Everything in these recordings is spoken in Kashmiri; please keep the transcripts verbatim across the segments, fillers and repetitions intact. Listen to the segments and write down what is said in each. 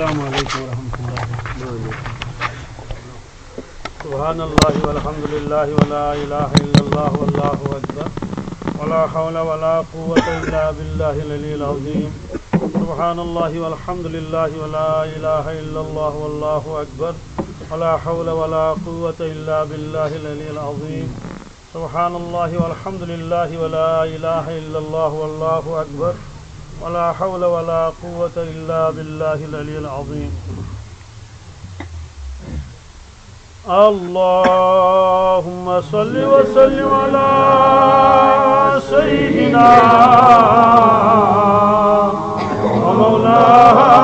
السلام عليكم ورحمة الله وبركاته. سبحان الله والحمد لله ولا إله إلا الله والله أكبر، ولا حول ولا قوة إلا بالله العلي العظيم. سبحان الله والحمد لله ولا إله إلا الله والله أكبر، ولا حول ولا قوة إلا بالله العلي العظيم. سبحان الله والحمد لله ولا إله إلا الله والله أكبر، ولا حول ولا قوة إلا بالله العلي العظيم. اللهم صل وسلم على سيدنا ومولانا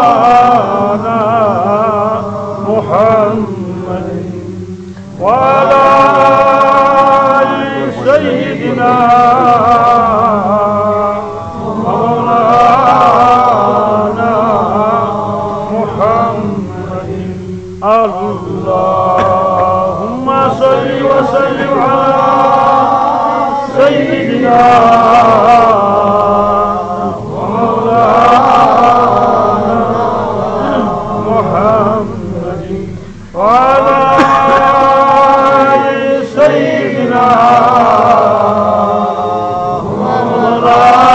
محمد وعلى آل سيدنا ومولانا محمد. اللهم صل وسلم على سيدنا ومولانا محمد وعلى آل سيدنا ومولانا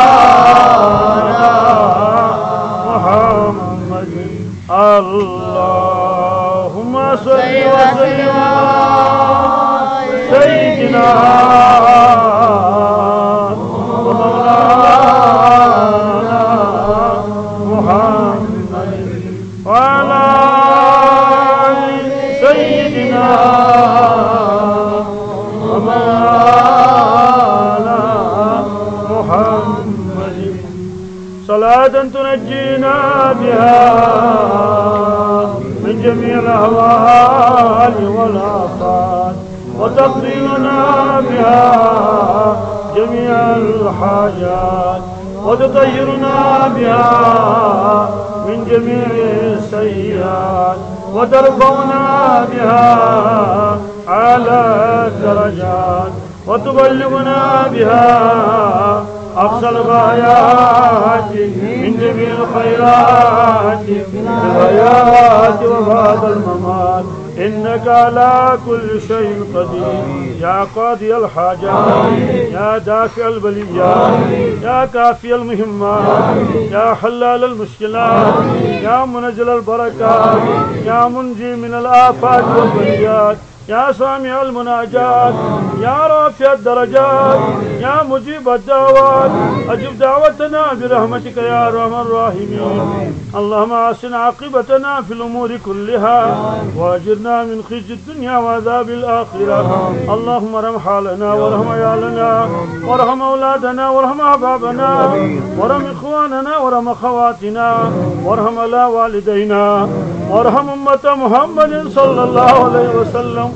محمد. اللهم صل وسلم على سيدنا ومولانا محمد وعلى آل سيدنا ومولانا محمد. صلاة تنجينا بها من جميع الأهوال والآفات، وتقضي لنا بها جميع الحاجات، وتطهرنا بها من جميع السيئات، وترفعنا بها أعلى الدرجات، وتبلغنا بها أقصى الغايات من جميع الخيرات في الحياة وبعد الممات، إنك على كل شيء قدير. يا قاضي الحاجات، يا دافع البليات، يا كافي المهمات، يا حلال المشكلات، يا منزل البركات، يا منجي من الآفات والبليات، يا سامع المناجات، يا رافع الدرجات، يا مجيب الدعوات، أجب دعوتنا برحمتك يا أرحم الراحمين. اللهم أحسن عاقبتنا في الأمور كلها، وأجرنا من خزي الدنيا وعذاب الآخرة. اللهم ارحم حالنا وارحم عيالنا وارحم أولادنا وارحم أحبابنا وارحم إخواننا وارحم أخواتنا وارحم على والدينا وارحم أمة محمد صلى الله عليه وسلم.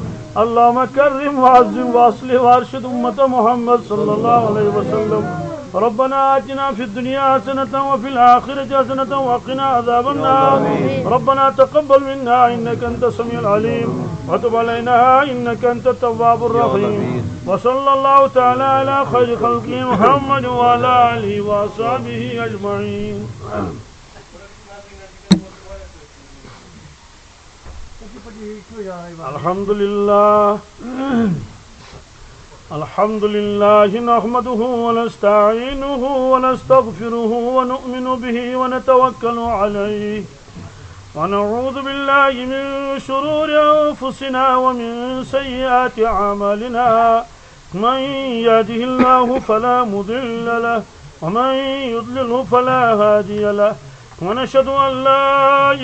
اللهم كرم وعظم وأصلح وأرشد أمة محمد صلى الله عليه وسلم. ربنا آتنا في الدنيا حسنة وفي الآخرة حسنة وقنا عذاب النار. ربنا تقبل منا إنك أنت السميع العليم وتب علينا إنك أنت التواب الرحيم. وصلى الله تعالى على خير خلقه محمد وعلى آله وأصحابه أجمعين. الحمد لله. الحمد لله نحمده ونستعينه ونستغفره ونؤمن به ونتوكل عليه ونعوذ بالله من شرور أنفسنا ومن سيئات أعمالنا. من يهده الله فلا مضل له ومن يضلله فلا هادي له. ونشهد أن لا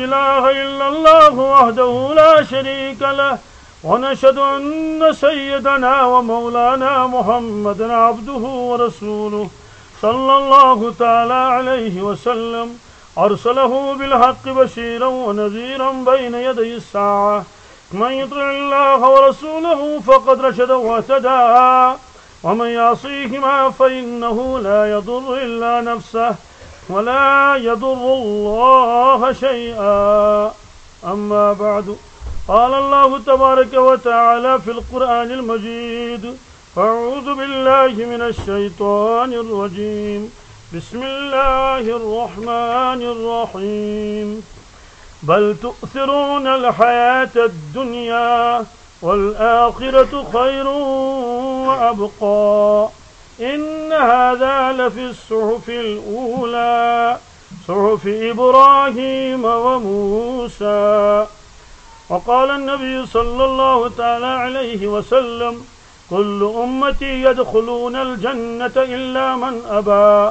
إله إلا الله وحده لا شريك له، ونشهد أن سيدنا ومولانا محمدا عبده ورسوله صلى الله تعالى عليه وسلم، أرسله بالحق بشيرا ونذيرا بين يدي الساعة. من يطع الله ورسوله فقد رشد واهتدى، ومن يعصيهما فإنه لا يضر إلا نفسه ولا يضر الله شيئا. أما بعد، قال الله تبارك وتعالى في القرآن المجيد: أعوذ بالله من الشيطان الرجيم. بسم الله الرحمن الرحيم. بل تؤثرون الحياة الدنيا والآخرة خير وأبقى. إن هذا لفي الصحف الأولى، صحف إبراهيم وموسى. وقال النبي صلى الله تعالى عليه وسلم: كل أمتي يدخلون الجنة إلا من أبى.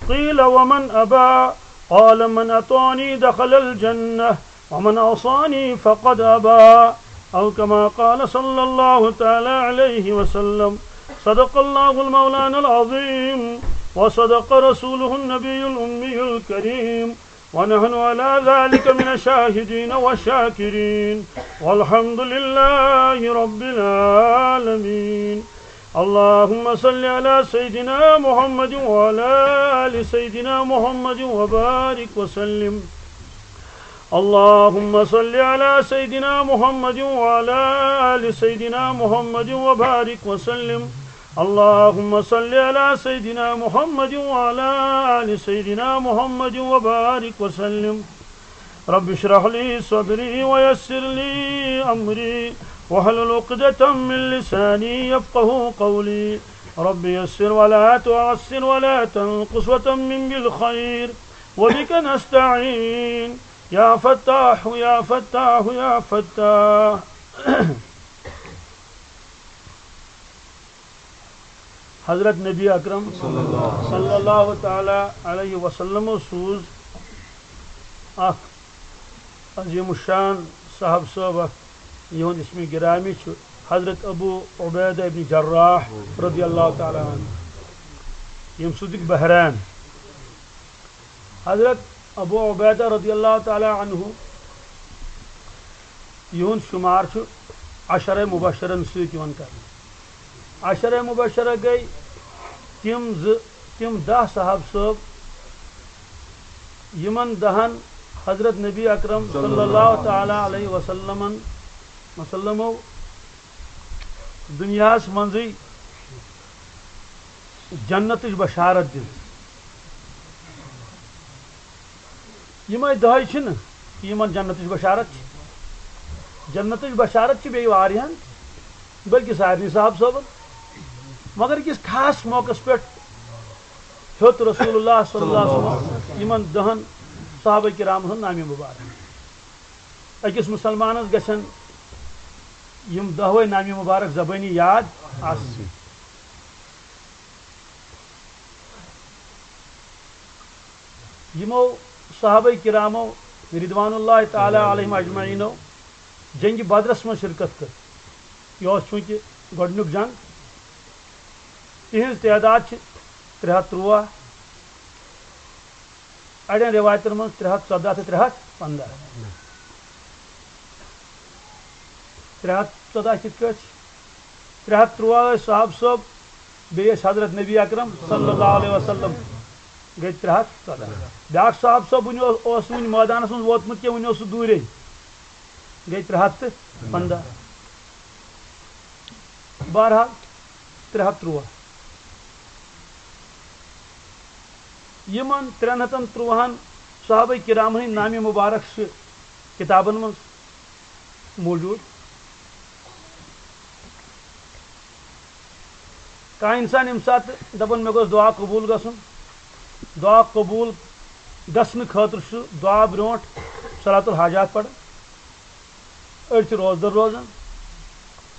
قيل: ومن أبى؟ قال: من أطاعني دخل الجنة، ومن عصاني فقد أبى. أو كما قال صلى الله تعالى عليه وسلم. صدق الله المولانا العظيم، وصدق رسوله النبي الأمي الكريم، ونحن على ذلك من الشاهدين والشاكرين، والحمد لله رب العالمين. اللهم صل على سيدنا محمد وعلى آل سيدنا محمد وبارك وسلم. اللهم صل على سيدنا محمد وعلى آل سيدنا محمد وبارك وسلم. اللهم صل على سيدنا محمد وعلى آل سيدنا محمد وبارك وسلم. رب اشرح لي صدري ويسر لي أمري واحلل عقدة من لساني يفقه قولي. رب يسر ولا تعسر ولا تنقص وتمم بالخير وبك نستعين. يا فتاح، يا فتاح، يا فتاح. حضرت نبی اکرم صلی اللہ تعالیٰ علیہ وسلم سوز اکھ عظیم الشان صاحب صٲب اکھ، یِہُنٛد اسمِ گرامی چھُ حضرت ابو عبیدہ ابن جراح رضی اللہ تعالیٰ عنہ، ییٚمہِ سۭتۍ بحرین۔ حضرت ابو عبیدہ رضی اللہ تعالیٰ عنہ، یِہُنٛد شُمار چھُ عشرہ مبشرن سۭتۍ یِوان کرنہٕ۔ عشرہ مبشرہ گٔے تِم زٕ، تِم دَہ صحابہٕ صٲب، یِمن دَہن حضرت نبی اکرم صلی اللہ تعالیٰ علیہ وسلمن، وسلمو دُنیاہس منٛزٕے جنتٕچ بشارت دِژ۔ یِمے دَہے چھِنہٕ یِمن جنتٕچ بشارت چھِ۔ جنتٕچ بشارت چھِ بیٚیہِ واریاہن، بلکہِ سارنٕے صحابہٕ صٲبن۔ مگر أکِس خاص موقعس پٮ۪ٹھ ہیوٚت رسول اللہ صلی اللہ علیہ وسلم یِمن دَہن صحابہ کرامن ہُنٛد نامِ مبارک۔ أکِس مُسلمانس گژھن یِم دَہوے نامِ مبارک زبٲنی یاد آسٕنۍ۔ یِمو صحابہ کرامو رضوان اللہ تعالیٰ علیہم اجمعینو جنگِ بدرس منٛز شرکت کٔر۔ یہِ اوس چوٗنٛکہِ گۄڈٕنیُک جنگ۔ تِہنٛز تعداد چھِ ترٛےٚ ہَتھ تُرٛواہ، اَڑٮ۪ن رِوایتَن منٛز ترٛےٚ ہَتھ ژۄداہ تہٕ ترٛےٚ ہَتھ پنٛداہ۔ ترٛےٚ ہَتھ ژۄداہ کِتھ کٲٹھۍ چھِ؟ ترٛےٚ ہَتھ تُرٛواہ ٲسۍ صحابہٕ صٲب، بیٚیہِ ٲسۍ حضرت نبی اکرم صلی اللہ علیہ وسلم، گٔے ترٛےٚ ہَتھ ژۄداہ۔ بیٛاکھ صحابہٕ صٲب وُنہِ اوس، اوس نہٕ وُنہِ مٲدانَس منٛز ووتمُت کینٛہہ، وُنہِ اوس سُہ دوٗرے، گٔے ترٛےٚ ہَتھ تہٕ پنٛداہ۔ بہرحال، ترٛےٚ ہَتھ تُرٛواہ۔ یِمن ترٛٮ۪ن ہَتَن تُرٛواہَن صحابہ کرامن ہٕنٛدۍ نامِ مبارک چھِ کِتابن منٛز موجود۔ کانٛہہ اِنسان ییٚمہِ ساتہٕ دَپان، "مےٚ گوٚژھ دُعا قبوٗل گژھُن"، دُعا قبوٗل گژھنہٕ خٲطرٕ چھُ دُعا برونٛٹھ صلاۃ الحاجات پَران۔ أڑۍ چھِ روزدَر روزان،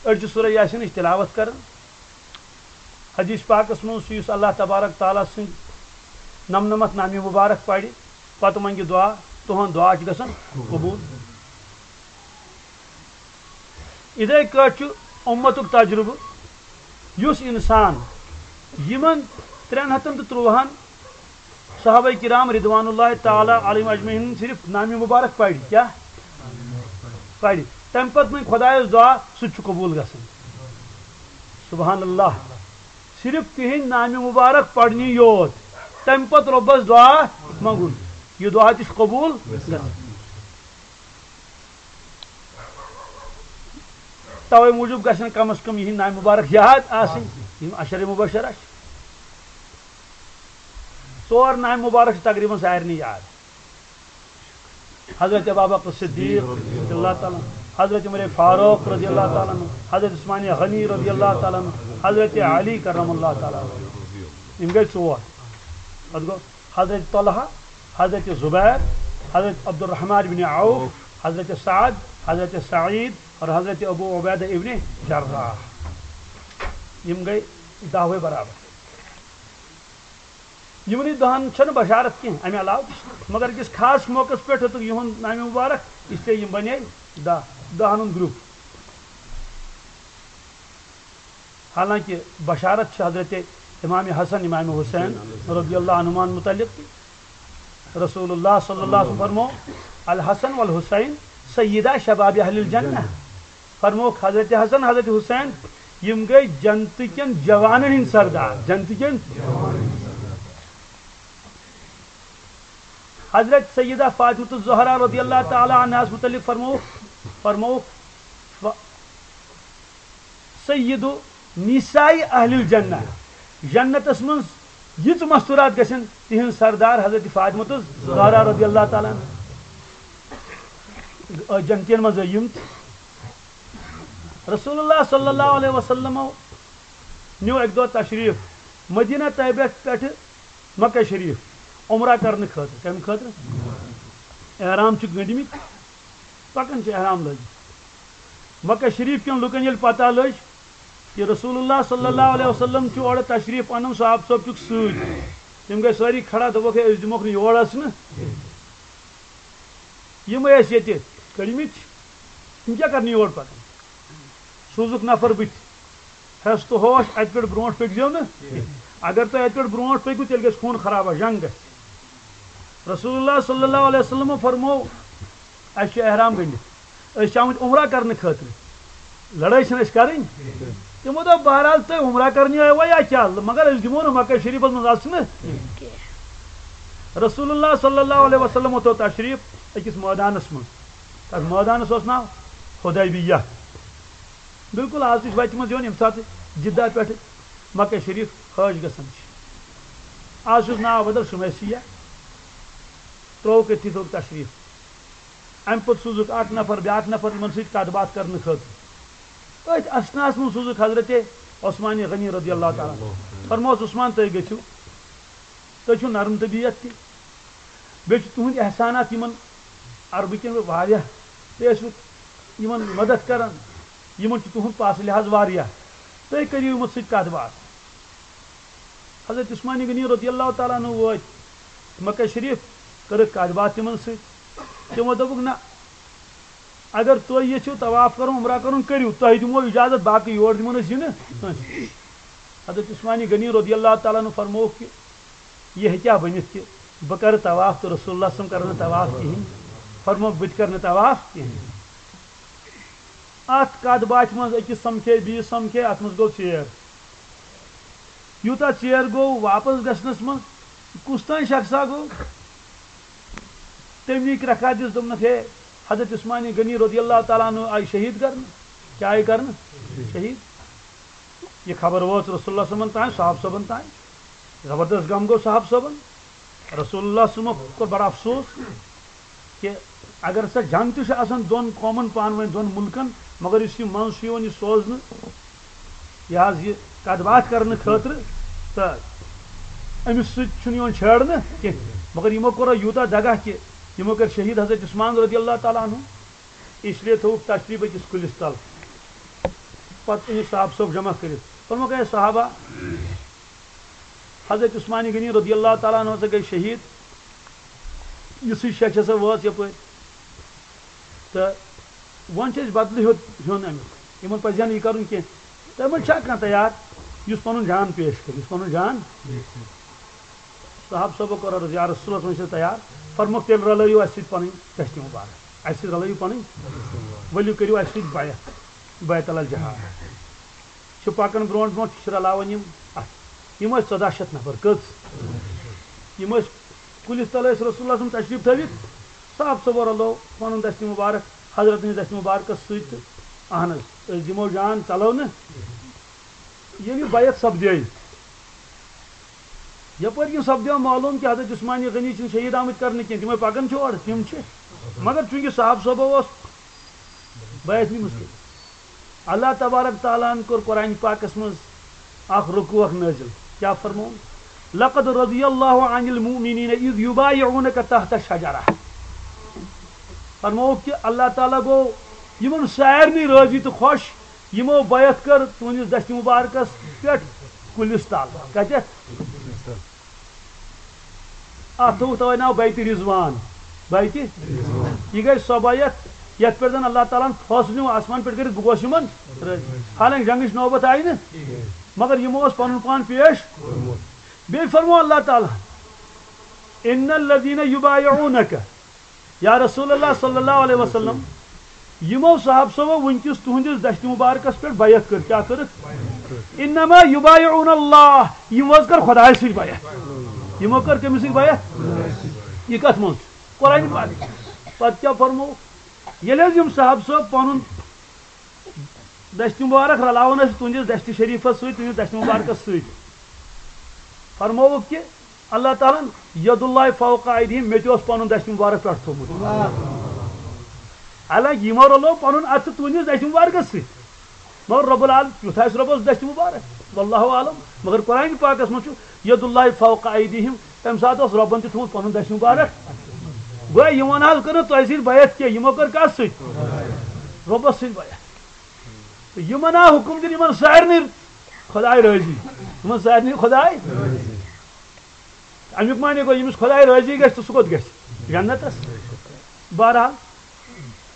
أڑۍ چھِ سورہ یاسینٕچ تِلاوت کران۔ حدیث پاکس منٛز چھُ، یُس اللہ تبارک تعالیٰ سٕنٛدۍ نَمنَمَتھ نامِ مبارک پَرِ، پتہٕ منٛگہِ دُعا، تُہُنٛد دُعا چھُ گژھان قبوٗل۔ یِتھَے کٲٹھۍ چھُ اُمتُک تجربہٕ، یُس اِنسان یِمن ترٛٮ۪ن ہَتَن تہٕ تُرٛواہَن صحابہ کرام رضوان اللہ تعالیٰ علیہم اجمعین صرف نامِ مبارک پَرِ، کیٛاہ پَرِ؟ تَمہِ پتہٕ منٛگہِ خۄدایَس دُعا، سُہ تہِ چھُ قبوٗل گژھان۔ سبحان اللہ۔ صرف تِہنٛدۍ نامِ مبارک پَرنہِ یوت، تَمہِ پتہٕ رۄبَس دُعا منٛگُن، یہِ دُعا تہِ چھُ قبوٗل گژھان۔ توے موٗجوٗب گژھن کم از کم یِہنٛدۍ نامِ مبارک یاد آسٕنۍ، یِم عشرِ مبشرہ چھِ۔ ژور نامِ مبارک چھِ تقریباً سارنٕے یاد۔ حضرت ابابکر صدیق رضی اللہ تعالیٰ عنہ، حضرت عمر فاروق رضی اللہ تعالیٰ عنہ، حضرت عثمان غنی رضی اللہ تعالیٰ عنہ، حضرت علی کرم اللہ تعالیٰ عنہ۔ یِم گٔے ژور۔ پتہٕ گوٚو حضرت طلحہ، حضرت زبیر، حضرت عبدالرحمن بن عوف، حضرت سعد، حضرت سعید اور حضرت ابو عبیدہ ابن جراح۔ یِم گٔے دَہوَے برابر۔ یِمنٕے دَہَن چھَنہٕ بشارت کینٛہہ، اَمہِ علاوٕ تہِ چھِ۔ مگر أکِس خاص موقعس پٮ۪ٹھ ہیوٚتُکھ یِہُنٛد نامہِ مُبارک، اس لیے یِم بنے دَہ، دَہَن ہُنٛد گروپ۔ حالانکہ بشارت چھِ حضرت امام حسن، امام حسین رضی اللہ عنہما متعلق تہِ۔ رسول اللہ صلی اللہ علیہ وسلم فرمو، "الحسن والحسین سیدا شباب اہل الجنہ"۔ فرموکھ، حضرت حسن، حضرت حسین، یِم گٔے جنتہٕ کٮ۪ن جوانن ہٕنٛدۍ سردار، جنتہٕ کٮ۪ن۔ حضرت سیدہ فاطمۃ الزہرا رضی اللہ تعالیٰ عنہاس متعلق فرموکھ، فرموکھ، ف-، سید نساء اہل الجنہ، جنتس منٛز یِژھ مستورات گژھن، تِہنٛز سردار حضرت فاطمۃ الزہرا رضی اللہ تعالیٰ عنہ۔ جنتین منٛز یِم تہِ۔ رسول اللہ صلی اللہ علیہ وسلمو نیو اکہِ دۄہ تشریف مدینہ طیبہ پٮ۪ٹھٕ مکہ شریف عمرہ کرنہٕ خٲطرٕ۔ کمہِ خٲطرٕ؟ احرام چھِ گٔنٛڈمٕتۍ، پکان چھِ احرام لٲگِتھ۔ مکہ شریف کٮ۪ن لُکن ییٚلہِ پتہ لٔج کہ رسول اللہ صلی اللہ علیہ وسلم چھُ اورٕ تشریف انان، صحابہ صٲب چھُکھ سۭتۍ، تِم گٔے سٲری کھڑا، دوٚپُکھ، "ہے، أسۍ دِموکھ نہٕ یور اژنہٕ۔" یِم ٲسۍ ییٚتہِ کٔڑمٕتۍ، یِم کیٛاہ کرنہِ یور پکان؟ سوٗزُکھ نفر بٕتھِ، ہٮ۪س تہٕ ہوش، اتہِ پٮ۪ٹھ برونٛٹھ پٔکۍ زیو نہٕ۔ اگر تُہۍ اتہِ پٮ۪ٹھ برونٛٹھ پٔکِو، تیٚلہِ گژھِ خوٗن خرابہ، جنگ گژھِ۔ رسول اللہ صلی اللہ علیہ وسلم فرموو، "اسہِ چھُ احرام گٔنڈِتھ، أسۍ چھِ آمٕتۍ عمرہ کرنہٕ خٲطرٕ، لڑٲے چھِنہٕ اَسہِ کرٕنۍ۔" تِمو دوٚپ، "بہرحال، تُہۍ عمرہ کرنہِ آیوا یا کیٛاہ؟ مگر أسۍ دِمو نہٕ مکہ شریفس منٛز اژنہٕ۔" رسول اللہ صلی اللہ علیہ وسلم ووت تشریف أکِس مٲدانس منٛز۔ تتھ مٲدانس اوس ناو حدیبیہ۔ بالکل آز تہِ چھِ وتہِ منٛز یِوان، ییٚمہِ ساتہٕ جدہ پٮ۪ٹھٕ مکہ شریف حٲج گژھان چھِ۔ آز چھُس ناو بدل شُمیسیہ۔ ترٛووُکھ أتھی تھوٚوُکھ تشریف۔ امہِ پتہٕ سوٗزُکھ اکھ نفر، بیٛاکھ نفر یِمن سۭتۍ کتھ باتھ کرنہٕ خٲطرٕ۔ أتھۍ اثناہس منٛز سوٗزُکھ حضرت عثمان غنی رضی اللہ تعالیٰ عنہ۔ فرموس، "عثمان، تُہۍ گٔژھِو، تُہۍ چھِو نرم طبیعت تہِ، بیٚیہِ چھِ تُہٕنٛدۍ احسانات یِمن عربہٕ کٮ۪ن واریاہ، تُہۍ ٲسِو یِمن مدد کران، یِمن چھُ تُہُنٛد پاسہٕ لحاظ واریاہ، تُہۍ کٔرِو یِمن سۭتۍ کتھ باتھ۔" حضرت عثمان غنی رضی اللہ تعالیٰ عنہ وٲتۍ مکہ شریف، کٔرٕکھ کتھ باتھ تِمن سۭتۍ۔ تِمو دوٚپُکھ، "نہ، اگر تُہۍ یژھِو طواف کرُن، عمرہ کرُن، کٔرِو، تۄہہِ دِمو اجازت، باقٕے یور دِمو نہٕ أسۍ یِنہٕ کٲنٛسہِ۔" حضرت عثمان غنی رضی اللہ تعالیٰ عنہ فرمووُکھ کہ یہِ ہیٚکیٛاہ بٔنِتھ کہ بہٕ کرٕ طواف تہٕ رسول اللہ صلی اللہ علیہ وسلم کرن نہٕ طواف کِہیٖنۍ؟ فرمووُکھ، "بہٕ تہِ کرٕ نہٕ طواف کِہیٖنۍ۔" اتھ کتھ باتھِ منٛز أکِس سمکھے، بیٚیِس سمکھے، اتھ منٛز گوٚو ژیر۔ یوٗتاہ ژیر گوٚو واپس گژھنس منٛز، کُس تام شخصا گوٚو۔ تمہِ وِکۍ رکھا دِژ، دوٚپنکھ، "ہے، حضرت عثمان غنی رضی اللہ تعالیٰ عنہ آیہِ شہید کرنہٕ۔" کیٛاہ آیہِ کرنہٕ؟ شہید۔ یہِ خبر وٲژ رسول اللہ صٲبن تام، صحابہٕ صٲبن تام۔ زبردست غم گوٚو صحابہٕ صٲبن۔ رسول اللہ صٲبن کوٚر بڑٕ افسوس کہ اگر سا جنگ تہِ چھِ آسان دۄن قومن پانہٕ ؤنۍ، دۄن مُلکن، مگر یُس یہِ منٛز چھُ یِوان یہِ سوزنہٕ، یہِ حظ یہِ کتھ باتھ کرنہٕ خٲطرٕ، تہٕ أمِس سۭتۍ چھُنہٕ یِوان چھیڑنہٕ کینٛہہ۔ مگر یِمو کوٚر یوٗتاہ دگہ کہ یِمو کٔرۍ شہید حضرت عثمان رضی اللہ تعالیٰ عنہ، اس لیے تھوٚوُکھ تشریف أکِس کُلِس تل۔ پتہٕ أنِکھ صحابہٕ صٲب جمع کٔرِتھ، فرمووُکھ، "اے صحابہ، حضرت عثمان غنی رضی اللہ تعالیٰ عنہ ہسا گٔے شہید، یِژھٕے شیٚچھ ہسا وٲژ یپٲرۍ۔ تہٕ وۄنۍ چھِ أسۍ بدلہٕ ہیوٚت ہیوٚن امیُک۔ یِمن پزِ ہا نہٕ یہِ کرُن کینٛہہ۔ تۄہہِ منٛز چھا کانٛہہ تیار یُس پنُن جان پیش کرِ، یُس پنُن جان؟" صحابہٕ صٲبو کوٚر عرض، "یا رسول اللہ، وۄنۍ چھِ أسۍ تیار۔" فرمووُکھ، "تیٚلہِ رلٲیِو اَسہِ سۭتۍ پنٕنۍ دستہِ مُبارک، اَسہِ سۭتۍ رلٲیِو پنٕنۍ، ؤلِو کٔرِو اَسہِ سۭتۍ بیعت، بیعت علی الجہاد۔" چھِ پکان برونٛٹھ برونٛٹھ، چھِ رلاوان یِم اتھ۔ یِم ٲسۍ ژۄداہ شیٚتھ نفر۔ کٔژ؟ یِم ٲسۍ کُلِس تل ٲسۍ رسول اللہ صلی اللہ علیہ وسلم تشریف تھٲوِتھ۔ صاحب صٲبو رلوو پنُن دستہِ مبارک حضرت نِس دستہِ مبارکس سۭتۍ تہٕ اہن حظ، أسۍ دِمو جان، ژلو نہٕ۔ ییٚلہِ یہِ بیعت سپدے، یپٲرۍ کِنۍ سپدیو معلوم کہِ حضرت عثمان غنی چھِنہٕ شہید آمٕتۍ کرنہٕ کینٛہہ، تِمے پکان چھِ اورٕ، تِم چھِ۔ مگر چونکہ صاحب صٲبو اوس بیعت نِمٕژ کٔرِتھ، اللہ تبارک تعالیٰ ہن کوٚر قرآن پاکس منٛز اکھ رکوع اکھ نٲزِل۔ کیٛاہ فرمووُن؟ لقد رضی اللہ عن المؤمنین اذ یبایعونک تحت الشجرہ۔ فرمووُکھ کہِ اللہ تعالیٰ گوٚو یِمن سارنٕے رٲضی تہٕ خۄش، یِمو بیعت کٔر تُہنٛدِس دستِ مُبارکس پٮ۪ٹھ کُلِس تل۔ کتٮ۪تھ؟ اتھ تھوٚوُکھ توے ناو بیت رضوان۔ بیت، یہِ گٔے سۄ بیعت یتھ پٮ۪ٹھ زن اللہ تعالیٰ ہن فٲصلہٕ نیوٗ آسمان پٮ۪ٹھ کٔرِتھ، بہٕ گوس یِمن رٲضی۔ حالانکہ جنگٕچ نوبت آیہِ نہٕ، مگر یِمو اوس پنُن پان پیش۔ بیٚیہِ فرموو اللہ تعالیٰ ہن، ان الذین یبایعونک، یا رسول اللہ صلی اللہ علیہ وسلم، یِمو صاحب صٲبو وٕنکیٚس تُہنٛدِس دستِ مُبارکس پٮ۪ٹھ بیعت کٔر، کیٛاہ کٔرٕکھ؟ انما یبایعون اللہ، یِمو حظ کٔر خۄدایَس سۭتۍ بیعت۔ یِمو کٔر کٔمِس سۭتۍ بیعت؟ یہِ کتھ منٛز چھُ؟ قرآن پاک۔ پتہٕ کیٛاہ فرموو؟ ییٚلہِ حظ یِم صاحب صٲب پنُن دستِ مُبارک رلاوان ٲسۍ تُہنٛدِس دستِ شریٖفس سۭتۍ، تُہنٛدِس دستِ مُبارکس سۭتۍ، فرمووُکھ کہِ اللہ تعالیٰ ہن ید اللہ فوق ایدیہم، مےٚ تہِ اوس پنُن دستِ مُبارک پٮ۪ٹھ تھوٚومُت۔ حالانکہ یِمو رلوو پنُن اتھٕ تُہنٛدِس دستِ مُبارکس سۭتۍ، مگر رب العالم، یُتھ آسہِ رۄبس دستِ مُبارک، واللہ عالم۔ مگر قرآن پاکس منٛز چھُ ید اللہ فوق ایدیہم، تمہِ ساتہٕ اوس رۄبن تہِ تھوٚومُت پنُن دستِ مُبارک۔ گویا یِمن حظ کٔر نہٕ تۄہہِ سۭتۍ بیعت کینٛہہ، یِمو کٔر کتھ سۭتۍ؟ رۄبس سۭتۍ بیعت۔ تہٕ یِمن آو حُکُم دِنہٕ، یِمن سارنٕے خۄداے رٲضی، یِمن سارنٕے خۄداے۔ اَمیُک معنی گوٚو، ییٚمِس خۄداے رٲضی گژھِ، تہٕ سُہ کوٚت گژھِ؟ جنتس۔ بہرحال،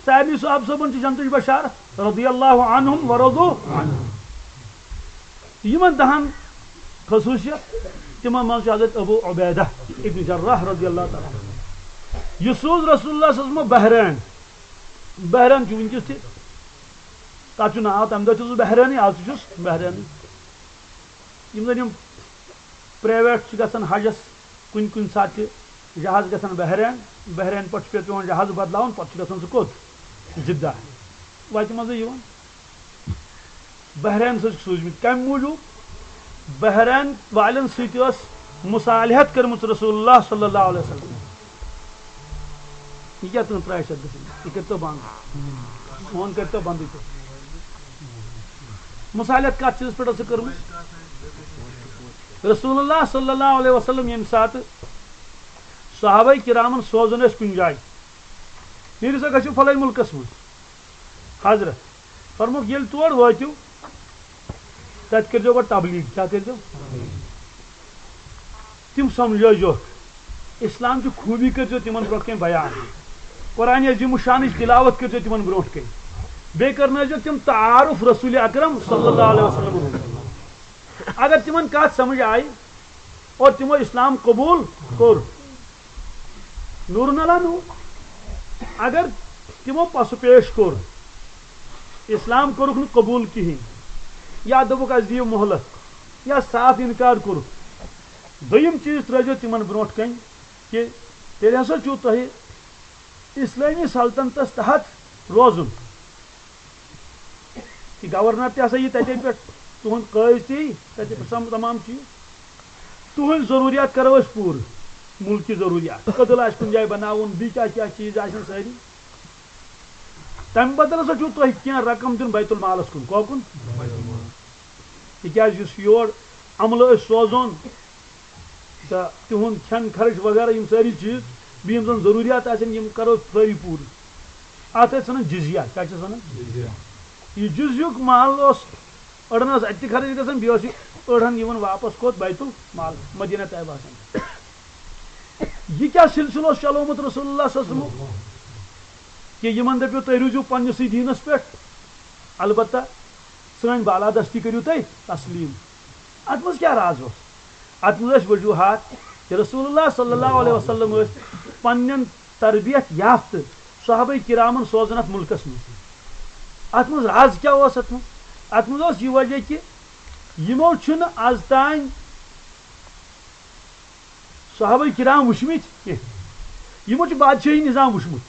سارنٕے صحابہٕ صٲبن چھِ جنتٕچ بشارت، رضی اللہ عنہم ورضوا عنہ۔ یِمن دہن خصوٗصیت، تِمن منٛز چھُ حضرت ابو عبیدہ ابن جراح رضی اللہ تعالیٰ عنہ۔ یہِ سوٗز رسول اللہ صلی اللہ علیہ وسلم بحرین۔ بحرین چھُ وٕنکیٚس تہِ، تَتھ چھُ ناو، تَمہِ دۄہ تہِ اوسُس بحرینٕے، آز تہِ چھُس بحرینٕے۔ یِم زَن یِم پرٛایویٹ چھِ گژھان حجَس، کُنہِ کُنہِ ساتہٕ چھِ جہاز گژھان بحرین، بحرین پٮ۪ٹھ چھُ پٮ۪وان جہاز بدلاوُن، پَتہٕ چھُ گژھان سُہ کوٚت؟ جدہ۔ وَتہِ منٛزٕے یِوان۔ بحرین سۭتۍ چھُکھ سوٗزمٕتۍ۔ کَمہِ موٗجوٗب؟ بحرین والٮ۪ن سۭتۍ ٲس مصالحت کٔرمٕژ رسول اللہ صلی اللہ علیہ وسلم۔ یہِ کیٛاہ تُہُنٛد ترٛایہِ چھِ اَتھ گژھان؟ یہِ کٔرۍتو بنٛد۔ فون کٔرۍتو بنٛدٕے تُہۍ۔ مصالحت کَتھ چیٖزَس پٮ۪ٹھ ٲسٕکھ کٔرمٕژ؟ رسول اللہ صلی اللہ علیہ وسلم ییٚمہِ ساتہٕ صحابہ کرامن سوزان ٲسۍ کُنہِ جایہِ، نیٖرِو سا گژھِو فلٲنۍ مُلکس منٛز۔ حضرت فرمووُکھ، ییٚلہِ تور وٲتِو، تتہِ کٔرۍزیو گۄڈٕ تبلیغ۔ کیٛاہ کٔرۍزیو؟ تِم سمجھٲوزیوکھ۔ اسلام چہِ خوٗبی کٔرۍزیو تِمن برونٛٹھ کنہِ بیان۔ قرآن عظیم الشانٕچ تلاوت کٔرۍزیو تِمن برونٛٹھ کنہِ۔ بیٚیہِ کرنٲوزیو تِم تعارف رسول اکرم صلی اللہ علیہ وسلم۔ اگر تِمن کتھ سمجھ آیہِ اور تِمو اسلام قبول کوٚر، نورن علیٰ نور۔ اگر تِمو پسہٕ پیش کوٚر، اسلام کوٚرُکھ نہٕ قبول کِہینۍ، یا دوٚپُکھ، "اسہِ دِیِو مۄہلت"، یا صاف انکار کوٚرُکھ، دوٚیِم چیٖز ترٲوزیو تِمن برونٛٹھ کنہِ کہِ تیٚلہِ ہسا چھُو تۄہہِ اسلٲمی سلطنتس تحت روزُن۔ یہِ گورنر تہِ ہسا یہِ تتے پٮ۪ٹھ، تُہُنٛد قٲضۍ تہِ یی تتے پٮ۪ٹھ، سم-، تمام چیٖز۔ تُہٕنٛز ضروٗریات کرو أسۍ پوٗرٕ، مُلکی ضروٗریات، کٔدٕل آسہِ کُنہِ جایہِ بناوُن، بیٚیہِ کیٛاہ کیٛاہ چیٖز آسن سٲری۔ تمہِ بدلہٕ ہسا چھُو تۄہہِ کینٛہہ رقم دیُن بیت المالس کُن۔ کۄکُن؟ تِکیٛازِ یُس یور عملہٕ أسۍ سوزون، تہٕ تِہُنٛد کھٮ۪ن خرٕچ وغیرہ، یِم سٲری چیٖز، بیٚیہِ یِم زَن ضروٗریات آسن، یِم کَرو سٲری پوٗرٕ۔ اَتھ ٲسۍ وَنان جزیہ۔ کیٛاہ چھِ اَتھ وَنان؟ جزیہ۔ یہِ جزیُک مال اوس أڑہَن ٲس اَتہِ تہِ خرٕچ گژھان، بیٚیہِ اوس یہِ أڑہَن یِوان واپَس کوٚت؟ بیت المال، مدینہ طیبہ آسان۔ یہِ کیٛاہ سلسلہٕ اوس چلومُت رسول اللہ صلی اللہ علیہ وسلم، کہِ یِمَن دٔپِو، "تُہۍ روٗزِو پنٛنِسٕے دیٖنَس پٮ۪ٹھ، البتہ سٲنۍ بالادستی کٔرِو تُہۍ تسلیٖم"؟ اتھ منٛز کیٛاہ راز اوس؟ اتھ منٛز ٲسۍ وجوہات کہِ رسول اللہ صلی اللہ علیہ وسلم ٲسۍ پننٮ۪ن تربیت یافتہٕ صحابہ کرامن سوزان اتھ ملکس منٛز۔ اتھ منٛز راز کیٛاہ اوس؟ اتھ منٛز، اتھ منٛز اوس یہِ وجہ کہِ یِمو چھُنہٕ از تام صحابہ کرام وٕچھمٕتۍ کینٛہہ۔ یِمو چھُ بادشاہی نظام وٕچھمُت۔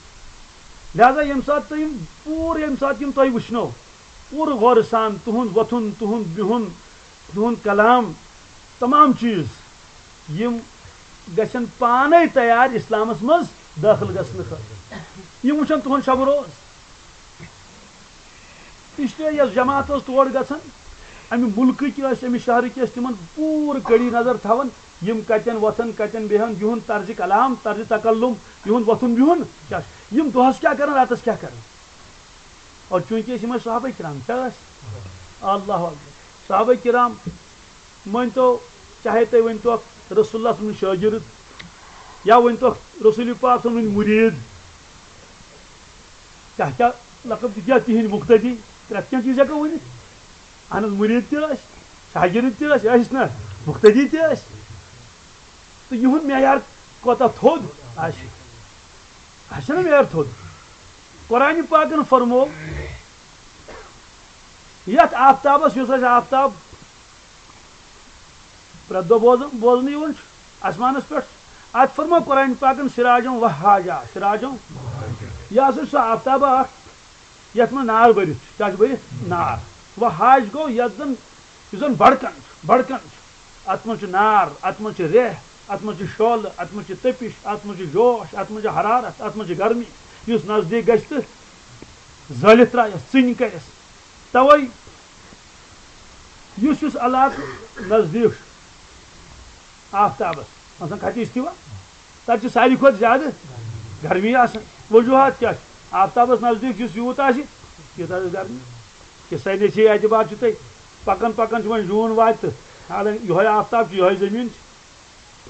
لہذا ییٚمہِ ساتہٕ تُہۍ یِم پوٗرٕ، ییٚمہِ ساتہٕ یِم تۄہہِ وٕچھنو، پوٗرٕ غورٕ سان تُہُنٛد وۄتھُن، تُہُنٛد بِہُن، تُہُنٛد کلام، تمام چیٖز، یِم گژھن پانے تیار اسلامس منٛز دٲخل گژھنہٕ خٲطرٕ۔ یِم وٕچھن تُہُنٛد شب روز۔ اس لیے یۄس جماعت ٲس تور گژھان، امہِ مُلکٕکۍ ٲسۍ، امہِ شہرٕکۍ ٲسۍ، تِمن پوٗرٕ کٔڑی نظر تھاوان، یِم کتٮ۪ن وۄتھن، کتٮ۪ن بیہن، یِہُنٛد طرزِ کلام، طرزِ تکلم، یِہُنٛد وۄتھُن بِہُن کیٛاہ چھُ، یِم دۄہس کیٛاہ کران، راتس کیٛاہ کران۔ اور چوٗنٛکہِ أسۍ یِم ٲسۍ صحابہ کرام، کیٛاہ ٲسۍ؟ اللہ اکبر۔ صحابہ کرام، مٲنۍ تو، چاہے تُہۍ ؤنۍتوکھ رسول اللہ سٕنٛدۍ شٲگِرد، یا ؤنۍتوکھ رسول پاک سٕنٛدۍ مُریٖد، کیٛاہ کیٛاہ لقب دِتھ یا تِہِنٛدۍ مُقتدی، پرٛٮ۪تھ کینٛہہ چیٖز ہٮ۪کو ؤنِتھ۔ اہن حظ، مُریٖد تہِ ٲسۍ، شاگِرد تہِ ٲسۍ، ٲسۍ نہ، مُقتدی تہِ ٲسۍ۔ تہٕ یِہُنٛد معیار کوٗتاہ تھوٚد آسہِ، آسہِ نہ معیار تھوٚد؟ قرآنِ پاکن فرموو، یتھ آفتابس، یُس اسہِ آفتاب پرٛٮ۪تھ دۄہ بوزن، بوزنہٕ یِوان چھُ آسمانس پٮ۪ٹھ، اتھ فرموو قرآنِ پاکن سراجا وہاجا، سراجا، یہِ ہسا چھُ سُہ آفتابا اکھ یتھ منٛز نار بٔرِتھ چھُ۔ کیٛاہ چھُ بٔرِتھ؟ نار۔ وہاج گوٚو یتھ زن، یُس زن بڑکن چھُ، بڑکن چھُ۔ اتھ منٛز چھُ نار، اتھ منٛز چھُ ریٚہہ، اتھ منٛز چھُ شعلہٕ، اتھ منٛز چھُ تٔپِش، اتھ منٛز چھُ جوش، اتھ منٛز چھُ حرارت، اتھ منٛز چھِ گرمی، یُس نزدیٖک گژھِ تہٕ زٲلِتھ ترٛایَس، ژٕنہِ کَرٮ۪س۔ تَوَے یُس یُس علاقہٕ نزدیٖک چھُ آفتابَس، مثلاً کھٹی استوا، تَتہِ چھِ ساروی کھۄتہٕ زیادٕ گرمی آسان۔ وجوہات کیٛاہ چھِ؟ آفتابَس نزدیٖک یُس یوٗت آسہِ، تیٖژاہ آسہِ گرمی۔ کہِ ساینسی اعتبار چھُ تۄہہِ پَکان پَکان چھُ وۄنۍ جوٗن واتہِ تہٕ حالانکہِ یِہوٚے آفتاب چھُ، یِہوٚے زٔمیٖن چھِ۔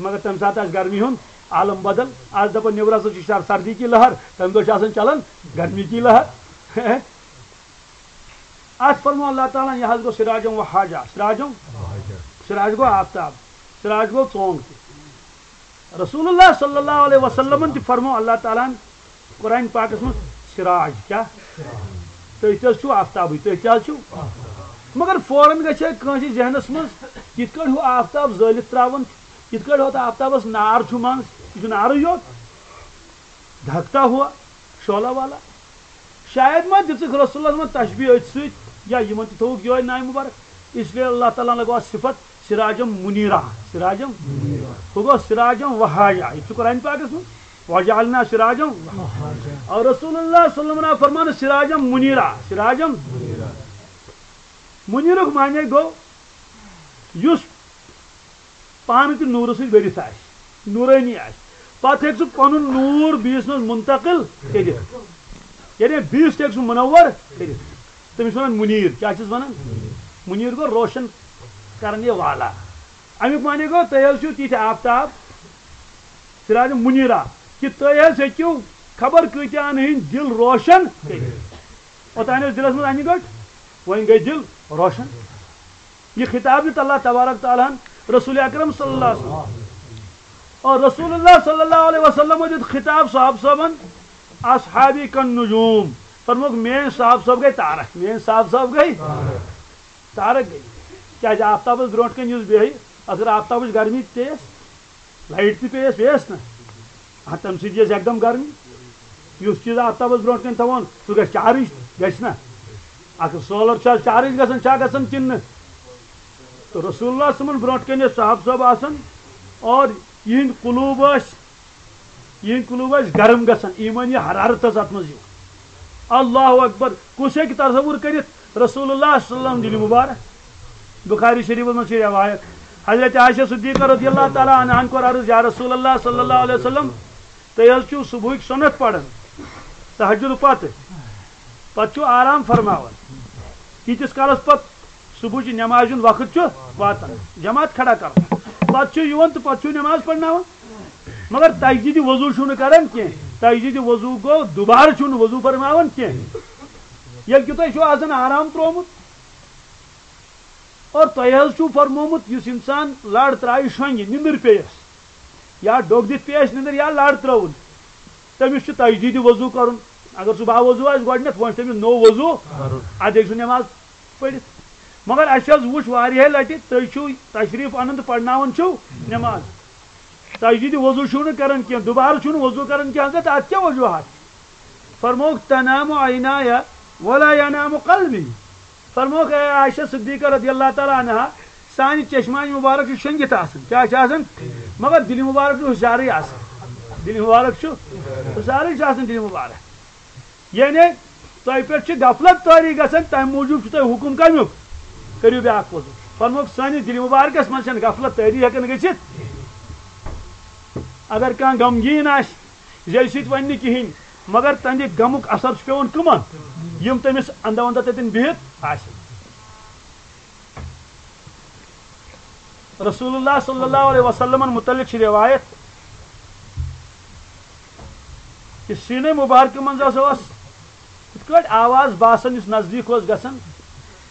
مگر تمہِ ساتہٕ آسہِ گرمی ہُنٛد عالم بدل۔ آز دپان نیبرٕ ہسا چھِ شر-، سردی کی لہر، تمہِ دۄہ چھِ آسان چلان گرمی کی لہر۔ اتھ فرموو اللہ تعالیٰ ہن، یہِ حظ گوٚو سراجم و حاجہ۔ سراجم، سراج گوٚو آفتاب، سراج گوٚو ژونگ تہِ۔ رسول اللہ صلی اللہ علیہ وسلمن تہِ فرموو اللہ تعالیٰ ہن قرآن پاکس منٛز، سراج کیٛاہ؟ تُہۍ تہِ حظ چھِو آفتابٕے، تُہۍ تہِ حظ چھِو۔ مگر فوراً گژھِ ہے کٲنٛسہِ ذہنس منٛز، یِتھ کٲٹھۍ ہُہ آفتاب زٲلِتھ ترٛاوان چھُ، یِتھ کٲٹھۍ ہُتھ آفتابس نار چھُ منٛز، یہِ چھُ نارٕے یوت، دھکتا ہوا، شعلہ والا۔ شاید ما دِژٕکھ رسول اللہ صلی اللہ علیہ وسلمن تشبیہ أتھۍ سۭتۍ، یا یِمن تہِ تھوٚوُکھ یِہوٚے ناوِ مبارک۔ اس لیے اللہ تعالیٰ ہن لگوو اتھ صفت سراجم منیرا، سراجم۔ ہُہ گوٚو سراجم وہاجا، یہِ تہِ چھُ قرآن پاکس منٛز، وجعلنا سراجم۔ اور رسول اللہ صلی اللہ علیہ وسلم فرمان سراجم منیرا، سراجم۔ منیرُک معنی گوٚو یُس پانہٕ تہِ نوٗرٕ سۭتۍ بٔرِتھ آسہِ، نوٗرٲنی آسہِ، پتہٕ ہیٚکہِ سُہ پنُن نوٗر بیٚیِس منٛز منتقل کٔرِتھ، یعنی بیٚیِس تہِ ہیٚکہِ سُہ منور کٔرِتھ۔ تٔمِس چھِ وَنان مُنیٖر۔ کیٛاہ چھِس وَنان؟ مُنیٖر گوٚو روشن کرنے والا۔ اَمیُک معنی گوٚو، تُہۍ حظ چھِو تِتھۍ آفتاب، سراج منیرا، کہِ تُہۍ حظ ہیٚکِو خبر کۭتیاہن ہٕنٛدۍ دِل روشن کٔرِتھ۔ اوٚتام ٲسۍ دِلس منٛز انہِ گٔٹ، وۄنۍ گٔے دِل روشن۔ یہِ خطاب دیُت اللہ تبارک تعالیٰ ہن رسول اکرم صلی اللہ علیہ وسلم۔ اور رسول اللہ صلی اللہ علیہ وسلم دیُت خطاب صحابہ صٲبن، اصحابی کن نجوم۔ فرموکھ، میٲنۍ صحابہ صٲب گٔے تارک، میٲنۍ صحابہ صٲب گٔے تارک گٔے۔ کیازِ آفتابس برونٛٹھ کنہِ یُس بیہہِ، اگر آفتابٕچ گرمی پیٚیس، لایٹ تہِ پیٚیس، پیٚیس نہ؟ آ، تَمہِ سۭتۍ یِیَس یکدم گرمی۔ یُس چیٖز آفتابس برونٛٹھ کنہِ تھاوون، سُہ گژھِ چارج، گژھِ نہ؟ اگر سولر چھا چارج گژھان، چھا گژھان کِنہٕ نہٕ؟ تہٕ رسول اللہ صٲبن برونٛٹھ کنہِ ٲسۍ صحابہ صٲب آسان اور یِہنٛدۍ قلوب ٲسۍ، یِہنٛدۍ قلوب ٲسۍ گرم گژھان، ایمٲنی حرارت ٲس اتھ منٛز یِوان۔ اللہ اکبر، کُس ہیٚکہِ تصور کٔرِتھ؟ رسول اللہ صلی اللہ علیہ وسلم دِلہِ مبارک۔ بخاری شریفس منٛز چھِ روایت، حضرت عائشہ صدیقہ رضی اللہ تعالیٰ عنہان کوٚر عرض، یا رسول اللہ صلی اللہ علیہ وسلم، تُہۍ حظ چھِو صبحٕکۍ سُنت پران تہجد پتہٕ، پتہٕ چھِو آرام فرماوان، ییٖتِس کالس پتہٕ صبحٕچہِ نمازِ ہُنٛد وقت چھُ واتان، جماعت کھڑا کران، پتہٕ چھِو یِوان تہٕ پتہٕ چھِو نماز پرناوان۔ مگر تجدید وضو چھُو نہٕ کران کینٛہہ۔ تجدید وضو گوٚو، دوبارٕ چھُو نہٕ وضو فرماوان کینٛہہ۔ ییٚلہِ کہِ تۄہہِ چھُو آسان آرام ترٛوومُت اور تۄہہِ حظ چھُو فرمومُت، یُس انسان لڑ ترٛایہِ شۄنٛگہِ، نِندٕر پیٚیَس، یا ڈوٚگ دِتھ پیٚیَس نِندٕر یا لڑ ترٛٲوٕن، تٔمِس چھُ تجدید وضو کرُن۔ اگر سُہ با وضو آسہِ گۄڈٕنٮ۪تھ، وۄنۍ چھُ تٔمِس نوٚو وضو، اَدٕ ہیٚکہِ سُہ نٮ۪ماز پٔرِتھ۔ مگر اَسہِ حظ وُچھ واریاہہِ لٹہِ، تُہۍ چھِو تشریف انان تہٕ پرناوان چھِو نٮ۪ماز۔ تجدید وضو چھِو نہٕ کران کینٛہہ، دوبارٕ چھِو نہٕ وضو کران کینٛہہ۔ حضرت، اَتھ کیٛاہ وجوہات؟ فرمووُکھ، "تنام عینایا ولا ینام قلبی۔" فرمووُکھ، اے عائشہ صدیقہ رضی اللہ تعالیٰ عنہا، سانہِ چشمانہِ مبارک چھِ شۄنٛگِتھ آسان۔ کیٛاہ چھِ آسان؟ مگر دِلہِ مُبارک چھُ ہُشارٕے آسان۔ دِلہِ مُبارک چھُ ہُشارٕے چھُ آسان دِلہِ مُبارک۔ یعنی تۄہہِ پٮ۪ٹھ چھِ غفلت طٲری گژھان، تَمہِ موٗجوٗب چھُ تۄہہِ حُکُم کَمیُک؟ کٔرِو بیٛاکھ وضوٗ۔ فرمووُکھ، سٲنِس دِلہِ مُبارکَس منٛز چھَنہٕ غفلت طٲری ہٮ۪کان گٔژھِتھ۔ اگر کانٛہہ غمگیٖن آسہِ، زیٚوِ سۭتۍ وَنہِ نہٕ کِہیٖنۍ، مگر تَمہِ غمُک اثر چھُ پٮ۪وان کٕمَن؟ یِم تٔمِس اَنٛدٕ اَنٛدٕ تَتٮ۪ن بِہِتھ آسن۔ رسول اللہ صلی اللہ علیہ وسلمن متعلق چھِ روایت کہ سینے مبارکہ منٛز ہسا اوس یِتھ کٲٹھۍ آواز باسان، یُس نزدیٖک اوس گژھان،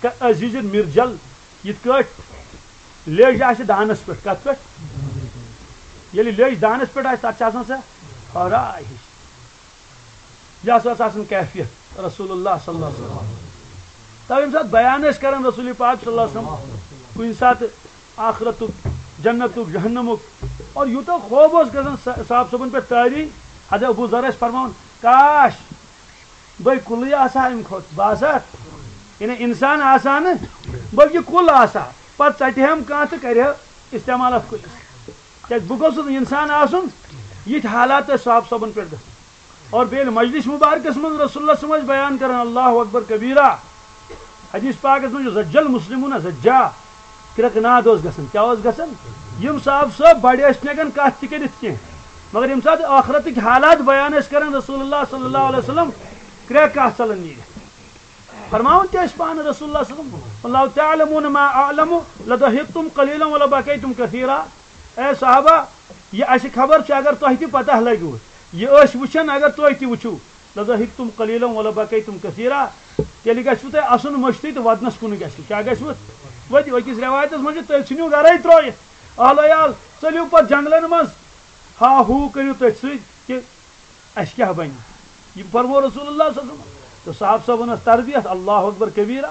کہ عزیز مرجل، یِتھ کٲٹھۍ لیٚج آسہِ دانس پٮ۪ٹھ۔ کتھ پٮ۪ٹھ؟ ییٚلہِ لیٚج دانس پٮ۪ٹھ آسہِ، تتھ چھِ آسان سۄ ہورا ہِش۔ یہِ ہسا ٲس آسان کیفیت رسول اللہ صلی اللہ علیہ وسلم۔ تو ییٚمہِ ساتہٕ بیان ٲسۍ کران رسول پاک صلی اللہ علیہ وسلم، کُنہِ ساتہٕ آخرتُک، جنتُک، جہنمُک، اور یوٗتاہ خوف اوس گژھان صا-، صاحب صٲبن پٮ۪ٹھ طٲری، حضرت ابو ذر ٲسۍ فرماوان، کاش بہٕ کُلٕے آسہٕ ہا اَمہِ کھۄتہٕ، بہٕ آسہٕ ہا، یعنی انسان آسہٕ ہا نہٕ، بلکہِ کُل آسہٕ ہا، پتہٕ ژٹہِ ہم کانٛہہ تہٕ کرِ ہا استعمال اتھ کُلِس۔ کیازِ بہٕ گوٚژھُس نہٕ انسان آسُن، یِتھۍ حالات ٲسۍ صاحب صٲبن پٮ۪ٹھ گژھان۔ اور بیٚیہِ ییٚلہِ مجلس مبارکس منٛز رسول اللہ صلی اللہ علیہ وسلم ٲسۍ بیان کران، اللہ اکبر کبیرہ، حدیث پاکس منٛز چھُ، زجل مسلمون زجا، کرٛٮ۪کہٕ ناد اوس گژھان۔ کیٛاہ اوس گژھان؟ یِم صاحب صٲب بڑِ ٲسۍ نہٕ ہٮ۪کان کتھ تہِ کٔرِتھ کینٛہہ، مگر ییٚمہِ ساتہٕ ٲخرتٕکۍ حالات بیان ٲسۍ کران رسول اللہ صلی اللہ علیہ وسلم، کرٛٮ۪کھ آسہٕ ژلان نیٖرِتھ۔ فرماوان تہِ ٲسۍ پانہٕ رسول اللہ صلی اللہ علیہ وسلم، "لو تعلمون ما اعلم لضحكتم قليلا ولبكيتم كثيرا"۔ اے صحابہ، یہِ اَسہِ خبر چھِ، اگر تۄہہِ تہِ پتہ لگِوٕ، یہِ أسۍ وٕچھن، اگر تُہۍ تہِ وٕچھِو، "لضحكتم قليلا ولبكيتم كثيرا"، تیٚلہِ گژھِوٕ تۄہہِ اَسُن مٔشتٕے تہٕ وَدنَس کُن گژھِوٕ۔ کیٛاہ گژھِوٕ؟ وَدِ۔ أکِس رٮ۪وایتَس منٛز چھُ، "تُہۍ ژھٕنِو گَرَے ترٛٲیِتھ، اہل عیال، ژٔلِو پَتہٕ جنٛگلَن منٛز، ہا ہوٗ کٔرِو تٔتھۍ سۭتۍ کہِ اَسہِ کیٛاہ بَنہِ؟" یہِ فرموو رسول اللہ صلی اللہ علیہ وسلم۔ تہٕ صاحب صٲبَن ٲس تربیت، اللہ اکبر کبیرہ۔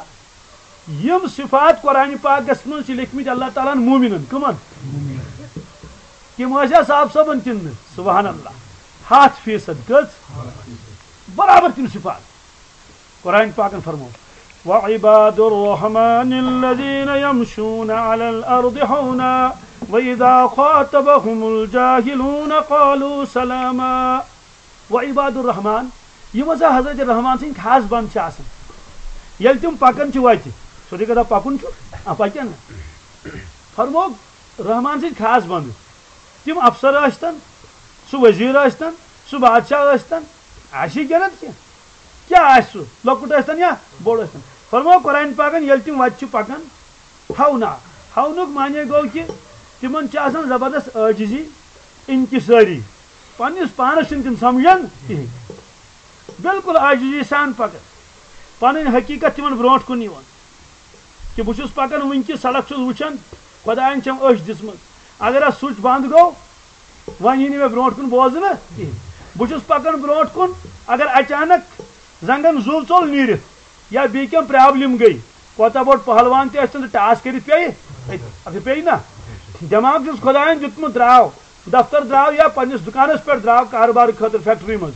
یِم صفات قرآن پاکس منٛز چھِ لیکھمٕتۍ اللہ تعالیٰ ہن مومنن۔ کٕمن؟ تِم ٲسیا صاحب صٲبن تِم نہٕ؟ سبحان اللہ۔ ہتھ فیصد۔ کٔژ؟ برابر تِم صفات۔ قرآن پاکن فرموو، "وعباد الرحمن الذين يمشون على الأرض هونا وإذا خاطبهم الجاهلون قالوا سلاما"۔ و عباد الرحمان، یِم ہسا حضرت رحمان سٕنٛدۍ خاص بنٛد چھِ آسان، ییٚلہِ تِم پکان چھِ وتہِ، سیوٚدُے کتھا پکُن چھُ، آ، پکن نہٕ۔ فرموو رحمان سٕنٛدۍ خاص بنٛد، تِم افسر ٲسۍتن، سُہ وزیر ٲسۍتن، سُہ بادشاہ ٲسۍتن، آسہِ کینٛہہ نتہٕ کینٛہہ، کیٛاہ آسہِ سُہ، لۄکُٹ ٲسۍتن یا بوٚڑ ٲسۍتن۔ فرموو قرآن پاکن، ییٚلہِ تِم وتہِ چھِ پکان، ہونا۔ ہونُک معنی گوٚو کہِ تِمن چھِ آسان زبردست عٲجزی، انکسٲری۔ پننِس پانس چھِنہٕ تِم سمجھان کِہیٖنۍ۔ بالکل عاجزی سان پکان۔ پنٕنۍ حقیقت تِمن برونٛٹھ کُن یِوان۔ کہِ بہٕ چھُس پکان وٕنکہِ سڑک چھُس وٕچھان، خۄداین چھم أچھ دِژمٕژ۔ اگر اتھ سُچ بنٛد گوٚو، وۄنۍ یی نہٕ مےٚ برونٛٹھ کُن بوزنہٕ کِہیٖنۍ۔ بہٕ چھُس پکان برونٛٹھ کُن، اگر اچانک زنگن زُو ژوٚل نیٖرِتھ یا بیٚیہِ کینٛہہ پرابلم گٔے، کوتاہ بوٚڑ پہلوان تہِ ٲسۍتن تہٕ ٹاس کٔرِتھ پیٚیہِ، اگر پیٚیہِ نا۔ دٮ۪ماغ چھُس خۄداین دیُتمُت، درٛاو دفتر، درٛاو یا پننِس دُکانس پٮ۪ٹھ، درٛاو کارٕبارٕ خٲطرٕ فیکٹری منٛز۔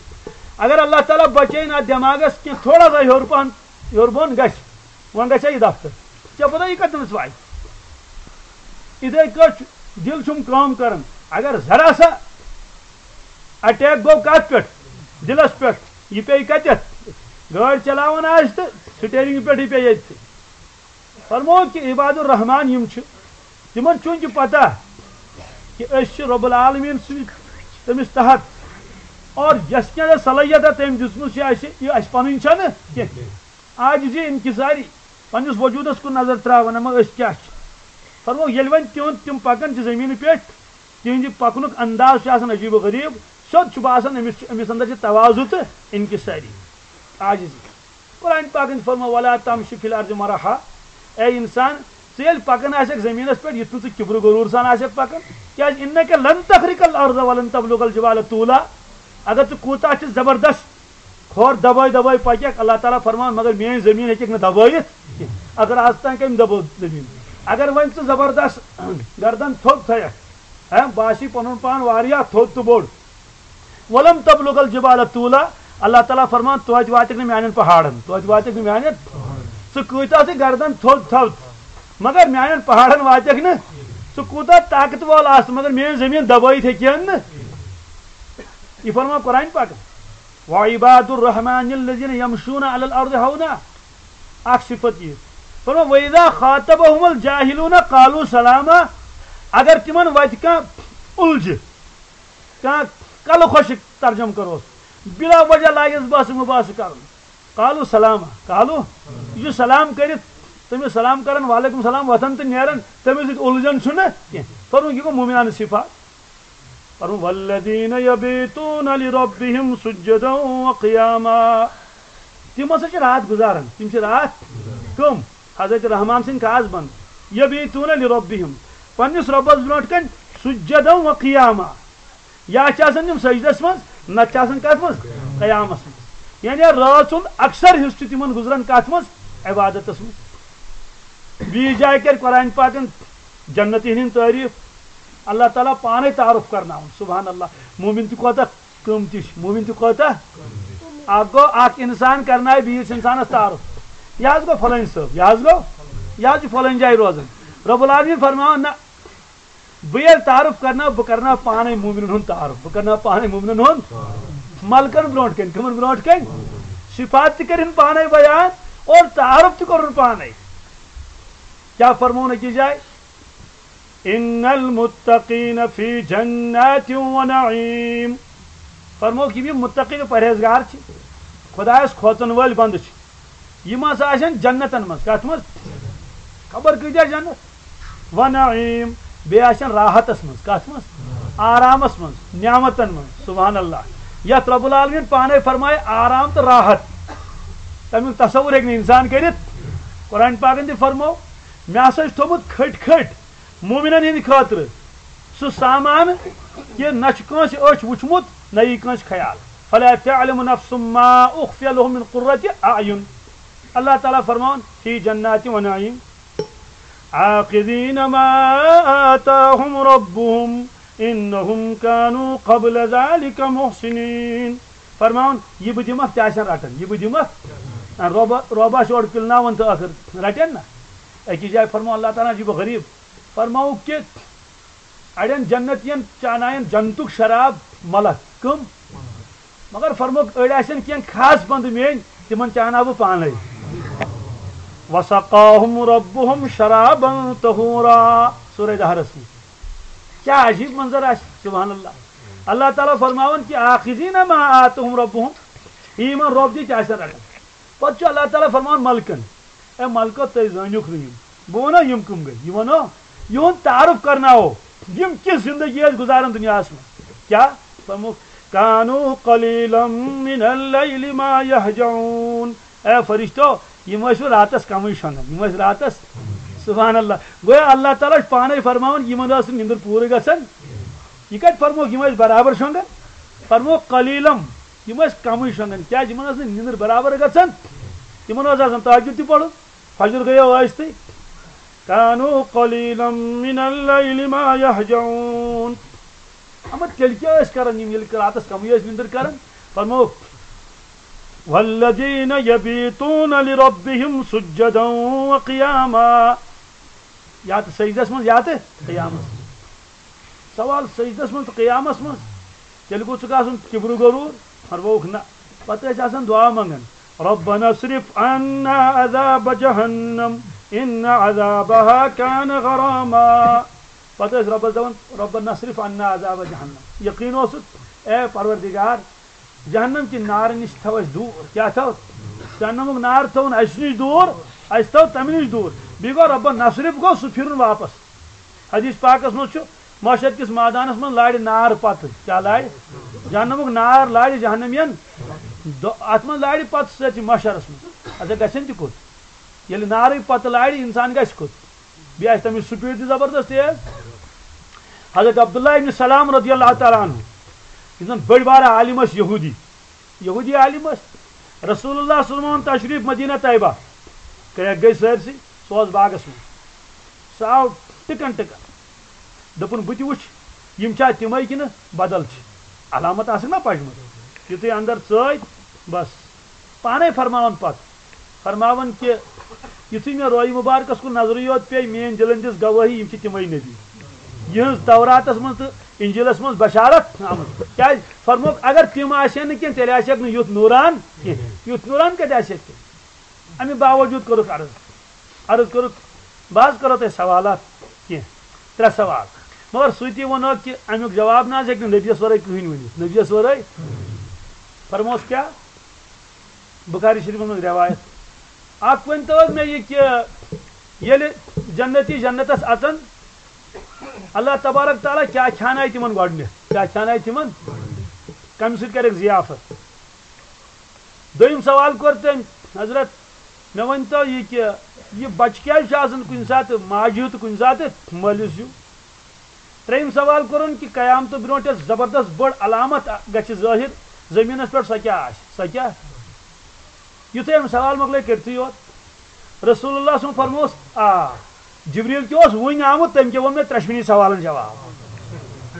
اگر اللہ تعالیٰ بچٲیِن اتھ دٮ۪ماغس کینٛہہ تھوڑا سا ہیوٚر پہن، ہیوٚر بۄن گژھِ، وۄنۍ گژھِ ہا یہِ دفتر۔ ژےٚ پتہ یہِ کتٮ۪نس واتہِ؟ یِتھے کٲٹھۍ چھُ، دِل چھُم کٲم کران۔ اگر ذرا سا اٹیک گوٚو کتھ پٮ۪ٹھ؟ دِلس پٮ۪ٹھ۔ یہِ پیٚیہِ کتٮ۪تھ؟ گٲڑۍ چلاوان آسہِ تہٕ سٹیرنگ پٮ۪ٹھٕے پیٚیہِ ییٚتہِ۔ فرموو کہِ عباد الرحمان یِم چھِ، تِمن چھُنہٕ یہِ پتہ کہِ أسۍ چھِ رب العالمین سٕنٛدۍ تٔمِس تحت، اور یۄس کینٛہہ صلٲحیت تٔمۍ دِژمٕژ چھِ اَسہِ، یہِ اَسہِ پنٕنۍ چھَنہٕ کینٛہہ۔ عاجزی، انکساری، پننِس وجوٗدس کُن نظر ترٛاوان، اما أسۍ کیٛاہ چھِ۔ فرموو، ییٚلہِ وۄنۍ تِہُنٛد، تِم پکان چھِ زٔمیٖنہِ پٮ۪ٹھ، تِہنٛدِ پکنُک انداز چھُ آسان عجیب و غریب، سیوٚد چھُ باسان أمِس چھُ، أمِس اندر چھِ تواضع تہٕ انکساری، عاجزی۔ قرآن پاکن چھُ فرموو، "ولا تمشِ فی الارض مرحا"، اے انسان، ژٕ ییٚلہِ پکان آسکھ زٔمیٖنس پٮ۪ٹھ، یُتھ نہٕ ژٕ کِبرٕ غروٗر سان آسکھ پکان، کیازِ "انک لن تخرق الارض ولن تبلغ الجبال طولا"، اگر ژٕ کوٗتاہ تہِ زبردست کھۄر دبٲے دبٲے پککھ، اللہ تعالیٰ فرمان، مگر میٲنۍ زٔمیٖن ہیٚککھ نہٕ دبٲیِتھ کینٛہہ۔ اگر آز تام کٔمۍ دبٲو زٔمیٖن؟ اگر وۄنۍ ژٕ زبردست گردن تھوٚد تھٲیکھ، ہہ، باسہِ پنُن پان واریاہ تھوٚد تہٕ بوٚڑ، "ولن تبلغ الجبال طولا"، اللہ تعالیٰ فرمان، توتہِ واتکھ نہٕ میانٮ۪ن پہاڑن، توتہِ واتکھ نہٕ میانٮ۪ن۔ ژٕ کۭتیاہ تہِ گردن تھوٚد تھاو، مگر میانٮ۪ن پہاڑن واتکھ نہٕ۔ ژٕ کوٗتاہ طاقت وول آسہٕ، مگر میٲنۍ زٔمیٖن دبٲیِتھ ہیٚکہِ ہن نہٕ۔ یہِ فرمان قرآن پاکن۔ وعباد الرحمن الذين يمشون على الأرض هونا۔ اکھ صفت یہِ۔ فرمان، وإذا خاطبهم الجاهلون قالوا سلاما۔ اگر تِمن وتہِ کانٛہہ اُلجہِ، کانٛہہ کلہٕ خۄشک ترجمہٕ کروس، بلا وجہ لاگٮ۪س باسہٕ مُباسہٕ کرُن۔ قالوا سلاما، قالوا، یہِ چھُ سلام کٔرِتھ، تٔمِس سلام کران، وعلیکم سلام، وۄتھان تہٕ نیران، تٔمِس سۭتۍ اُلجھن چھُنہٕ کینٛہہ۔ فرمووُکھ، یہِ گوٚو مومنانہٕ صفات۔ فرمووُکھ، والذین یبیتون لربہم سجدا وقیاما۔ تِم ہسا چھِ راتھ گُزاران، تِم چھِ راتھ کٕم؟ حضرت رحمان سٕنٛدۍ خاص بنٛد۔ یبیتون لربہم، پننِس رۄبس برونٛٹھ کنہِ سجدا وقیاما۔ یا چھِ آسان تِم سجدس منٛز، نتہٕ چھِ آسان کتھ منٛز؟ قیامس منٛز۔ یعنی رٲژ ہُنٛد اکثر حصہٕ چھُ تِمن گُزران کتھ منٛز؟ عبادتس منٛز۔ بیٚیِس جایہِ کرِ قرآن پاکن جنتین ہٕنٛز تعریف، اللہ تعالیٰ پانے تعارف کرناوُن۔ سبحان اللہ، مومن تہِ کوتاہ قۭمتی چھُ، مومن تہِ کوتاہ۔ اکھ گوٚو، اکھ انسان کرنایہِ بیٚیِس انسانس تعارف، یہِ حظ گوٚو فلٲنۍ صٲب، یہِ حظ گوٚو، یہِ حظ چھُ فلٲنۍ جایہِ روزان۔ رب العالمین فرماوان، نہ، بہٕ ییٚلہِ تعارُف کرناو، بہٕ کرناو پانے مومنن ہُنٛد تعارُف، بہٕ کرناو پانے مومنن ہُنٛد۔ ملکن برونٛٹھ کنہِ، کٕمن برونٛٹھ کنہِ؟ صفات تہِ کٔرِن پانے بیان اور تعارُف تہِ کوٚرُن پانے۔ کیٛاہ فرمووُن أکِس جایہِ؟ ان المتقین فی جنات و نعیم۔ فرمووُکھ، یِم یِم متقی تہٕ پرہیزگار چھِ، خۄدایس کھوژن وٲلۍ بندٕ چھِ، یِم ہسا آسن جنتن منٛز۔ کتھ منٛز؟ خبر کۭتیاہ جنت۔ و نعیم، بیٚیہِ آسن راحتس منٛز۔ کتھ منٛز؟ آرامس منٛز، نعمتن منٛز۔ سبحان اللہ، یتھ رب العالمین پانے فرمایہِ آرام تہٕ راحت، تمیُک تصور ہیٚکہِ نہٕ انسان کٔرِتھ۔ قرآن پاکن تہِ فرموو، مےٚ ہسا چھُ تھوٚمُت کھٔٹۍ کھٔٹۍ مومنن ہٕنٛدِ خٲطرٕ سُہ سامان، یہِ نہ چھُ کٲنٛسہِ أچھ وُچھمُت، نہ یی کٲنٛسہِ خیال۔ فلا تعلم نفس ما اخفی لهم من قرة اعین۔ اللہ تعالیٰ فرماوان، فی جنات و نعیم، آخذین ما آتاہم ربہم، انہم کانوا قبل ذلک محسنین۔ فرماوان، یہِ بہٕ دِمکھ، تہِ آسن رٹان، یہِ بہٕ دِمکھ۔ رۄبہ، رۄبہ چھُ اورٕ پِلناوان تہٕ ٲخر رٹن نہ۔ أکِس جایہِ فرموو اللہ تعالیٰ ہن، یہِ بہٕ غریب۔ فرماوُکھ کہِ اڑٮ۪ن جنتین چاناین جنتُک شراب ملک۔ کٕم؟ مگر فرمووُکھ، أڑۍ آسن کینٛہہ خاص بندٕ میٲنۍ، تِمن چاناو بہٕ پانے۔ وسقاہم ربہم شرابا طہورا۔ سورہ دہرس منٛز کیٛاہ عجیب منظر آسہِ، سبحان اللہ۔ اللہ تعالیٰ فرماوان کہِ آخذین ما آتہم ربہم، یہِ یِمن رۄب دِتھ تہِ آسن رٹان۔ پتہٕ چھُ اللہ تعالیٰ فرماوان ملکن، اے ملکو، تُہۍ زٲنِوکھ نہٕ یِم۔ بہٕ وَنو یِم کٕم گٔے، یہِ وَنو یِہُنٛد تعارُف کرناوو، یِم کِژھ زندگی ٲسۍ گُزاران دُنیاہَس منٛز۔ کیٛاہ؟ فرمووُکھ، کانوا قلیلا من اللیل ما یہجعون۔ اے فرشتو، یِم ٲسۍ راتس کمٕے شۄنٛگان، یِم ٲسۍ راتس، سبحان اللہ۔ گویا اللہ تعالیٰ چھُ پانے فرماوان، یِمن ٲس نہٕ نِندٕر پوٗرٕ گژھان۔ یہِ کتہِ فرمووُکھ، یِم ٲسۍ برابر شۄنٛگان؟ فرمووُکھ، قلیلا، یِم ٲسۍ کمٕے شۄنٛگان۔ کیٛازِ؟ یِمن ٲس نہٕ نِندٕر برابر گژھان۔ تِمن اوس آسان تہجد تہِ پرُن، فجر گٔیو ٲسۍتٕے۔ کانوا قلیلا من اللیل ما یہجعون۔ اما تیٚلہِ کیٛاہ ٲسۍ کران یِم، ییٚلہِ راتس کمٕے ٲسۍ نِندٕر کران؟ فرمووُکھ، والذین یبیتون لربہم سجدا وقیاما۔ یا تہٕ سجدس منٛز یا تہٕ قیامس منٛز۔ سوال، سجدس منٛز تہٕ قیامس منٛز تیٚلہِ گوٚژھ ژٕ گژھُن کِبرُ غروٗر؟ فرمووُکھ، نہ۔ پتہٕ ٲسۍ آسان دُعا منٛگان، ربنا اصرف عنا عذاب جہنم ان عذابها کان غراما۔ پتہٕ ٲسۍ رۄبس دپان، ربنا اصرف عنا عذاب جہنم۔ یقیٖن اوسُکھ، اے پروردگار، جہنم کہِ نارٕ نِش تھاو اَسہِ دوٗر۔ کیٛاہ تھاو؟ جہنمُک نار تھاوُن اَسہِ نِش دوٗر، اَسہِ تھاو تَمہِ نِش دوٗر۔ بیٚیہِ گوٚو ربنا اصرف، گوٚو سُہ پھِرُن واپس۔ حدیث پاکس منٛز چھُ، محشر کِس مٲدانس منٛز لارِ نار پتہٕ۔ کیٛاہ لارِ؟ جہنمُک نار لارِ جہنمین۔ دو-، اتھ منٛز لارِ پتہٕ سٲرسٕے محشرس منٛز۔ اچھا، گژھن تہِ کوٚت؟ ییٚلہِ نارٕے پتہٕ لارِ، انسان گژھِ کوٚت؟ بیٚیہِ آسہِ تَمِچ سپیٖڈ تہِ زبردست تیز۔ حضرت عبداللہ ابن سلام رضی اللہ تعالیٰ عنہ، یُس زن بٔڑۍ بارٕ عالم ٲسۍ، یہودی، یہودی عالم ٲسۍ۔ رسول اللہ صلی اللہ علیہ وسلم تشریف مدینہ طیبہ، کرٛٮ۪کھ گٔے سٲرسٕے، سُہ اوس باغس منٛز۔ سُہ آو ٹِکن ٹِکن۔ دوٚپُن، بہٕ تہِ وٕچھِ، یِم چھا تِمے کِنہٕ بدل چھِ؟ علامت آسکھ نا پجمژ۔ یُتھُے اندر ژٲے، بس، پانے فرماوان پتہٕ۔ فرماوان کہِ یُتھُے مےٚ رویہِ مُبارکس کُن نظرٕے یوت پیٚیہِ، میٲنۍ دِلن دِژ گوٲہی، یِم چھِ تِمے نبی۔ یِہٕنٛز توراتس منٛز تہٕ انجیلس منٛز بشارت آمٕژ۔ کیازِ؟ فرمووُکھ، اگر تِم آسہِ ہن نہٕ کینٛہہ، تیٚلہِ آسہِ ہا نہٕ یُتھ نوران کینٛہہ۔ یُتھ نوران کتہِ آسہِ ہا کینٛہہ؟ امہِ باوجود کوٚرُکھ عرض۔ عرض کوٚرُکھ، بہٕ حظ کرو تۄہہِ سوالات کینٛہہ، ترٛےٚ سوال۔ مگر سُہ تہِ ووٚنُکھ کہِ امیُک جواب نہ حظ ہیٚکہِ نہٕ نبیَس ورٲے کٕہٕنۍ ؤنِتھ۔ نبیَس ورٲے۔ فرموس کیٛاہ؟ بخاری شریفس منٛز روایت۔ اکھ ؤنۍ تو حظ مےٚ یہِ کہِ ییٚلہِ جنتی جنتس اژن، اللہ تبارک تعالیٰ کیٛاہ کھیٛانایہِ تِمن گۄڈٕنیتھ؟ کیٛاہ کھیٛانایہِ تِمن؟ کمہِ سۭتۍ کرکھ ضیافت؟ دوٚیِم سوال کوٚر تٔمۍ، حضرت، مےٚ ؤنۍ تو یہِ کہِ یہِ بچہِ کیٛازِ چھُ آسان کُنہِ ساتہٕ ماجہِ ہیوٗ تہٕ کُنہِ ساتہٕ مٲلِس ہیوٗ؟ ترٛیٚیِم سوال کوٚرُن کہِ قیامتہٕ برونٛٹھ یۄس زبردست بٔڑ علامت گژھِ ظٲہِر، زٔمیٖنَس پٮ۪ٹھ، سۄ کیٛاہ آسہِ؟ سۄ کیٛاہ؟ یُتھُے أمۍ سوال مۄکلٲے کٔرتھٕے یوت، رسول اللہ سُنٛد فرموس، آ، جبریٖل تہِ اوس وُنۍ آمُت، تٔمۍ کیٛاہ ووٚن مےٚ ترٛٮ۪شوٕنی سوالَن جواب؟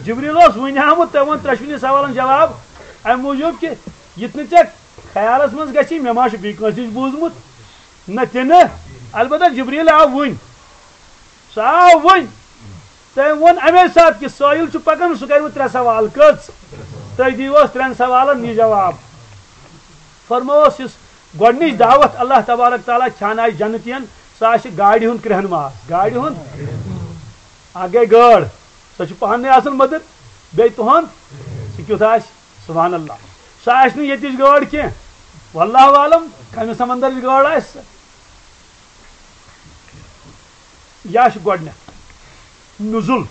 جبریٖل اوس وُنۍ آمُت، تٔمۍ ووٚن ترٛٮ۪شوٕنی سوالَن جواب، اَمہِ موٗجوٗب کہِ یہِ تہِ نہٕ ژےٚ خیالَس منٛز گژھی، مےٚ ما چھُ بیٚیہِ کٲنٛسہِ نِش بوٗزمُت؟ نہ تہِ نہٕ۔ البتہ جبریٖل آو وُنۍ۔ سُہ آو وۄنۍ۔ تٔمۍ ووٚن اَمے ساتہٕ کہِ سٲیِل چھُ پَکان، سُہ کَرِ وۄنۍ ترٛےٚ سوال۔ کٔژ؟ تُہۍ دِیِو اَتھ ترٛٮ۪ن سوالَن یہِ جواب۔ فرمووُس، یُس گۄڈٕنِچ دعوت اللہ تبارک تعالیٰ کھیٛانایہِ جنتیَن، سُہ آسہِ گاڑِ ہُنٛد کرٛہن ماز۔ گاڑِ ہُنٛد؟ اَکھ گٔے گٲڑ، سۄ چھِ پانَے آسان مٔدٕر، بیٚیہِ تُہُنٛد، سُہ کیُتھ آسہِ؟ سبحان اللہ۔ سۄ آسہِ نہٕ ییٚتِچ گٲڑ کینٛہہ، واللہ عالم، کَمہِ سمندرٕچ گٲڑ آسہِ سۄ۔ یہِ چھُ گۄڈٕنیتھ نزول۔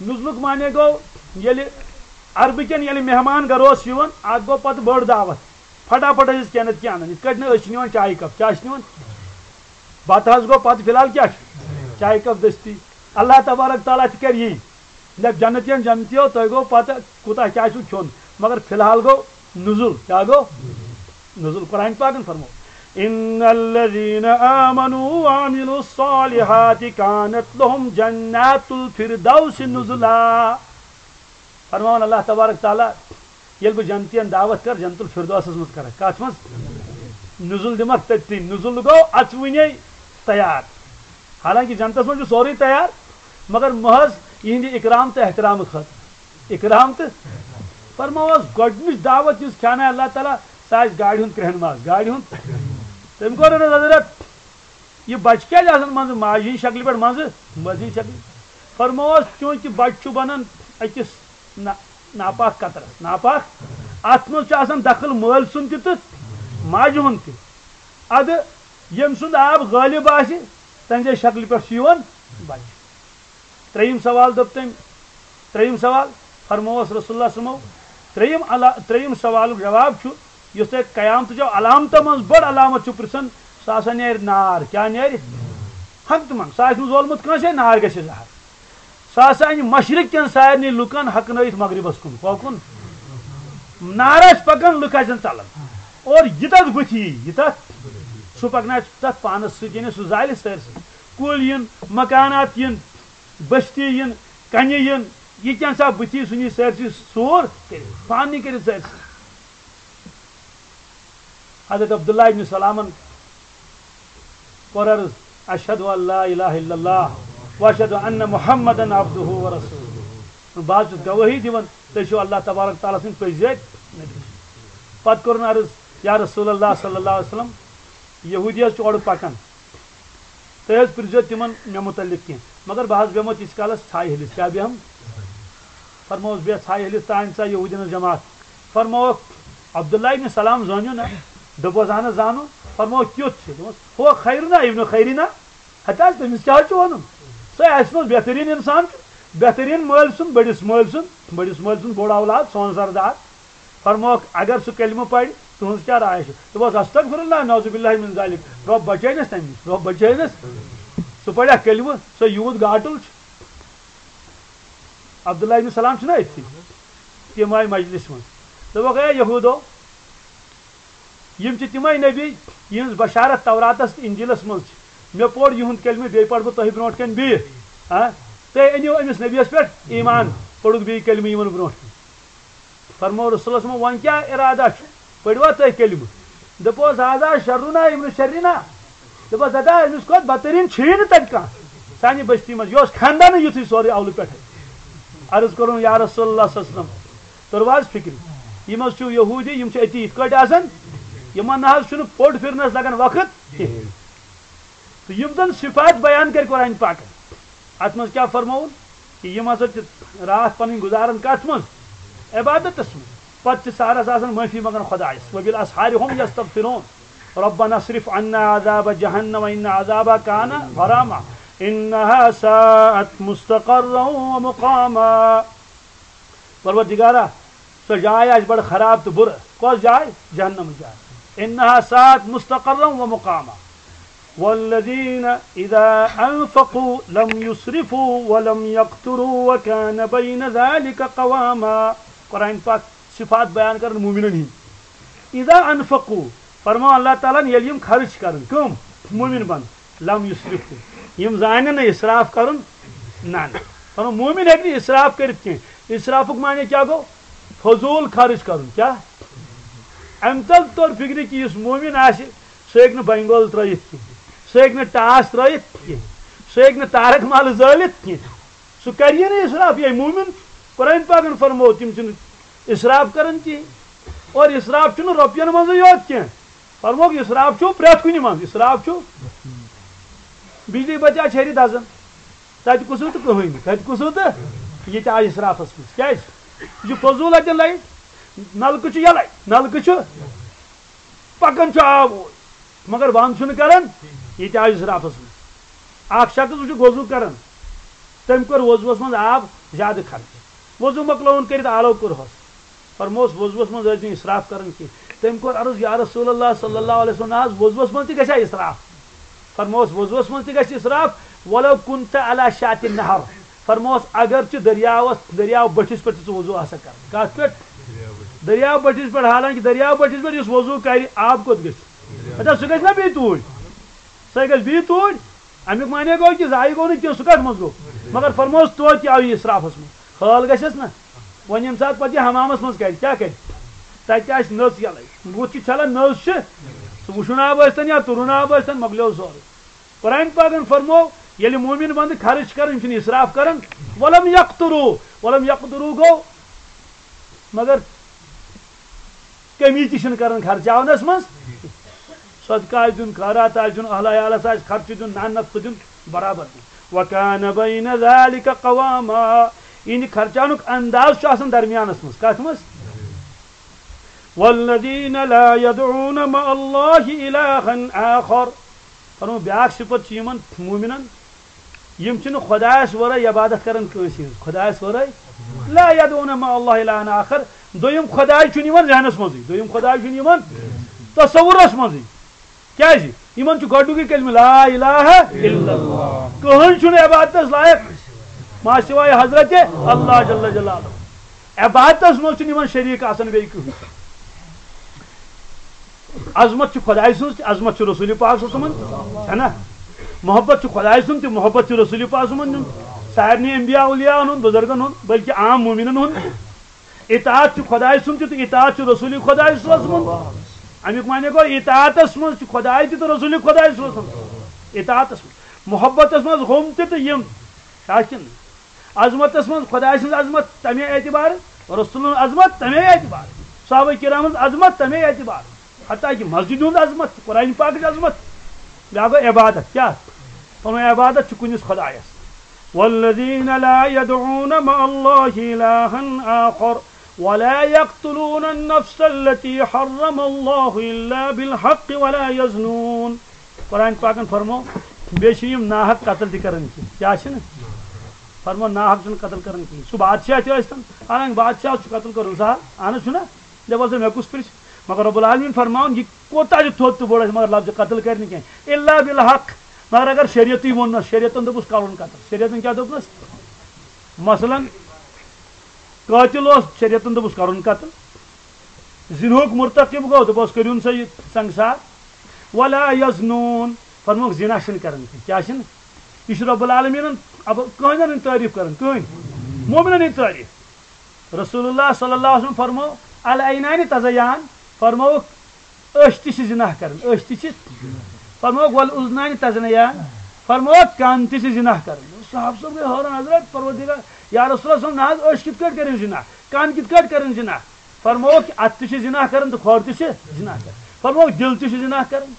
نزولُک معنی گوٚو، ییٚلہِ عربہٕ کٮ۪ن ییٚلہِ مہمان گرٕ اوس یِوان، اکھ گوٚو پتہٕ بٔڑ دعوت، پھٹا پھٹ ٲسۍ کینٛہہ نتہٕ کینٛہہ انان، یِتھ کٲٹھۍ نہٕ أسۍ چھِ نِوان چایہِ کپ۔ کیٛاہ چھِ نِوان؟ بتہٕ حظ گوٚو، پتہٕ فی الحال کیٛاہ چھُ؟ چایہِ کپ دٔستی۔ اللہ تبارک تعالیٰ تہِ کرِ یی۔ دَپہِ جنتین، جنتیو، تۄہہِ گوٚو پتہ کوٗتاہ کیٛاہ چھُو کھیوٚن، مگر فی الحال گوٚو نزول۔ کیٛاہ گوٚو؟ نزول۔ قرآن پاکن فرموو، "ان الذین آمنوا وعملوا الصالحات کانت لهم جنات الفردوس نزلا۔" فرماوان اللہ تبارک تعالیٰ، ییٚلہِ بہٕ جنتین دعوت کرٕ، جنت الفردوسس منٛز کرکھ۔ کتھ منٛز؟ نزول دِمکھ تٔتی۔ نزول گوٚو اژوٕنے تیار۔ حالانکہ جنتس منٛز چھُ سورُے تیار، مگر محض یِہنٛدِ اکرام تہٕ احترام خٲطرٕ۔ اکرام تہٕ فرماوس گۄڈٕنِچ دعوت یُس کھیانایہِ اللہ تعالیٰ، سۄ آسہِ گاڑِ ہُنٛد کرٛہن ماز، گاڑِ ہُنٛد۔ تٔمۍ کوٚر عرض، حضرت، یہِ بچہِ کیٛازِ آسان منٛزٕ ماجہِ ہٕنٛزِ شکلہِ پٮ۪ٹھ، منٛزٕ مٲلۍ سٕنٛزِ شکلہِ؟ فرمووس، چوٗنٛکہِ بچہِ چھُ بنان أکِس نا-، ناپاک قطرس، ناپاک، اتھ منٛز چھُ آسان دخل مٲلۍ سُنٛد تہِ تہٕ ماجہِ ہُنٛد تہِ۔ ادٕ ییٚمۍ سُنٛد آب غٲلب آسہِ، تہنٛزِ شکلہِ پٮ۪ٹھ چھُ یِوان بچہِ۔ ترٛیٚیِم سوال دوٚپ تٔمۍ، ترٛیٚیِم سوال فرمووس رسول اللہ صلی اللہ علیہ وسلمو۔ ترٛیٚیِم علا-، ترٛیٚیِم سوالُک جواب چھُ، یُس تۄہہِ قیامتٕچو علامتو منٛز بٔڑ علامت چھُو پرژھان، سُہ ہسا نیرِ نار۔ کیٛاہ نیرِ؟ ہنٛگتہٕ منٛگ۔ سُہ آسہِ نہٕ زولمُت کٲنٛسے، نار گژھِ ظاہر۔ سُہ ہسا انہِ مشرق کٮ۪ن سارنٕے لُکن ہۄکھنٲیِتھ مغربس کُن۔ کۄکُن؟ نار آسہِ پکان، لُکھ آسن ژلان۔ اور یہِ تتھ بُتھِ یی، یہِ تتھ، سُہ پکنایہِ تتھ پانس سۭتۍ، یعنی سُہ زالہِ سٲرسٕے۔ کُلۍ یِن، مکانات یِن، بستی یِن، کنہِ یِن، یہِ کینٛژھا بُتھی سُہ نی سٲرسٕے سوٗر کٔرِتھ، پانہٕ نی کٔرِتھ سٲرسٕے۔ حضرت عبداللہ ابن سلامن کوٚر عرض، "اشہد ان لا الہ الا اللہ و اشہد ان محمدن عبدہ و رسولہ۔" بہٕ حظ چھُس گوٲہی دِوان، تُہۍ چھِو اللہ تبارک تعالیٰ سٕنٛدۍ پٔزۍ یٲتۍ نبی۔ پتہٕ کوٚرُن عرض، یا رسول اللہ صلی اللہ علیہ وسلم، یہودی حظ چھِ اورٕ پکان، تُہۍ حظ پرٛژھزیو تِمن مےٚ مُتعلِق کینٛہہ، مگر بہٕ حظ بیٚہمو تیٖتِس کالس ژھایہِ ہلِس۔ کیٛاہ بیٚہم؟ فرمووُس، "بیٚہہ ژھایہِ ہلِس، تانۍ ژاے یہوٗدٮ۪ن ہٕنٛز جماعت۔" فرمووُکھ، "عبداللہ ابن سلام زٲنِو نا؟" دوٚپُس، "اہن حظ زانو۔" فرمووُکھ، "کیُتھ چھُ؟" دوٚپمَس، "ہُہ خیرنا ابن خیرنا، ہتہٕ حظ تٔمِس کیٛاہ حظ چھُ وَنُن؟ سُہ اَسہِ منٛز بہتریٖن اِنسان چھُ، بہتریٖن مٲلۍ سُنٛد، بٔڑِس مٲلۍ سُنٛد، بٔڑِس مٲلۍ سُنٛد بوٚڑ اولاد، سون سردار۔" فرمووُکھ، اگر سُہ کلمہٕ پرِ، تُہنٛز کیٛاہ راے چھِ؟ دوٚپُس، استغفر اللہ، نعوذ باللہ من ذالک، رۄب بچٲینس تمہِ نِش، رۄب بچٲینس۔ سُہ پرِ اکھ کلمہٕ، سُہ یوٗت گاٹُل چھُ۔ عبداللہ ابن سلام چھُنہ أتھی، تِم آیہِ مجلس منٛز۔ دوٚپُکھ، اے یہوٗدو، یِم چھِ تِمے نبی، یِہنٛز بشارت توراتس تہٕ انجیلس منٛز چھِ۔ مےٚ پوٚر یِہُنٛد کلمہٕ، بیٚیہِ پرٕ بہٕ تۄہہِ برونٛٹھ کنہِ بیٚیہِ۔ ہاں؟ تُہۍ أنِو أمِس نبیَس پٮ۪ٹھ ایمان، پوٚرُکھ بیٚیہِ کلمہٕ یِمن برونٛٹھ کنہِ۔ فرموو رسول اللہ صلی اللہ علیہ وسلم، وۄنۍ کیٛاہ ارادہ چھُ؟ پٔرِوا تُہۍ کلمہٕ؟ دوٚپُس، ہذا شرنا ابن شرنا۔ دوٚپُس، دَپا، أمِس کھۄتہٕ بدتریٖن چھُیی نہٕ تَتہِ کانٛہہ سانہِ بستی منٛز۔ یہِ اوس خاندانٕے یُتھُے سورُے اولہٕ پٮ۪ٹھَے۔ عرض کوٚرُن، یا رسول اللہ صلی اللہ علیہ وسلم، توٚروا حظ فِکرِ؟ یِم حظ چھِ یہوٗدی، یِم چھِ أتی یِتھ کٲٹھۍ آسان، یِمن نہ حظ چھُنہٕ پوٚٹ پھِرنَس لگان وقت کِہیٖنۍ۔ تہٕ یِم زَن صفات بیان کٔرۍ قرآن پاکن، اَتھ منٛز کیٛاہ فرمووُن؟ کہِ یِم ہسا چھِ راتھ پنٕنۍ گُزاران کتھ منٛز؟ عبادتس منٛز۔ پتہٕ چھِ سحرس آسان معٲفی منٛگان خۄدایس، وبالاسحار هم یستغفرون۔ ربنا اصرف عنا عذاب جہنم ان عذابها کان غراما انها ساءت مستقرا ومقاما۔ پروردگارا، سۄ جاے آسہِ بڑٕ خراب تہٕ بُرٕ۔ کۄس جاے؟ جہنم جاے۔ انها ساءت مستقرا ومقاما۔ والذین اذا انفقوا لم یسرفوا ولم یقتروا وکان بین ذلک قواما۔ قرآن پاک صفات بیان کرن مومنن ہٕنٛدۍ۔ اذا انفقوا، فرماو اللہ تعالیٰ ہن، ییٚلہِ یِم خرٕچ کرن، کٕم؟ مومن بند۔ لم یسرفوا، یِم زانن نہٕ اسراف کرُن۔ نہ، نہ۔ فرماو مومن ہیٚکہِ نہٕ اسراف کٔرِتھ کینٛہہ۔ اسرافُک معنی کیٛاہ گوٚو؟ فضوٗل خرٕچ کرُن۔ کیٛاہ؟ امہِ تل توٚر فکرِ کہِ یُس مومن آسہِ، سُہ ہیٚکہِ نہٕ بنگول ترٲیِتھ کینٛہہ، سُہ ہیٚکہِ نہٕ ٹاس ترٲیِتھ کینٛہہ، سُہ ہیٚکہِ نہٕ تارک مالہٕ زٲلِتھ کینٛہہ۔ سُہ کَرِ یہِ نہٕ اِسراف، یہِ مومِن۔ قرآن پاکن فرموو، تِم چھِنہٕ اِسراف کران کِہیٖنۍ۔ اور اِسراف چھُنہٕ رۄپین منٛزٕے یوت کینٛہہ، فرمووُکھ، اِسراف چھُ پرٛٮ۪تھ کُنہِ منٛز۔ اِسراف چھُ بجلی بچا چھیرِ دزان، تَتہِ کُسُو تہٕ کٕہٕنۍ نہٕ، تَتہِ کُسُو تہٕ یہِ تہِ آو اِسرافس منٛز۔ کیٛازِ؟ یہِ چھُ فضوٗل اَتٮ۪ن لایٹ، نلکہٕ چھُ یَلَے، نلکہٕ چھُ پکان چھُ آب اوٗرۍ، مگر بنٛد چھُنہٕ کران، یہِ تہِ آو اِسرافس منٛز۔ اکھ شخص وٕچھُکھ وضوٗ کران، تٔمۍ کوٚر وضوٗوس منٛز آب زیادٕ خرچ، وضوٗ مۄکلووُن کٔرِتھ آلو کوٚرہوس، فرمووُس وضوٗوس منٛز ٲسۍ نہٕ اِسراف کران کینٛہہ۔ تٔمۍ کوٚر عرض، یا رسول اللہ صلی اللہ علیہ وسلم، نہ حظ، وضوٗوس منٛز تہِ گژھِ ہا اِسراف؟ فرمووُس وضوٗوس منٛز تہِ گژھِ اِسراف، ولو کنت علی شاطئ النہر۔ فرمووُس اگر ژٕ دٔریاوس، دٔریاو بٔٹھِس پٮ۪ٹھ تہِ ژٕ وضوٗ آسکھ کران۔ کتھ پٮ۪ٹھ؟ دٔریاو بٔٹھِس پٮ۪ٹھ۔ حالانکہِ دٔریاو بٔٹھِس پٮ۪ٹھ یُس وضوٗ کرِ، آب کوٚت گژھِ؟ دپان سُہ گژھِ نا بیٚیہِ توٗرۍ، سُہ گژھِ بیٚیہِ توٗرۍ۔ امیُک معنی گوٚو کہِ ضایع گوٚو نہٕ کینٛہہ، سُہ کتھ منٛز گوٚو؟ مگر فرمووُس توتہِ تہِ آو یہِ اِسرافس منٛز۔ خٲل گژھٮ۪س نا۔ وۄنۍ ییٚمہِ ساتہٕ پتہٕ یہِ حمامس منٛز کرِ، کیٛاہ کرِ؟ تتہِ تہِ آسہِ نٔژ یَلَے۔ بُتھ چھُ چھلان، نٔژ چھِ۔ سُہ وُشُن آب ٲسۍتن یا تُرُن آب ٲسۍتن، مۄکلیو سورُے۔ قرآن پاکن فرموو، ییٚلہِ مومن بندٕ خرٕچ کران، یِم چھِنہٕ اِسراف کران، ولم یقتروا، ولم یقتروا گوٚو، مگر کمی تہِ چھِنہٕ کران خرچاونس منٛز۔ صدقہٕ آسہِ دیُن، خٲرات آسہِ دیُن، اہل عیالس آسہِ خرچہٕ دیُن، نان نفقہٕ دیُن، برابر دیُن۔ وکان بین ذلک قواما، یعنی خرچاونُک انداز چھُ آسان درمیانس منٛز۔ کتھ منٛز؟ والذین لا یدعون مع اللہ الہا آخر۔ فرمو، بیاکھ صفت چھِ یِمن مومنن، یِم چھِنہٕ خۄدایس ورٲے عبادت کران کٲنٛسہِ ہٕنٛز، خۄدایس ورٲے۔ لا یدعون مع اللہ الہا آخر، دوٚیِم خۄداے چھُنہٕ یِمن ذہنس منٛزٕے، دوٚیِم خۄداے چھُنہٕ یِمن تصورس منٛزٕے۔ کیٛازِ؟ یِمن چھُ گۄڈٕنیُکُے کلمہٕ لا الہ الا اللہ، کٕہٕنۍ چھُنہٕ عبادتس لایق ما سوائے حضرت اللہ جل جلالہ۔ عبادتس منٛز چھُنہٕ یِمن شریٖک آسان بیٚیہِ کٕہٕنۍ۔ عظمت چھِ خۄداے سٕنٛز تہِ، عظمت چھِ رسول پاک صلی اللہ علیہ وسلمن تہِ، چھےٚ نا؟ محبت چھِ خۄداے سُنٛد تہِ، محبت چھِ رسول پاک صلی اللہ علیہ وسلمن ہُنٛد، سارنٕے انبیاء اولیاءن ہُنٛد، بُزرگن ہُنٛد، بلکہِ عام مومنن ہُنٛد۔ اطاعت چھُ خۄداے سُنٛد تہِ تہٕ اطاعت چھُ رسول خۄداے صلی اللہ علیہ وسلمن۔ امیُک معنی گوٚو، اطاعتس منٛز چھُ خۄداے تہِ تہٕ رسول خۄداے صلی اللہ علیہ وسلم۔ اطاعتس منٛز، محبتس منٛز ہُم تہِ تہٕ یِم۔ چھا کِنہٕ؟ عظمتس منٛز خۄداے سٕنٛز عظمت تمے اعتبارٕ، رسولن ہٕنٛز عظمت تمے اعتبارٕ، صحابہ کرامن ہٕنٛز عظمت تمے اعتبارٕ، حتیٰ کہ مسجد ہٕنٛز عظمت، قرآن پاکٕچ عظمت۔ بیٛاکھ گوٚو عبادت۔ کیٛاہ؟ پنُن عبادت چھُ کُنِس خۄدایس۔ والذین لا یدعون مع اللہ الہا آخر ولا یقتلون النفس التی حرم اللہ الا بالحق ولا یزنون۔ قرآن پاکن فرمو، بیٚیہِ چھِ یِم ناحق قتل تہِ کران کینٛہہ۔ کیٛاہ چھِنہٕ؟ فرمو، ناحق چھُنہٕ قتل کران کینٛہہ۔ سُہ بادشاہ تہِ ٲسۍتن، حالانکہِ بادشاہ چھُ قتل کرُن سہل، اہن حظ چھُنہ؟ دپان ژٕ مےٚ کُس پرٛژھِ؟ مگر رب العالمین فرماوُن، یہِ کوتاہ تہِ تھوٚد تہٕ بوٚڑ آسہِ، مگر لفظ قتل کرِ نہٕ کینٛہہ۔ الا بالحق، مگر اگر شریعتٕے ووٚننس، شریعتن دوٚپُس کرُن قتل، شریعتن کیٛاہ دوٚپنس؟ مثلاً، قٲتِل اوس، شریعتن دوٚپُس کرُن قتل۔ زِنہُک مرتکب گوٚو، دوٚپُس کٔرِو نہٕ سا یہِ سنگسار۔ ولا یزنون، فرمووُکھ زِنا چھِنہٕ کران کینٛہہ۔ کیٛاہ چھِنہٕ؟ یہِ چھُ رب العالمیٖنن اب-، کٕہٕنٛدٮ۪ن ہٕنٛدۍ تعریٖف کران، کٕہٕنٛدۍ؟ مومنن ہٕنٛدۍ تعریٖف۔ رسول اللہ صلی اللہ علیہ وسلم فرمو، العینان تزیان، فرمووُکھ أچھ تہِ چھِ زِنا کران، أچھ تہِ چھِ۔ فرمووُکھ والاذنان تزنیان، فرمووُکھ کان تہِ چھِ زِنا کران۔ صحابہٕ صٲب گٔے حٲران، حضرت پروردگار، یا رسول اللہ صلی اللہ علیہ وسلم، نہ حظ، أچھ کِتھ کٲٹھۍ کٔرِن زِنا؟ کَن کِتھ کٲٹھۍ کٔرِن زِنا؟ فرمووُکھ، اَتھٕ تہِ چھِ زِنا کَران تہٕ کھۄر تہِ چھِ زِنا کَران۔ فرمووُکھ، دِل تہِ چھُ زِنا کَران۔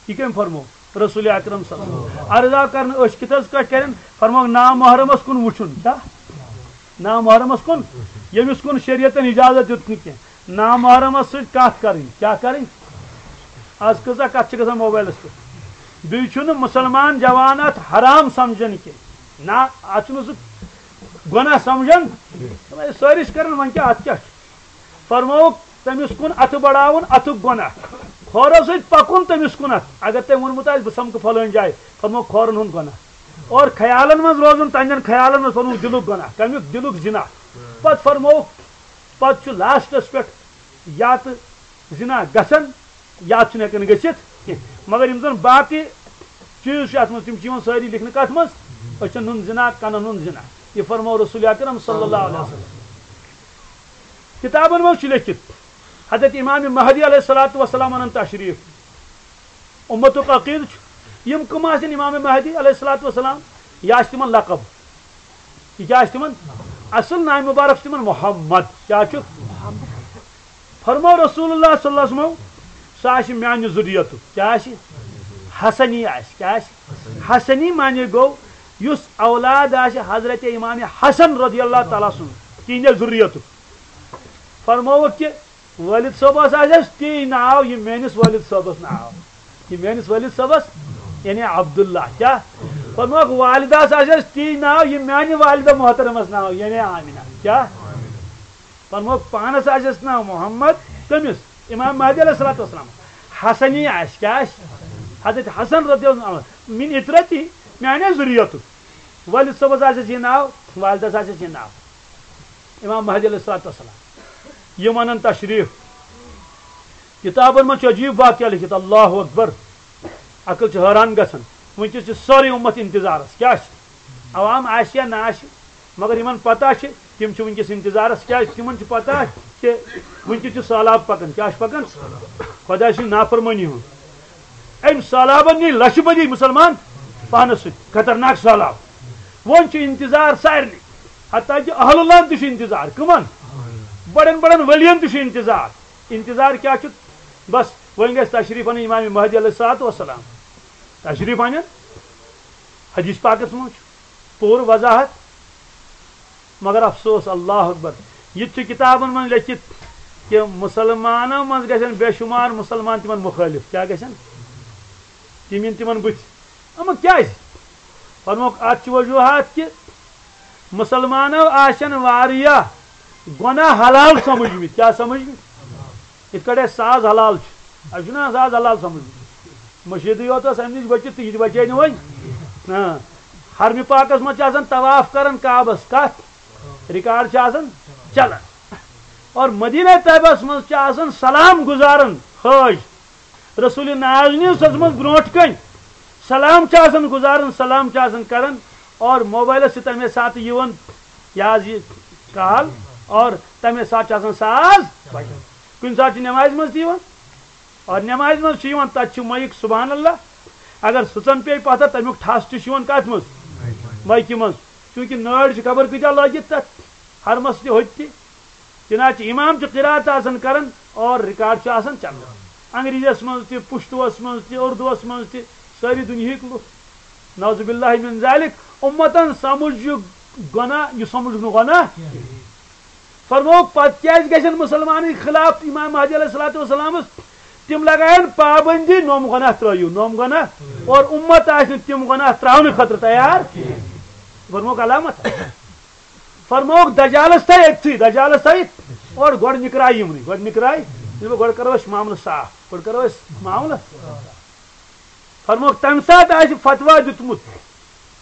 یہِ کٔمۍ فرموو؟ رسول اکرم صلی اللہ علیہ وسلم۔ عرض آو کرنہٕ، أچھ کِتھ حظ کٲٹھۍ کرن؟ فرمووُکھ، نامحرمس کُن وٕچھُن۔ کیٛاہ؟ نامحرمس کُن، ییٚمِس کُن شریعتن اجازت دیُت نہٕ کینٛہہ، نامحرمس سۭتۍ کتھ کرٕنۍ۔ کیٛاہ کرٕنۍ؟ از کۭژاہ کتھ چھِ گژھان موبایلس پٮ۪ٹھ۔ بیٚیہِ چھُنہٕ مُسلمان جوان اتھ حرام سمجھان کینٛہہ۔ نہ، اتھ چھُنہٕ سُہ گۄناہ سمجھان۔ سٲری چھِ کران، وۄنۍ کیٛاہ، اتھ کیٛاہ چھُ؟ فرمووُکھ، تٔمِس کُن اَتھٕ بڑاوُن، اَتھُک گۄناہ۔ کھورو سۭتۍ پَکُن تٔمِس کُنَتھ۔ اگر تٔمۍ ووٚنمُت آسہِ، "بہٕ سَمکھٕ فلٲنۍ جایہِ"، فرمووُکھ، کھورَن ہُنٛد گۄناہ۔ اور خیالَن منٛز روزُن، تَنٛدٮ۪ن خیالَن منٛز، فرمووُکھ، دِلُک گۄناہ۔ کَمیُک؟ دِلُک زِنا۔ پَتہٕ فرمووُکھ، پَتہٕ چھُ لاسٹَس پٮ۪ٹھ یا تہٕ زِنا گژھان، یا چھُنہٕ ہٮ۪کان گٔژھِتھ کینٛہہ۔ مگر یِم زَن باقٕے چیٖز چھِ اَتھ منٛز، تِم چھِ یِوان سٲری لیکھنہٕ کَتھ منٛز؟ أچھَن ہُنٛد زِنا، کَنَن ہُنٛد زِنا۔ یہِ فرموو رسول اکرم صلی اللہ علیہ وسلم۔ کتابن منٛز چھُ لیکھِتھ، حضرت امام مہدی علیہ الصلوۃ والسلام انن تشریف۔ امتُک عقیدٕ چھُ، یِم کٕم آسن امام مہدی علیہ الصلوۃ والسلام؟ یہِ آسہِ تِمن لقب۔ یہِ کیٛاہ آسہِ تِمن؟ اصل ناوِ مبارک چھُ تِمن محمد۔ کیٛاہ چھُ؟ فرموو رسول اللہ صلی اللہ علیہ وسلم، سُہ آسہِ میانہِ ذُریتُک۔ کیٛاہ آسہِ؟ حسنی آسہِ۔ کیٛاہ آسہِ؟ حسنی معنی گوٚو، یُس اولاد آسہِ حضرت امام حسن رضی اللہ تعالیٰ سُنٛد، تِہنٛدِ ذُریتُک۔ فرمووُکھ کہِ والد صٲبس آسہِ اَسہِ تی ناو، یہِ میٲنِس والد صٲبس ناو، یہِ میٲنِس والد صٲبس، یعنی عبداللہ۔ کیٛاہ؟ فرمووُکھ، والدس آسہِ اَسہِ تی ناو، یہِ میانہِ والدہ محترمس ناو، یعنی آمینہ۔ کیٛاہ؟ فرمووُکھ، پانس آسہِ اَسہِ ناو محمد، کٔمِس؟ امام مہدی علیہ الصلوۃ والسلام۔ حسنی آسہِ، کیٛاہ آسہِ؟ حضرت حسن رضی اللہ عنہ، من اطرتی، میانہِ ذُریتُک۔ والد صٲبس آسہِ اَسہِ یہِ ناو، والدس آسہِ اَسہِ یہِ ناو۔ امام مہدی علیہ الصلوۃ والسلام۔ یِم انن تشریف۔ کتابن منٛز چھُ عجیب واقعہ لیکھِتھ، اللہ اکبر۔ عقل چھِ حٲران گژھان۔ وٕنکیٚس چھِ سٲرٕے اُمت انتظارس۔ کیٛاہ چھِ؟ عوام آسہِ یا نہ آسہِ، مگر یِمن پتہ چھِ، تِم چھِ وٕنکیٚس انتظارس۔ کیٛازِ؟ تِمن چھِ پتہ کہِ وٕنکیٚس چھُ سہلاب پکان۔ کیٛاہ چھُ پکان؟ خۄداے سٕنٛز نافرمٲنی ہُنٛد۔ أمۍ سہلابن نی لچھِ بٔدی مُسلمان پانس سۭتۍ، خطرناک سہلاب۔ وۄنۍ چھُ انتظار سارنٕے، حتیٰ کہِ اہل اللہ تہِ چھُ انتظار۔ کٕمن؟ بڑٮ۪ن بڑٮ۪ن ؤلین تہِ چھُ انتظار۔ انتظار کیٛاہ چھُ؟ بس، وۄنۍ گژھِ تشریف انٕنۍ امام مہدی علیہ الصلوۃ والسلام۔ تشریف انن، حدیث پاکس منٛز چھُ پوٗرٕ وضاحت۔ مگر افسوس، اللہ اکبر، یہِ تہِ چھُ کتابن منٛز لیکھِتھ کہِ مُسلمانو منٛز گژھن بے شمار مُسلمان تِمن مُخٲلِف۔ کیٛاہ گژھن؟ تِم یِن تِمن بٕتھِ۔ اما کیٛازِ؟ فرموکھ، اتھ چھِ وجوہات کہِ مُسلمانو آسن واریاہ گۄناہ حلال سمجھمٕتۍ۔ کیٛاہ سمجھمٕتۍ؟ یِتھ کٲٹھۍ اَسہِ ساز حلال چھُ، اَسہِ چھُنہ ساز حلال سمجھمُت۔ مٔشیٖدٕے یوت ٲس اَمہِ نِش بٔچِتھ تہٕ یہِ تہِ بچے نہٕ وۄنۍ۔ ہاں۔ حرمہِ پاکس منٛز چھِ آسان طواف کران کعبس، کتھ؟ ریکارڈ چھِ آسان چلان۔ اور مدینہ طیبس منٛز چھِ آسان سلام گُزاران حٲج۔ رسول نازنہِ سٕنٛز منٛز برونٛٹھ کنہِ سلام چھِ آسان گُزاران، سلام چھِ آسان کران، اور موبایلس چھِ تمے ساتہٕ یِوان یہِ حظ یہِ کال، اور تمے ساتہٕ چھِ آسان ساز بجان۔ کُنہِ ساتہٕ چھِ نمازِ منٛز تہِ یِوان، اور نمازِ منٛز چھُ یِوان، تتہِ چھُ مایِک، سبحان اللہ، اگر سٕژن پیٚیہِ پتھر، تمیُک ٹھس تہِ چھُ یِوان کتھ منٛز؟ مایکہِ منٛز۔ چونکہ نٲرۍ چھِ خبر کۭتیاہ لٲگِتھ تتھ حرمس تہِ ہوٚتہِ تہِ۔ چنانچہ امام چھُ قرات آسان کران اور ریکارڈ چھُ آسان چلان۔ انگریزس منٛز تہِ، پشتوس منٛز تہِ، اردوس منٛز تہِ، سٲری دُنیہٕکۍ لُکھ۔ نعوذ باللہ من ذالک، امتن سمجھ یہِ گۄناہ، یہِ سمجھ نہٕ گۄناہ۔ فرموو، پتہٕ کیازِ گژھن مسلمانن خلاف امام مہدی علیہ الصلوۃ والسلامس؟ تِم لگاین پابندی، نوم گۄناہ ترٲیِو، نوم گۄناہ، اور امت آسہِ نہٕ تِم گۄناہ تراونہٕ خٲطرٕ تیار۔ فرمووُکھ علامت۔ فرمووُکھ، دجالس تھٲے أتھی، دجالس تھٲے اور گۄڈٕ نِکراے یِمنٕے، گۄڈٕ نِکراے، ییٚلہِ وۄنۍ گۄڈٕ کرو أسۍ معاملہٕ صاف، گۄڈٕ کرو أسۍ معاملہٕ۔ فرمووُکھ، تمہِ ساتہٕ آسہِ فتوا دیُتمُت،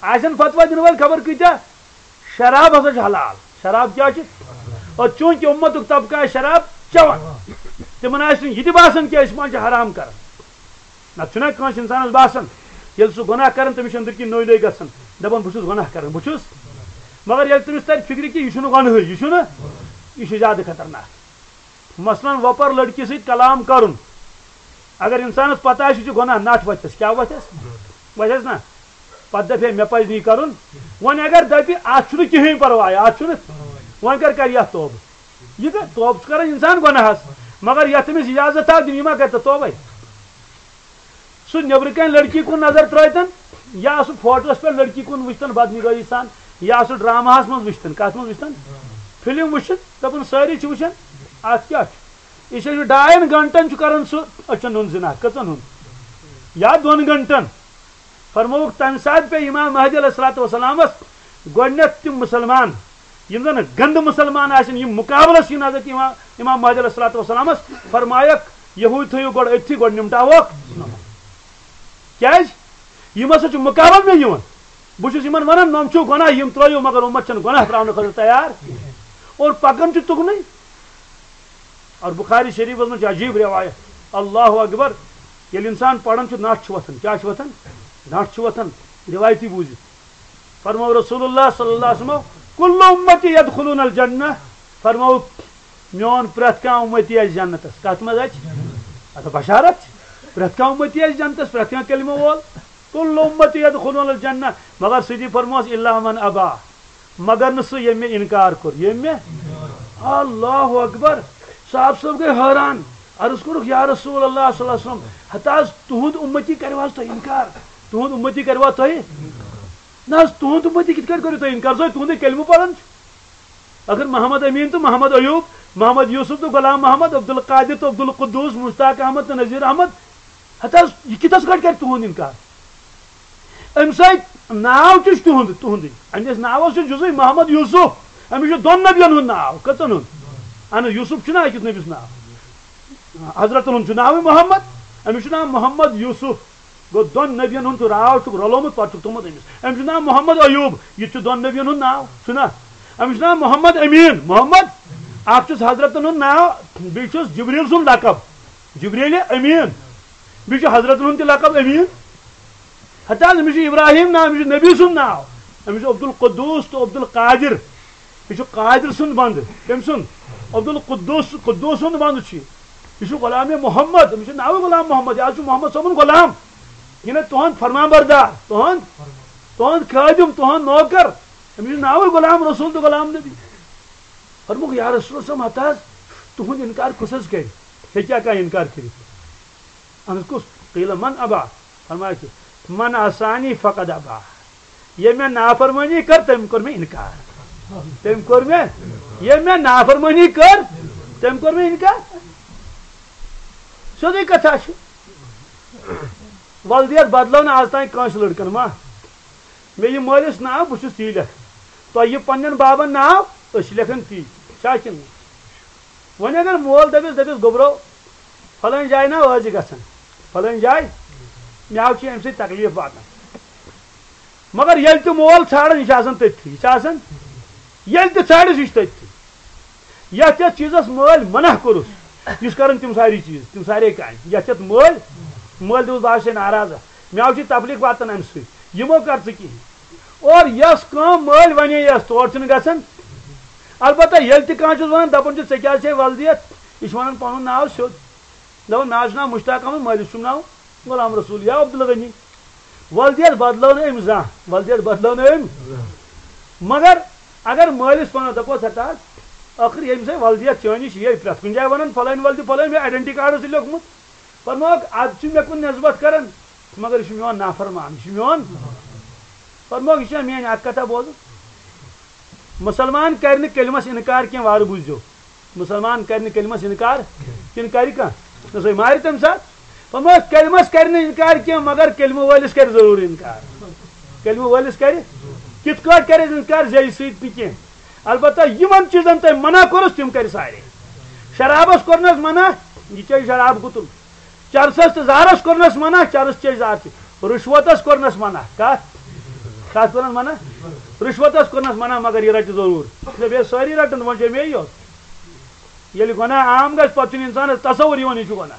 آسن فتوا دِنہٕ وٲلۍ خبر کۭتیاہ، شراب ہسا چھُ حلال۔ شراب کیٛاہ چھُ؟ اور چوٗنٛکہِ اُمتُک طبقہٕ آسہِ شراب چٮ۪وان، تِمن آسہِ نہٕ یہِ تہِ باسان کہِ أسۍ ما چھِ حرام کران۔ نتہٕ چھُنہ کٲنٛسہِ انسانس باسان، ییٚلہِ سُہ گۄناہ کران، تٔمِس چھُ أنٛدٕرۍ کِنۍ نٔوۍ نٔوۍ گژھان، دپان، "بہٕ چھُس گۄناہ کران، بہٕ چھُس۔" مگر ییٚلہِ تٔمِس ترِ فِکرِ کہِ یہِ چھُنہٕ گۄنہٕے، یہِ چھُنہٕ، یہِ چھُ زیادٕ خطرناک۔ مثلاً، وۄپر لڑکی سۭتۍ کلام کرُن، اگر انسانس پتہ آسہِ، یہِ چھُ گۄناہ، نٹھ وتھٮ۪س، کیٛاہ وتھٮ۪س؟ وتھٮ۪س نا؟ پتہٕ دپہِ ہے، مےٚ پزِ نہٕ یہِ کرُن۔ وۄنۍ اگر دپہِ، اتھ چھُنہٕ کِہیٖنۍ پرواے، اتھ چھُنہٕ، وۄنۍ کر کرِ یتھ توبہٕ؟ یہِ کر، توبہٕ چھُ کران انسان گۄناہس، مگر یتھ أمِس اجازت آو دِنہٕ، یہِ ما کرِ تتھ توبے؟ سُہ نیبرٕ کنۍ لڑکی کُن نظر ترٲوتن، یا سُہ فوٹوس پٮ۪ٹھ لڑکی کُن وٕچھتن بدنگٲہی سان، یا سُہ ڈراماہس منٛز وٕچھتن، کتھ منٛز وٕچھتن؟ فلم وٕچھتھ، دپان سٲری چھِ وٕچھان، اتھ کیٛاہ چھُ؟ یہِ چھُ ڈاین گنٹن چھُ کران سُہ أچھن ہُنٛد زنا، کٔژن ہُنٛد؟ یا دۄن گنٹن۔ فرمووُکھ، تمہِ ساتہٕ پیٚیہِ امام مہدی علیہ الصلوۃ والسلامس گۄڈٕنیتھ تِم مسلمان، یِم زن گندٕ مسلمان آسن، یِم مقابلس یِن حضرت امام، امام مہدی علیہ الصلوۃ والسلامس۔ فرمایکھ، یہوٗدۍ تھٲیِو گۄڈٕ أتھی، گۄڈٕ نمٹاووکھ۔ کیازِ؟ یِم ہسا چھِ مقابل مےٚ یِوان۔ بہٕ چھُس یِمن ونان، نۄم چھِو گۄناہ، یِم ترٲیِو، مگر امت چھنہٕ گۄناہ تراونہٕ خٲطرٕ تیار۔ اور پکان چھِ تُکنُے۔ اور بخاری شریفس منٛز چھِ عجیب روایت، اللہ اکبر، ییٚلہِ انسان پران چھُ، نٹھ چھُ وۄتھان۔ کیٛاہ چھُ وۄتھان؟ نٹھ چھُ وۄتھان۔ روایتی بوٗزِتھ فرموو رسول اللہ صلی اللہ علیہ وسلم، کل امتی یدخلون الجنہ۔ فرموو، میون پرٛٮ۪تھ کانٛہہ امتی آسہِ جنتس۔ کتھ منٛز اَژِ؟ اَتھ بشارت چھِ۔ پرٛٮ۪تھ کانٛہہ امتی آسہِ جنتس، پرٛٮ۪تھ کانٛہہ کلمہٕ وول۔ کل امتی یدخلون الجنہ، مگر سۭتی فرموس، الا من ابا، مگر نہٕ سُہ ییٚمۍ مےٚ انکار کوٚر۔ ییٚمۍ مےٚ؟ اللہ اکبر۔ صاحب صٲب گٔے حٲران، عرض کوٚرُکھ، یا رسول اللہ صلی اللہ علیہ وسلم، ہتہٕ حظ تُہُنٛد امتی کرِوٕ حظ تۄہہِ انکار؟ تُہُنٛد امتی کرِوا تۄہہِ؟ نہ حظ، تُہُنٛد امتی کِتھ کٲٹھۍ کٔرِو تُہۍ انکار؟ سُہ ہے تُہُنٛدُے کلمہٕ پران چھُ۔ اگر محمد امین تہٕ محمد ایوب، محمد یوسف تہٕ غلام محمد، عبدالقادر تہٕ عبدالقدوس، مشتاق احمد تہٕ نذیر احمد، ہتہٕ حظ، یہِ کِتھس کٲٹھۍ کرِ تُہُنٛد انکار؟ أمۍ سۭتۍ ناو تہِ چھُ تِہُنٛد، تُہُنٛدُے۔ أمِس ناوس چھُ جُزُے محمد یوسف۔ أمِس چھُ دۄن نبین ہُنٛد ناو۔ کٔژن ہُنٛد؟ اہن حظ، یوسف چھُنہ أکِس نبیَس ناو؟ حضرتن ہُنٛد چھُ ناوٕے محمد، أمِس چھُ ناو محمد یوسف۔ گوٚو، دۄن نبین ہُنٛد چھُ راو چھُکھ رلومُت، پتہٕ چھُکھ تھوٚمُت أمِس۔ أمِس چھُ ناو محمد ایوب، یہِ تہِ چھُ دۄن نبین ہُنٛد ناو، چھُنہ؟ أمِس چھُ ناو محمد امین۔ محمد، اکھ چھُس حضرتن ہُنٛد ناو، بیٚیہِ چھُس جبریل سُنٛد لقب، جبریل امین۔ بیٚیہِ چھُ حضرتن ہُنٛد تہِ لقب امین۔ ہتہٕ حظ، أمِس چھُ ابراہیم ناو، أمِس چھُ نبی سُنٛد ناو، أمِس چھُ عبدالقدوس تہٕ عبدالقادر۔ یہِ چھُ قادر سُنٛد بنٛدٕ۔ کٔمۍ سُنٛد؟ عبدالقدوس، قدوس سُنٛد بنٛدٕ چھُ یہِ۔ یہِ چھُ غلام محمد، أمِس چھُ ناوٕے غلام محمد، یہِ حظ چھُ محمد صٲبُن غلام۔ یہِ نہٕ تُہُنٛد فرمان بردار، تُہُنٛد، تُہُنٛد خٲدِم، تُہُنٛد نوکر۔ أمِس چھُ ناوٕے غلام رسول تہٕ غلام نبی۔ فرمووُکھ، یا رسول اللہ صلی اللہ علیہ وسلم، ہتہٕ حظ، تُہُنٛد انکار کُس حظ کرِ؟ ہیٚکیٛاہ کانٛہہ انکار کٔرِتھ؟ اہن حظ، کُس؟ قیل من ابا؟ فرمایا کہِ من عصانی فقد ابا۔ ییٚمۍ مےٚ نافرمٲنی کٔر، تٔمۍ کوٚر مےٚ انکار۔ تٔمۍ کوٚر مےٚ، ییٚمۍ مےٚ نافرمٲنی کٔر، تٔمۍ کوٚر مےٚ انکار۔ سیوٚدُے کتھا چھِ۔ ولدیت بدلٲو نہٕ آز تام کٲنٛسہِ لڑکن ما۔ مےٚ یہِ مٲلِس ناو، بہٕ چھُس تی لیکھان۔ تۄہہِ یہِ پننٮ۪ن بابن ناو، أسۍ چھِ لیکھان تی۔ چھا کِنہٕ نہٕ؟ وۄنۍ اگر مول دٔپِس، دٔپِس، گوٚبرو، فلٲنۍ جایہِ نا ٲسۍ زِ گژھان، فلٲنۍ جایہِ، مےٚ حظ چھِ اَمہِ سۭتۍ تکلیٖف واتان۔ مگر ییٚلہِ تہِ مول ژھانڈان، یہِ چھُ آسان تٔتھی، یہِ چھُ آسان، ییٚلہِ تہِ ژھانڈس، یہِ چھُ تٔتھی۔ یتھ یتھ چیٖزس مٲلۍ منع کوٚرُس، یہِ چھُ کران تِم ساری چیٖز، تِم سارے کامہِ۔ یتھ یتھ مٲلۍ، مٲلۍ دوٚپُس، بہٕ حظ چھُسے ناراض، مےٚ حظ چھِ تکلیٖف واتان اَمہِ سۭتۍ، یہِ مہ کر ژٕ کِہیٖنۍ۔ اور یۄس کٲم مٲلۍ ونے یس، تور چھُنہٕ گژھان۔ البتہ ییٚلہِ تہِ کانٛہہ چھُس ونان، دپان چھُ، "ژےٚ کیٛازِ چھے ولدیت؟" یہِ چھُ ونان پنُن ناو سیوٚد۔ دپان، "مےٚ حظ چھُ ناو مشتاق احمد، مٲلِس چھُم ناو غلام رسول یا عبدالغنی۔" ولدیت بدلٲو نہٕ أمۍ زانٛہہ، ولدیت بدلٲو نہٕ أمۍ۔ مگر اگر مٲلِس ونو، دپوس، "ہتا حظ، ٲخٕر ییٚمہِ سۭتۍ ولدیت چٲنِس یہِ پرٛٮ۪تھ کُنہِ جایہِ ونان، فلٲنۍ ولدِ، فلٲنۍ، مےٚ آیڈنٹی کارڈس سۭتۍ لیوٚکھمُت۔" فرمووُکھ، "اتھ چھُ مےٚ کُن نسبت کران، مگر یہِ چھُ میون نافرمان، یہِ چھُ میون۔" فرمووُکھ، "یہِ چھا میٲنۍ اکھ کتھا بوزُن؟ مسلمان کرِ نہٕ کلمس انکار کینٛہہ۔" وارٕ بوٗزِو، مسلمان کرِ نہٕ کلمس انکار، کِنہٕ کرِ کانٛہہ؟ نہ، سُے مارِ تمہِ ساتہٕ۔ فرمووُکھ، کلمس کرِ نہٕ انکار کینٛہہ، مگر کلمہٕ وٲلِس کرِ ضروٗر انکار۔ کلمہٕ وٲلِس کرِ، کِتھ کٲٹھۍ کرِ انکار؟ زیٚیہِ سۭتۍ نہٕ کینٛہہ۔ البتہ یِمن چیٖزن تۄہہِ منع کوٚرُس، تِم کرِ سارے۔ شرابس کوٚرنس منع، یہِ چیٚیہِ شراب گُتُل۔ چرسس تہٕ زہرس کوٚرنس منع، چرس چیٚیہِ زہر تہِ۔ رُشوتس کوٚرنس منع۔ کتھ؟ کتھ کوٚرنس منع؟ رُشوتس کوٚرنس منع، مگر یہِ رٹہِ ضروٗر۔ دپہِ، "ہے، سٲری رٹن، وۄنۍ چھےٚ مےٚ یوت۔" ییٚلہِ گۄناہ عام گژھِ، پتہٕ چھُنہٕ انسانس تصور یِوان، یہِ چھُ گۄناہ۔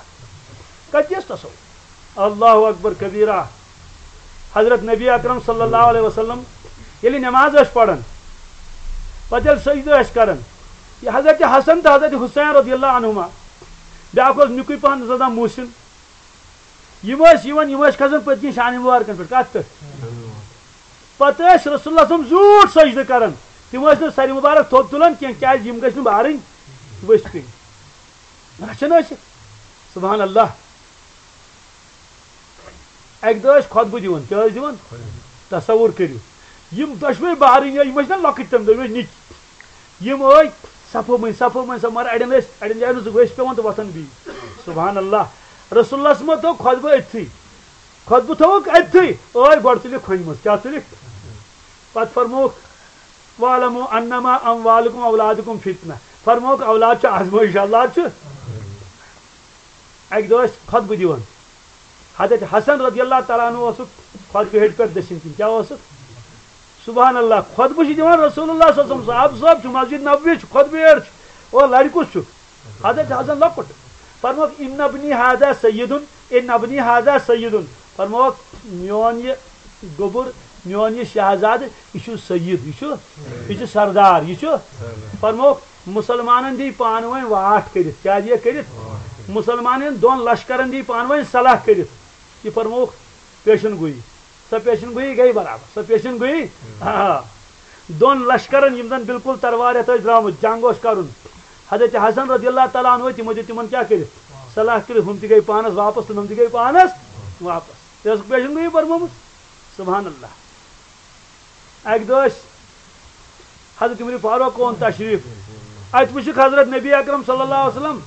کتہِ چھُ تصور؟ اللہ اکبر کبیرہ۔ حضرت نبی اکرم صلی اللہ علیہ وسلم ییٚلہِ نماز ٲسۍ پران، پتہٕ ییٚلہِ سجدٕ ٲسۍ کران، یہِ حضرت حسن تہٕ حضرت حسین رضی اللہ عنہما، بیٛاکھ اوس نِکُے پہن، زٕ دۄہ محسن، یِم ٲسۍ یِوان، یِم ٲسۍ کھسان پٔتۍ کِنۍ شانہِ مبارکن پٮ۪ٹھ۔ کتھ پٮ۪ٹھ؟ پتہٕ ٲسۍ رسول اللہ صلی اللہ علیہ وسلم زیوٗٹھ سجدٕ کران۔ تِم ٲسۍ نہٕ سرِ مبارک تھوٚد تُلان کینٛہہ، کیازِ یِم گٔژھۍ نہٕ بارٕنۍ ؤسۍ پیٚنۍ۔ رچھان ٲسِکھ۔ سبحان اللہ۔ اکہِ دۄہ ٲسۍ خطبہٕ دِوان۔ کیٛاہ ٲسۍ دِوان؟ تصور کٔرِو، یِم دۄشوے بارٕنۍ ٲسۍ، یِم ٲسۍ نا لۄکٕٹۍ تَمہِ دۄہ، یِم ٲسۍ نِکۍ۔ یِم ٲسۍ صفہٕ مٔنٛزۍ، صفہٕ مٔنٛزۍ، صفہٕ، مگر اَڑٮ۪ن ٲسۍ، اَڑٮ۪ن جاین اوسُکھ ؤسۍ پٮ۪وان تہٕ وۄتھان بیٚیہِ۔ سبحان اللہ۔ رسول اللہ صٲبن تھوٚو خطبہٕ أتھی۔ خطبہٕ تھوٚوُکھ أتھی۔ ٲے گۄڈٕ تُلِکھ کھۄنہِ منٛز۔ کیٛاہ تُلِکھ؟ پتہٕ فرمووُکھ، "واعلموا انما اموالکم اولادکم فتنہ۔" فرمووُکھ، اولاد چھُ آزمٲیش، اولاد چھُ۔ اکہِ دۄہ ٲسۍ خطبہٕ دِوان۔ حضرت حسن رضی اللہ تعالیٰ عنہ اوسُکھ خطبہٕ ہیٚٹہِ پٮ۪ٹھ دٔچھِنۍ کِنۍ۔ کیٛاہ اوسُکھ؟ سبحان اللہ، خطبہٕ چھِ دِوان رصول اللہ صلی اللہ علیہ وسلم۔ صحابہٕ صٲب چھُ، مسجد نبوی چھُ، خطبہٕ ہیٚٹہِ چھُ۔ او لڑِ کُس چھُ؟ حضرت حسن لۄکُٹ۔ فرمووُکھ، "ان ابنی ھذا سیدن، ان ابنی ھذا سیدن۔" فرمووُکھ، "میون یہِ گوٚبُر، میون یہِ شہزادٕ، یہِ چھُ سید، یہِ چھُ، یہِ چھُ سردار، یہِ چھُ۔" فرمووُکھ، "مسلمانن دی پانہٕ ؤنۍ واٹھ کٔرِتھ۔" کیٛاہ دِیَکھ کٔرِتھ؟ مسلمانن دۄن لشکرن دی پانہٕ ؤنۍ صلاح کٔرِتھ۔ یہِ فرمووُکھ پیشن گویی۔ سۄ پیشن گویی گٔے برابر۔ سۄ پیشن گویی، آ۔ دۄن لشکرن، یِم زن بالکل تلوار ہیٚتھ ٲسۍ درٛامٕتۍ، جنگ اوس کرُن۔ حضرت حسن رضی اللہ تعالیٰ عنہ، تِمو دیُت تِمن کیٛاہ کٔرِتھ؟ صلاح کٔرِتھ، ہُم تہِ گٔے پانس واپس تہٕ ہُم تہِ گٔے پانس واپس۔ تہِ ٲسٕکھ پیشن گویی فرمٲومٕژ۔ سبحان اللہ۔ اکہِ دۄہ ٲسۍ حضرت عمر فاروق اوٚن تشریف۔ اتہِ وٕچھِکھ حضرت نبی اکرم صلی اللہ علیہ وسلم،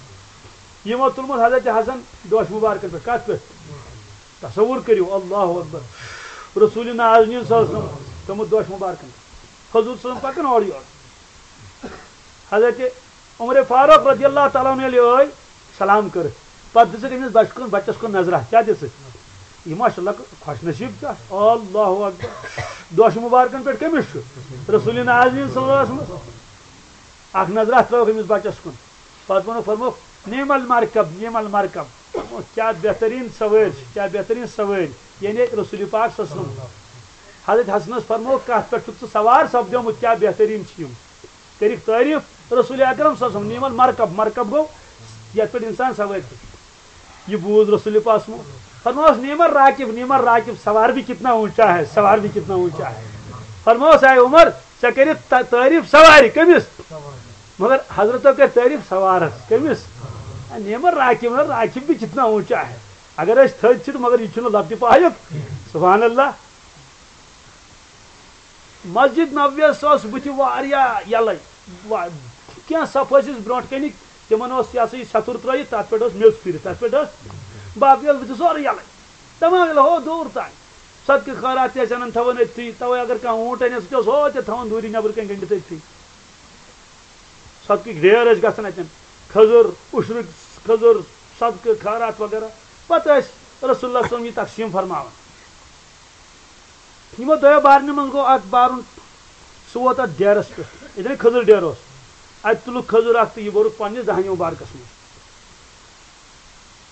یِمو تُلمُت حضرت حسن دوش مبارکن پٮ۪ٹھ۔ کتھ پٮ۪ٹھ؟ تصور کٔرِو، اللہ اکبر۔ رسول نازنین صلی اللہ علیہ وسلم تُلمُت دوش مبارکن پٮ۪ٹھ۔ حضور صلی اللہ علیہ وسلم پکان اورٕ یورٕ۔ حضرت عمر فاروق رضی اللہ تعالیٰ عنہ ییٚلہِ ٲے، سلام کٔرٕکھ، پتہٕ دِژٕکھ أمِس بچہٕ کُن، بچس کُن نظرہ۔ کیٛاہ دِژٕکھ؟ یہِ ماشاء اللہ خۄش نصیب چھُ۔ اللہ اکبر۔ دوش مبارکن پٮ۪ٹھ کٔمِس چھُ؟ رسول نازنین صلی اللہ علیہ وسلم۔ اکھ نظرہ ترٲوٕکھ أمِس بچس کُن۔ پتہٕ ووٚنُکھ، فرمووُکھ، "نعم المرکب، نعم المرکب۔" فرمووُکھ، "کیٛاہ بہتریٖن سوٲرۍ چھِ، کیٛاہ بہتریٖن سوٲرۍ۔" یعنی رسول پاک صلی اللہ علیہ وسلم۔ حضرت حسنس فرمووُکھ، "کتھ پٮ۪ٹھ چھُکھ ژٕ سوار؟ سپدیومُت کیٛاہ بہتریٖن چھِ یِم۔" کٔرِکھ تعریٖف رسول اکرم صلی اللہ علیہ وسلم، "نعم المرکب۔" مرکب گوٚو یتھ پٮ۪ٹھ انسان سوٲرۍ کھسہِ۔ یہِ بوٗز رسول پاک صلی اللہ علیہ وسلم۔ فرمووُس، "نعم الراکب، نعم الراکب، سوار بھی کتنا اونچا ہے، سوار بھی کتنا اونچا ہے۔" فرمووُس، "اے عمر، ژےٚ کٔرِتھ تا-، تعریٖف سوارِ۔" کٔمِس؟ مگر حضرتو کٔر تعریٖف سوارس۔ کٔمِس؟ "نعم الراکب، نعم الراکب بھی کتنا اونچا ہے۔" اگر أسۍ تھٔدۍ چھِ تہٕ مگر یہِ چھُنہٕ لۄکٹہِ پایُک۔ سبحان اللہ۔ مسجد نبویس ٲس بٕتھِ واریاہ یَلَے۔ وا-، کینٛہہ صف ٲسِس برونٛٹھ کَنہِ، تِمَن اوس یہِ ہسا یہِ سَتُر ترٛٲیِتھ، تَتھ پٮ۪ٹھ ٲس میٚژ پھِرِتھ، تَتھ پٮ۪ٹھ ٲس باقٕے ٲس بٕتھِ سورُے یَلَے۔ تَمام ییٚلہِ ہو دوٗر تام۔ صدقہٕ خٲرات تہِ ٲسۍ اَنان تھاوان أتھی، تَوَے اگر کانٛہہ اوٗنٛٹ اَنہِ ہا، سُہ تہِ اوس ہو تہِ تھاوان دوٗرِ نٮ۪برٕ کَنہِ گٔنٛڈِتھ أتھی۔ صدقٕکۍ ڈھیر ٲسۍ گژھان اَتٮ۪ن، کھٔزٕر، اُشرُک کھٔزٕر، صدقہٕ خٲرات وغیرہ۔ پَتہٕ ٲسۍ رسول اللہ صلی اللہ علیہ وسلم یہِ تقسیٖم فرماوان۔ یِمو دۄیو بارنیو منٛز گوٚو اکھ بارُن، سُہ ووت اتھ ڈیرس پٮ۪ٹھ، ییٚتٮ۪ن کھٔزٕر ڈیر اوس۔ اتہِ تُلُکھ کھٔزٕر اکھ تہٕ یہِ بوٚرُکھ پننِس دہنہِ مبارکس منٛز۔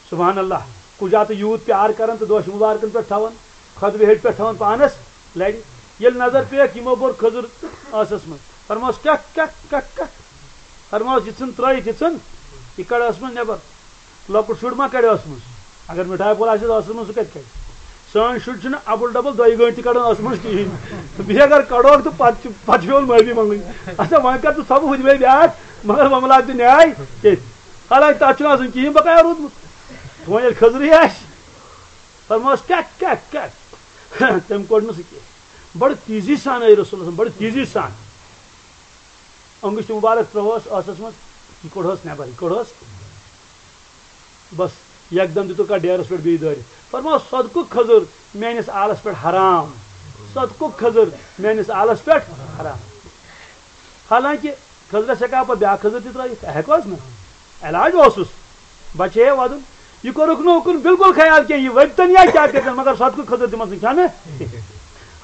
سبحان اللہ، کُجا تہٕ یوٗت پیار کران تہٕ دوش مبارکن پٮ۪ٹھ تھاوان، خطبہٕ ہیٚٹہِ پٮ۪ٹھ تھاوان پانس لرِ۔ ییٚلہِ نظر پیٚیکھ، یِمو بوٚر کھٔزٕر ٲسس منٛز۔ فرموس، "کیٛاہ، کیٛاہ، کیٛاہ، کیٛاہ؟" فرموس، "یہِ ژھٕن ترٲیِتھ، یہِ ژھٕن، یہِ کڑ ٲسس منٛز نٮ۪بر۔" لۄکُٹ شُر ما کڑِ ٲسہٕ منٛز؟ اگر مِٹھایہِ پھوٚل آسٮ۪س ٲسَس منٛز، سُہ کَتہِ کَڑِ؟ سٲنۍ شُرۍ چھِنہٕ اَبُل ڈَبُل دۄیہِ گٲنٛٹہِ تہِ کَڑان ٲسہٕ منٛز کِہیٖنۍ۔ بیٚیہِ اگر کَڑوکھ تہٕ پَتہٕ چھِ، پَتہٕ چھِ پٮ۪وان معٲفی منٛگٕنۍ۔ اچھا، وۄنۍ کَر ژٕ ژھۄپہٕ ہُتہِ بیٚیہِ بیٛاکھ، مگر وۄنۍ مَلہٕ ہا تہِ نیٛاے تٔتھۍ۔ حالانکہِ تَتھ چھُنہٕ آسان کِہیٖنۍ بقایا روٗدمُت۔ وۄنۍ ییٚلہِ کھٔزرٕے آسہِ، فرمووَس، "کیٛاہ، کیٛاہ، کیٛاہ؟" تٔمۍ کوٚڑ نہٕ سُہ کینٛہہ۔ بَڑٕ تیزی سان آیہِ رسول اللہ، بَڑٕ تیزی سان۔ أنٛگٕچ تہِ مُبارک ترٛٲوہوس ٲسَس منٛز، یہِ کوٚڑہوس نٮ۪بر، یہِ کوٚڑہوس۔ بس، یکدم دِتُکھ اَتھ ڈیرَس پٮ۪ٹھ بیٚیہِ دٲرِتھ۔ فرمووُس، "صدقُک کھٔزٕر میٲنِس آلَس پٮ۪ٹھ حرام، صدقُک کھٔزٕر میٲنِس آلَس پٮ۪ٹھ حرام۔" حالانکہِ کھٔزرَس ہٮ۪کہٕ ہا پَتہٕ بیٛاکھ کھٔزٕر تہِ ترٲیِتھ، ہٮ۪کہٕ ہوس نہ؟ علاج اوسُس، بچے ہے وَدُن۔ یہِ کوٚرُکھ نہٕ اُکُن بالکل خیال کینٛہہ، یہِ ؤدۍتَن یا کیٛاہ کٔرۍتَن، مگر صدقُک کھٔزٕر دِمَس نہٕ کھٮ۪نہٕ۔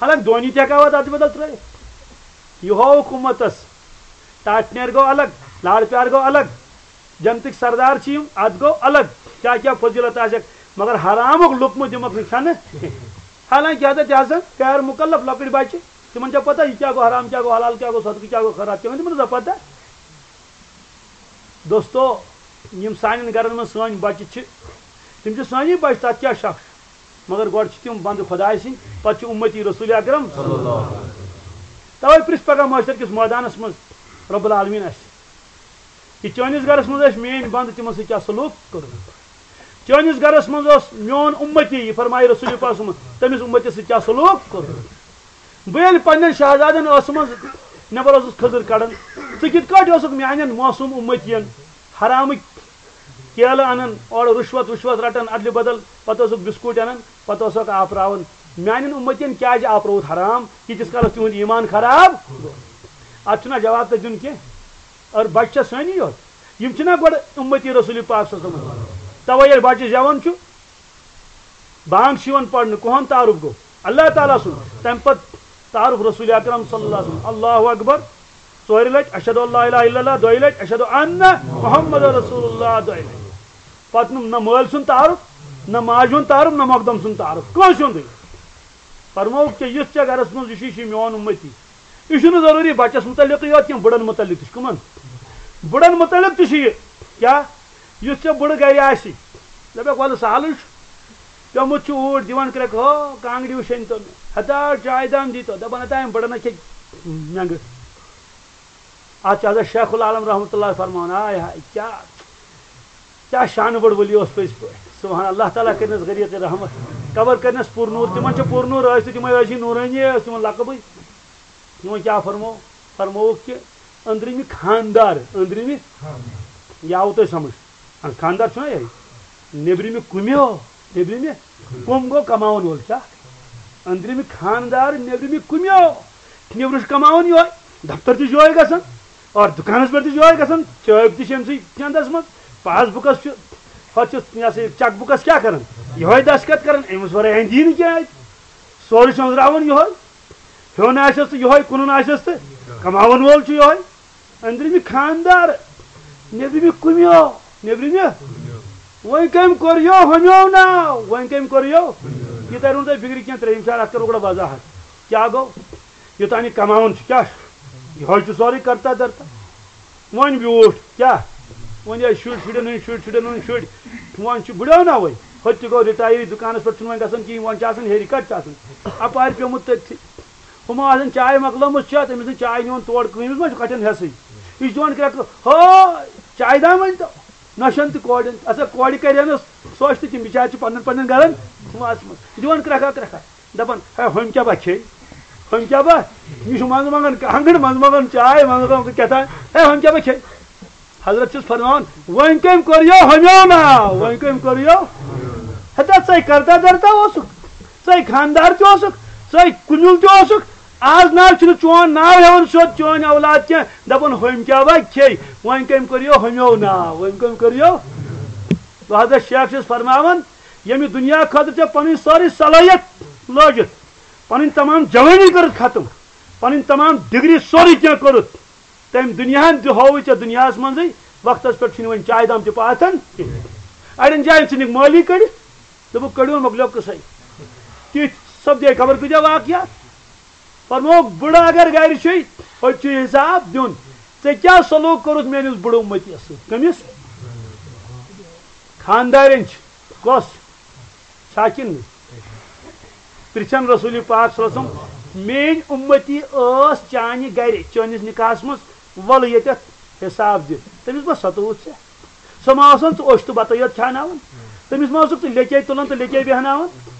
حالانکہِ دونی تہِ ہٮ۪کہٕ ہا وَتھ اَتھ بدل ترٲیِتھ۔ یہِ ہووُکھ اُمتَس۔ ٹاٹھۍ نیر گوٚو الگ، لارٕ پیار گوٚو الگ، جنتٕکۍ سردار چھِ یِم، اَتھ گوٚو الگ، کیٛاہ کیٛاہ فضیلت آسٮ۪کھ، مگر حرامُک لُقمہٕ دِمَکھ نہٕ کھٮ۪نہٕ۔ حالانکہِ حضرت حسن غیر مکلف لۄکٕٹۍ بچہِ، تِمَن چھا پتہ یہِ کیٛاہ گوٚو حرام، کیٛاہ گوٚو حلال، کیٛاہ گوٚو صدقہٕ، کیٛاہ گوٚو خٲرات، تِمَن تِمَن ٲسا پتہ؟ دوستو، یِم سانٮ۪ن گرَن منٛز سٲنۍ بچہِ چھِ، تِم چھِ سٲنی بچہِ، تَتھ کیٛاہ شک چھُ؟ مگر گۄڈٕ چھِ تِم بندٕ خۄداے سٕنٛدۍ، پتہٕ چھِ اُمتی رسول اکرم۔ توے پرژھ پگاہ محشر کِس مٲدانس منٛز رب العالمین اسہِ، کہِ چٲنِس گرس منٛز ٲسۍ میٲنۍ بندٕ، تِمن سۭتۍ کیٛاہ سلوک کوٚرمُت؟ چٲنِس گرس منٛز اوس میون اُمتی، یہِ فرمایہِ رسول پاک صلی اللہ علیہ وسلم، تٔمِس اُمتی سۭتۍ کیٛاہ سلوک کوٚرمُت؟ بہٕ ییٚلہِ پننٮ۪ن شہزادن ٲسہٕ منٛز نٮ۪بر اوسُس کھٔزٕر کڑان، ژٕ کِتھ کٲٹھۍ اوسُکھ میانٮ۪ن معصوم اُمتین حرامٕکۍ کیلہٕ انان، اورٕ رُشوت وُشوت رٹان ادلہِ بدل، پتہٕ اوسُکھ بسکوٗٹ انان، پتہٕ اوسُکھ آپراوان۔ میانٮ۪ن اُمتین کیازِ آپرووُتھ حرام؟ ییٖتِس کالس تِہُنٛد ایمان خراب گوٚو۔ اتھ چھُنہ جواب تہِ دیُن کینٛہہ۔ اور بچہِ چھا سٲنی یوت؟ یِم چھِنہ گۄڈٕ اُمتی رسول پاک صلی اللہ علیہ وسلم۔ توے ییٚلہِ بچہِ زٮ۪وان چھُ، بانگ چھِ یِوان پرنہٕ، کُہُنٛد تعارُف گوٚو؟ اللہ تعالیٰ سُنٛد۔ تَمہِ پتہٕ تعارُف رسول اکرم صلی اللہ علیہ وسلم۔ اللہ اکبر ژورِ لٹہِ، اشہد ان لا الہ الا اللہ دۄیہِ لٹہِ، اشہد ان محمد رسول اللہ دۄیہِ لٹہِ۔ پتہٕ نہٕ، نہ مٲلۍ سُنٛد تعارُف، نہ ماجہِ ہُنٛد تعارُف، نہ مۄقدم سُنٛد تعارُف، کٲنٛسہِ ہُنٛدُے۔ فرمووُکھ کہِ یُس ژےٚ گرس منٛز یہِ چھُ، یہِ چھُ میون اُمتی۔ یہِ چھُنہٕ ضروٗری بچس متعلقٕے یوت کینٛہہ، بُڑن متعلق تہِ چھُ۔ کٕمن؟ بُڑن متعلق تہِ چھُ یہِ۔ کیٛاہ؟ یُس ژےٚ بُڑٕ گرِ آسہِ، دپکھ، ولہٕ سہلٕے چھُ۔ پیومُت چھُ اوٗرۍ دِوان کرٛٮ۪کہٕ، ہو، کانٛگرِ وٕچھن تو مےٚ۔ ہتا چایہِ دام دی تو۔ دپان، ہتا أمۍ بُڑن ہا کھے مٮ۪نٛگہٕ۔ اتھ چھُ حضرت شیخ العالم رحمتہ اللہ فرماوان، آے ہاے، کیٛاہ، کیٛاہ شانہٕ بٔڑ ؤلی اوس پٔزۍ پٲٹھۍ۔ سبحان اللہ، تعالیٰ کٔرنَس غریٖق رحمت۔ قبر کٔرنَس پُر نوٗر۔ تِمن چھِ پُر نوٗر رٲضۍ تہٕ تِمے رٲضۍ نوٗرٲنی ٲس تِمن لقبٕے۔ تِمو کیٛاہ فرموو؟ فرمووُکھ کہِ أنٛدرِمہِ خاندار، أنٛدرِمہِ، یہِ آوٕ تۄہہِ سمجھ؟ اَہَن، خاندار چھُنہ یِہوٚے؟ نیٚبرِمہِ کُمیو، نیٚبرِمہِ کُم گوٚو کماوَن وول، کیٛاہ؟ أنٛدرِمہِ خاندار، نیٚبرِمہِ کُمیو۔ نیٚبرٕ چھُ کماوَن یِہوٚے، دفتر تہِ چھُ یِہوٚے گژھان، اور دُکانَس پٮ۪ٹھ تہِ چھُ یِہوٚے گژھان، چٲبۍ تہِ چھِ أمۍ سٕے چندَس منٛز، پاس بُکَس چھُ، ہۄتھ چھُ، یہِ ہسا یہِ چیک بُکَس کیٛاہ کران؟ یِہوٚے دستخط کران، أمِس ورٲے اَندِ یی نہٕ کینٛہہ اَتہِ۔ سورُے چھُ أنٛزراوان یِہوٚے۔ ہیوٚن آسٮ۪س تہٕ یِہوٚے، کٕنُن آسٮ۪س تہٕ کماوَن وول چھُ یِہوٚے۔ أنٛدرِمہِ خاندار، نیٚبرِمہِ کُمیو، نیٚبرِمہِ۔ وۄنۍ کٔمۍ کوٚر یو ہُمیو ناو؟ وۄنۍ کٔمۍ کوٚر یو؟ یہِ تَرِ وۄنۍ تۄہہِ فِکرِ کینٛہہ، ترٛیٚیِم چھِ اَتھ کَرو گۄڈٕ وضاحت۔ کیٛاہ گوٚو؟ یوٚتام یہِ کماوُن چھُ، کیٛاہ چھُ؟ یِہوٚے چھُ سورُے کرتا دھرتا۔ وۄنۍ بیوٗٹھ، کیٛاہ؟ وۄنۍ ٲسۍ شُرۍ، شُرٮ۪ن ہٕنٛدۍ شُرۍ، شُرٮ۪ن ہٕنٛدۍ شُرۍ۔ وۄنۍ چھُ بُڑیو نا وۄنۍ۔ ہُتہِ تہِ گوٚو رِٹایَر، دُکانَس پٮ۪ٹھ چھُنہٕ وۄنۍ گژھان کِہیٖنۍ، وۄنۍ چھُ آسان ہیٚرِ کَتہِ چھُ آسان۔ اَپارِ پیوٚمُت تٔتھی۔ ہُمو آسان چاے مۄکلٲمٕژ چٮ۪تھ، أمِس نہٕ چاے نِوان تور کٕہٕنۍ، أمِس ما چھُ کَٹھٮ۪ن حٮ۪سٕے۔ یہِ چھُ دِوان کرٛٮ۪کہٕ، ہو، چاے دام ؤنۍ تو۔ نۄشَن تہِ کورٮ۪ن، اَسا کورِ کَرِ أمِس سۄچھ تہٕ تِم بِچارِ چھِ پنٛنٮ۪ن پنٛنٮ۪ن گَرَن وَژھمَژٕ۔ یہِ دِوان کرٛٮ۪کھا کرٛٮ۪کھا۔ دَپان، ہے، ہُمۍ کیٛاہ با کھیٚیہِ؟ ہُمۍ کیٛاہ با؟ یہِ چھُ منٛزٕ منٛگان کانٛگٕر، منٛزٕ منٛگان چاے، منٛزٕ منٛگان کیٛاہ تام۔ ہے، ہُمۍ کیٛاہ با کھیٚیہِ؟ حضرت چھُس فرماوان، وۄنۍ کٔمۍ کوٚر یہِ ہُمیو ناو؟ وۄنۍ کٔمۍ کوٚر یہِ؟ ہتا ژَے کرتا دھرتا اوسُکھ، ژَے خاندار تہِ اوسُکھ، ژَے کُنیُل تہِ اوسُکھ۔ آز نہ چھُنہٕ چون ناو ہٮ۪وان سیوٚد چٲنۍ اولاد کینٛہہ، دَپان، ہُمۍ کیٛاہ با کھیٚیہِ؟ وۄنۍ کٔمۍ کوٚر یہِ ہُمیو ناو؟ وۄنۍ کٔمۍ کوٚر یہِ؟ تو حضرت شیخ چھُس فرماوان، ییٚمہِ دُنیا خٲطرٕ ژےٚ پنٕنۍ سٲرٕے صلٲحیت لٲگِتھ، پنٕنۍ تمام جوٲنی کٔرٕتھ ختم، پنٕنۍ تمام ڈگری سورُے کینٛہہ کٔرٕتھ، تٔمۍ دُنیاہن تہِ ہووٕے ژےٚ دُنیاہس منٛزٕے، وقتس پٮ۪ٹھ چھُنہٕ وۄنۍ چایہِ دام تہِ پاتھن کینٛہہ۔ اَڑٮ۪ن جاین ژھٕنِکھ مٲلی کٔڑِتھ، دوٚپُکھ، کٔڑِو مۄکلیو قصے۔ تِتھۍ سپدے خبر کۭتیاہ واقعات۔ فرمووُکھ، بُڑٕ اگر گرِ چھُے، أتۍ چھُے حساب دیُن۔ ژےٚ کیٛاہ سلوک کوٚرُتھ میٲنِس بُڑٕ اُمتیَس سۭتۍ؟ کٔمِس؟ خاندارٮ۪ن چھِ۔ کۄس؟ چھا کِنہٕ نہٕ؟ پرٛژھن رسول پاک صلی اللہ علیہ وسلم، میٲنۍ اُمتی ٲس چانہِ گرِ، چٲنِس نکاحس منٛز، وَلہٕ ییٚتٮ۪تھ حساب دِ۔ تٔمِس ما ستووُتھ ژےٚ؟ سۄ ما ٲسن ژٕ اوٚش تہٕ بتہٕ یوت کھیاناوان؟ تٔمِس ما اوسُکھ ژٕ لیٚکے تُلان تہٕ لیٚکے بیہناوان؟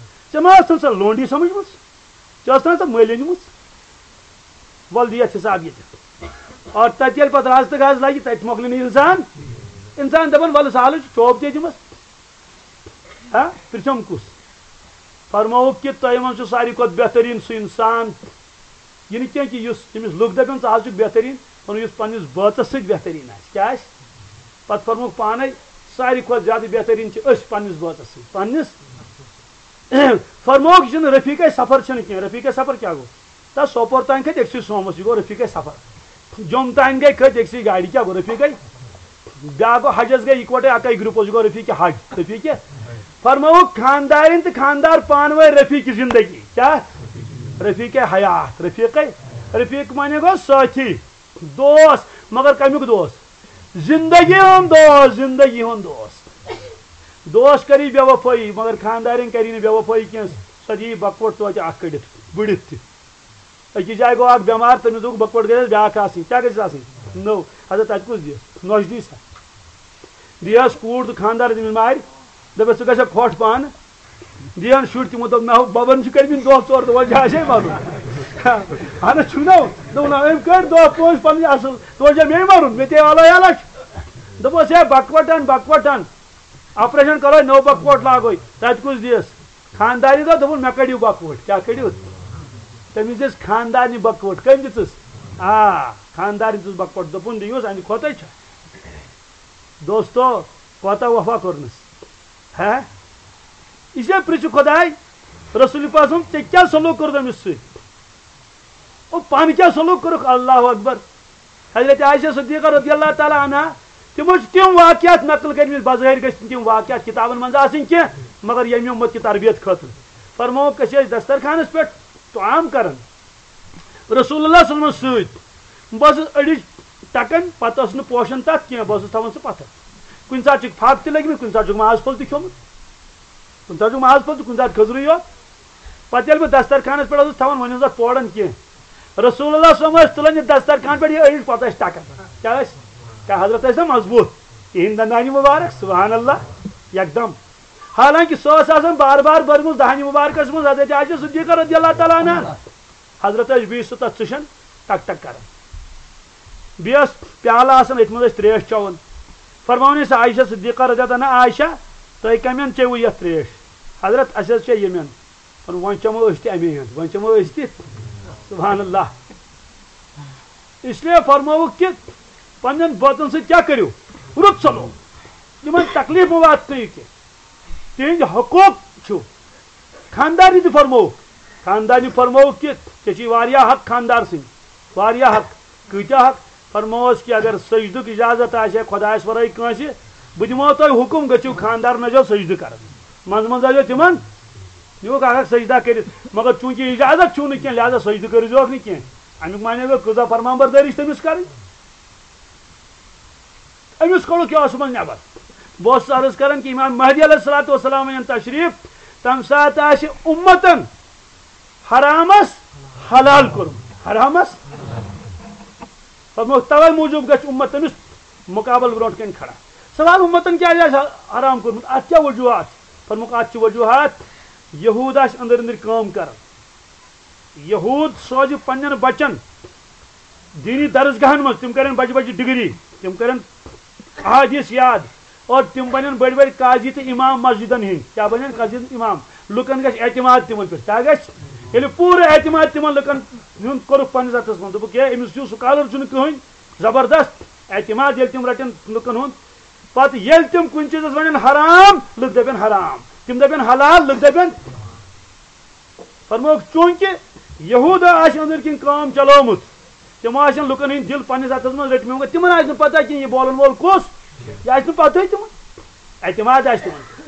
ژےٚ ما ٲسن سۄ لونڈی سمجھمٕژ؟ ژےٚ ٲس نہ سۄ مٔلۍ أنمٕژ؟ وَلہٕ دِ یَتھ حساب ییٚتہِ۔ اور تَتہِ ییٚلہِ پَتہٕ رَز تہٕ گَز لَگہِ، تَتہِ مۄکلہِ نہٕ اِنسان۔ اِنسان دَپان، وَلہٕ سہلٕے چھُ، چوب تہِ دِمَس۔ ہا، پِرٛژھم کُس؟ فرمووُکھ کہِ تۄہہِ منٛز چھُ ساروی کھۄتہٕ بہتریٖن سُہ اِنسان، یہِ نہٕ کینٛہہ کہِ یُس تٔمِس لُکھ دَپن، ژٕ حظ چھُکھ بہتریٖن، وَنُن یُس پنٛنِس بٲژَس سۭتۍ بہتریٖن آسہِ۔ کیٛاہ آسہِ؟ پَتہٕ فرمووُکھ پانَے، ساروی کھۄتہٕ زیادٕ بہتریٖن چھِ أسۍ پنٛنِس بٲژَس سۭتۍ۔ پنٛنِس فرمووُکھ، یہِ چھُنہٕ رفیقے سفر چھُنہٕ کینٛہہ۔ رفیقے سفر کیٛاہ گوٚو؟ تہٕ سوپور تام کھٔتۍ أکسٕے سوموس، یہِ گوٚو رفیقے سفر۔ جوٚم تام گٔے، کھٔتۍ أکسٕے گاڑِ، کیٛاہ گوٚو رفیقے؟ بیٛاکھ گوٚو حجس گٔے اِکوٹے اَکے گروپس، یہِ گوٚو رفیق حج، رفیق۔ فرمووُکھ خاندارٮ۪ن تہٕ خاندار پانہٕ ؤنۍ رفیق زندگی۔ کیٛاہ؟ رفیق حیات، رفیقے۔ رفیق معنی گوٚو سٲتھی، دوست، مگر کمیُک دوست؟ زندگی ہُنٛد دوست، زندگی ہُنٛد دوست۔ دوس کری بے وفٲیی، مگر خاندارٮ۪ن کری نہٕ بے وفٲیی کینٛہہ۔ سۄ دِیہِ بکوٹ توتہِ اکھ کٔڑِتھ، بٔڑِتھ تہِ۔ أکِس جایہِ گوٚو اکھ بٮ۪مار، تٔمِس دوٚپ بکوٹ گژھِ بیٛاکھ آسٕنۍ۔ کیٛاہ گژھِ آسٕنۍ؟ نٔو۔ حضرت، تَتہِ کُس دِیَس؟ نۄش دی سا۔ دِیَس کوٗر تہٕ خاندار تٔمِس مارِ۔ دَپٮ۪س، "ژٕ گژھکھ کھۄٹھ پانہٕ۔" دِیَن شُرۍ تِمو دوٚپ، "نہ، بَبَن چھُ کٔرمٕتۍ دۄہ ژور، تہٕ وۄنۍ چھِ اَسے مَرُن۔" اَہَن حظ، چھُنہ۔ دوٚپُن، "نہ، أمۍ کٔرۍ دۄہ پانٛژھ پَنٕنۍ اَصٕل، تہٕ وۄنۍ چھا مے مَرُن؟ مےٚ تے آلَے آلَے چھُ۔" دوٚپمَس، "ہے، بَکوَٹَن، بَکوَٹَن، آپریشَن کَرو، نٔو بَکوَٹ لاگو۔ تَتہِ کُس دِیَس؟" خاندارنہِ دوٚپ، دوٚپُن، "مےٚ کٔڑِو بَکوَٹ۔" کیٛاہ کٔڑِو؟ تٔمِس دِژ خاندارنہِ بَکوَٹ۔ کٔمۍ دِژٕس؟ آ، خاندارنہِ دِژٕس بَکوَٹ۔ دوٚپُن، "دِیوس، اَمہِ کھۄتَے چھا؟" دوستو، کوتاہ وفا کوٚرنَس۔ ہا؟ یہِ چھا پرٛژھِ خۄداے، رسول پاک صٲب، ژےٚ کیٛاہ سلوک کوٚر تٔمِس سۭتۍ؟ او، پانہٕ کیٛاہ سلوک کوٚرُکھ؟ اللہ اکبر۔ حضرت عائشہ صدیقہ رضی اللہ تعالیٰ عنہا، تِمو چھِ تِم واقعات نقل کٔرمٕتۍ، بظٲہِر گٔژھۍ نہٕ تِم واقعات کِتابَن منٛز آسٕنۍ کینٛہہ، مگر ییٚمہِ اُمت کہِ تربیت خٲطرٕ۔ فرمووُکھ، أسۍ ٲسۍ دسترخانَس پٮ۪ٹھ طعام کران۔ رسول اللہ صلی اللہ علیہ وسلمس سۭتۍ۔ بہٕ ٲسٕس أڑِج ٹکان، پتہٕ ٲس نہٕ پوشان تتھ کینٛہہ، بہٕ اوسُس تھاوان سُہ پتھر۔ کُنہِ ساتہٕ چھُکھ پھاکھ تہِ لٔگمٕتۍ، کُنہِ ساتہٕ چھُکھ ماز پھوٚل تہِ کھیوٚمُت، کُنہِ ساتہٕ چھُکھ ماز پھوٚل تہٕ کُنہِ ساتہٕ کھٔزرٕے یوت۔ پتہٕ ییٚلہِ بہٕ دسترخانس پٮ۪ٹھ اوسُس تھاوان، وۄنۍ اوس اتھ پوران کینٛہہ۔ رسول اللہ صلی اللہ علیہ وسلم ٲسۍ تُلان یہِ دسترخان پٮ۪ٹھ، یہِ أڑِج پتہٕ ٲسۍ ٹکان۔ کیٛاہ ٲسۍ؟ کیٛاہ حضرت ٲسۍ نا مضبوٗط؟ تِہِنٛدۍ دندانہِ مُبارک، سبحان اللہ، یکدم۔ حالانکہ سۄ ٲس آسان بار بار بٔرمٕژ دہنہِ مُبارکس منٛز حضرت عائشہ صدیقہ رضی اللہ تعالیٰ عنہا۔ حضرت ٲسۍ بیٚیہِ سُہ تَتھ ژٕشَن ٹک ٹک کران۔ بیٚیہِ ٲس پیالہٕ آسان، أتھۍ منٛز ٲسۍ ترٛیش چٮ۪وان۔ فرماوان ٲسۍ عائشہ صدیقہ رضی اللہ عنہا، "عائشہ، تۄہہِ کَمٮ۪ن چیٚوٕ یَتھ ترٛیش؟" "حضرت، اَسہِ حظ چیٚے ییٚمٮ۪ن۔" "وۄنۍ چٮ۪مو أسۍ تہِ اَمے ہَن، وۄنۍ چٮ۪مو أسۍ تہِ۔" سبحان اللہ۔ اس لیے فرمووُکھ کہ پننٮ۪ن بٲژن سۭتۍ کیٛاہ کٔرِو؟ رُت سلوک۔ یِمن تکلیف مہٕ واتنٲیِو کینٛہہ۔ تِہنٛدۍ حقوق چھِو۔ خاندارنہِ تہِ فرمووُکھ، خاندارنہِ فرمووُکھ کہ ژےٚ چھِی واریاہ حق خاندار سٕنٛدۍ، واریاہ حق۔ کۭتیاہ حق؟ فرمووُس کہ اگر سجدُک اجازت آسہِ ہے خۄدایس ورٲے کٲنٛسہِ، بہٕ دِمو تۄہہِ حُکم، گٔژھِو خاندارن ٲسۍزیو سجدٕ کران۔ منٛزٕ منٛزٕ ٲسۍزیو تِمن، یہِ اوس اکھ اکھ سجدہ کٔرِتھ، مگر چوٗنٛکہِ اجازت چھُو نہٕ کینٛہہ، لہذا سجدٕ کٔرۍزیوکھ نہٕ کینٛہہ۔ امیُک معنی گوٚو، کۭژاہ فرمان بردٲری چھِ تٔمِس کرٕنۍ؟ أمِس کوٚڑُکھ یہِ اوس یِمن نٮ۪بر۔ بہٕ اوسُس عرض کران کہِ امام مہدی علیہ الصلوۃ والسلام یِن تشریف، تمہِ ساتہٕ آسہِ اُمتن حرامس حلال کوٚرمُت۔ حرامس فرمووُکھ، توے موٗجوٗب گژھِ اُمت تٔمِس مُقابل برونٛٹھ کَنہِ کھڑا۔ سوال، اُمتن کیٛازِ آسہِ حرام کوٚرمُت؟ اَتھ کیٛاہ وجوٗہات؟ فرمووُکھ، اَتھ چھِ وجوٗہات، یہوٗد آسہِ أنٛدٕرۍ أنٛدٕرۍ کٲم کران۔ یہوٗد سوزِ پننٮ۪ن بچن دینی درسگاہن منٛز، تِم کرن بجہِ بجہِ ڈگری، تِم کرن احادیث یاد، اور تِم بنن بٔڑۍ بٔڑۍ قاضی تہٕ امام مسجدن ہٕنٛدۍ۔ کیٛاہ بنن؟ قاضی تہٕ امام۔ لُکن گژھِ اعتماد تِمن پٮ۪ٹھ۔ کیٛاہ گژھِ؟ ییٚلہِ پوٗرٕ اعتماد تِمن لُکن ہُنٛد کوٚرُکھ پننِس اتھس منٛز، دوٚپُکھ، "ہے، أمِس ہیوٗ سکالر چھُنہٕ کٕہٕنۍ، زبردست اعتماد ییٚلہِ تِم رٹن لُکن ہُنٛد۔" پتہٕ ییٚلہِ تِم کُنہِ چیٖزس ونن حرام، لُکھ دپن حرام، تِم دپن حلال، لُکھ دپن۔ فرمووُکھ، چوٗنٛکہِ یہوٗدا آسہِ أنٛدٕرۍ کِنۍ کٲم چلٲومٕژ، تِمو آسن لُکن ہٕنٛدۍ دِل پننِس اتھس منٛز رٔٹۍ مٕتۍ، مگر تِمن آسہِ نہٕ پتہ کینٛہہ، یہِ بولن وول کُس، یہِ آسہِ نہٕ پتہٕے تِمن، اعتماد آسہِ تِمن۔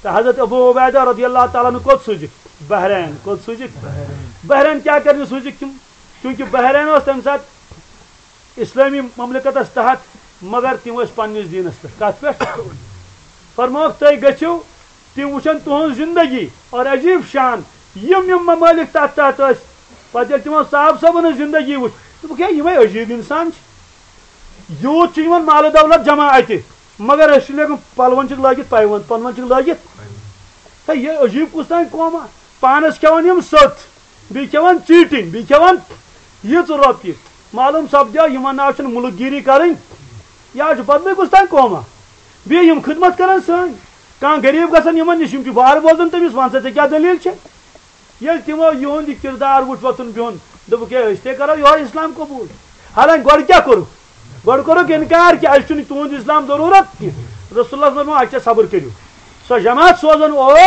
تہٕ حضرت ابو عبیدہ رضی اللہ تعالیٰ عنہ کوٚت سوٗزِکھ؟ بحرین۔ کوٚت سوٗزِکھ؟ بحرین۔ کیٛاہ کرنہِ سوٗزِکھ تِم؟ چوٗنٛکہِ بحرین اوس تمہِ ساتہٕ اسلٲمی مملکتس تحت، مگر تِم ٲسۍ پننِس دیٖنس پٮ۪ٹھ۔ کتھ پٮ۪ٹھ؟ فرمووُکھ، تُہۍ گٔژھِو، تِم وٕچھن تُہنٛز زندگی اور عجیب شان، یِم یِم ممٲلِک تتھ تحت ٲسۍ۔ پتہٕ ییٚلہِ تِمو صاحب صٲبن ہٕنٛز زندگی وٕچھ، دوٚپُکھ، "ہے، یِمے عجیب انسان چھِ۔ یوٗت چھُ یِمن مال و دولت جمع اتہِ، مگر أسۍ چھِ لیکن پلون چھِکھ لٲگِتھ پیوند، پلون چھِکھ لٲگِتھ۔ ہے، یہِ عجیب کُس تام قوما، پانس کھٮ۪وان یِم سٔت۔" بیٚیہِ کھٮ۪وان ژیٖٹِنۍ، بیٚیہِ کھٮ۪وان یِژھ رۄپیہِ۔ معلوم سپدیو، یِمن ناو چھُنہٕ مُلک گیٖری کرٕنۍ، یا چھُ بدلٕے کُس تام قوما۔ بیٚیہِ یِم خدمت کران سٲنۍ۔ کانٛہہ غریٖب گژھن یِمن نِش، یِم چھِ وارٕ بوزان تٔمِس، "وَن سا، ژےٚ کیٛاہ دٔلیٖل چھےٚ؟" ییٚلہِ تِمو یِہُنٛد یہِ کِردار وُچھ، وۄتھُن بِہُن، دوٚپُکھ، "ہے، أسۍ تے کرو یِہوے اسلام قبوٗل۔" حالانکہِ گۄڈٕ کیٛاہ کوٚرُکھ؟ گۄڈٕ کوٚرُکھ اِنکار کہِ اَسہِ چھُنہٕ تُہُنٛد اسلام ضروٗرت کینٛہہ۔ رسول اللہ فرموو، "اچھا، صبر کٔرِو۔" سۄ جماعت سوزن اور،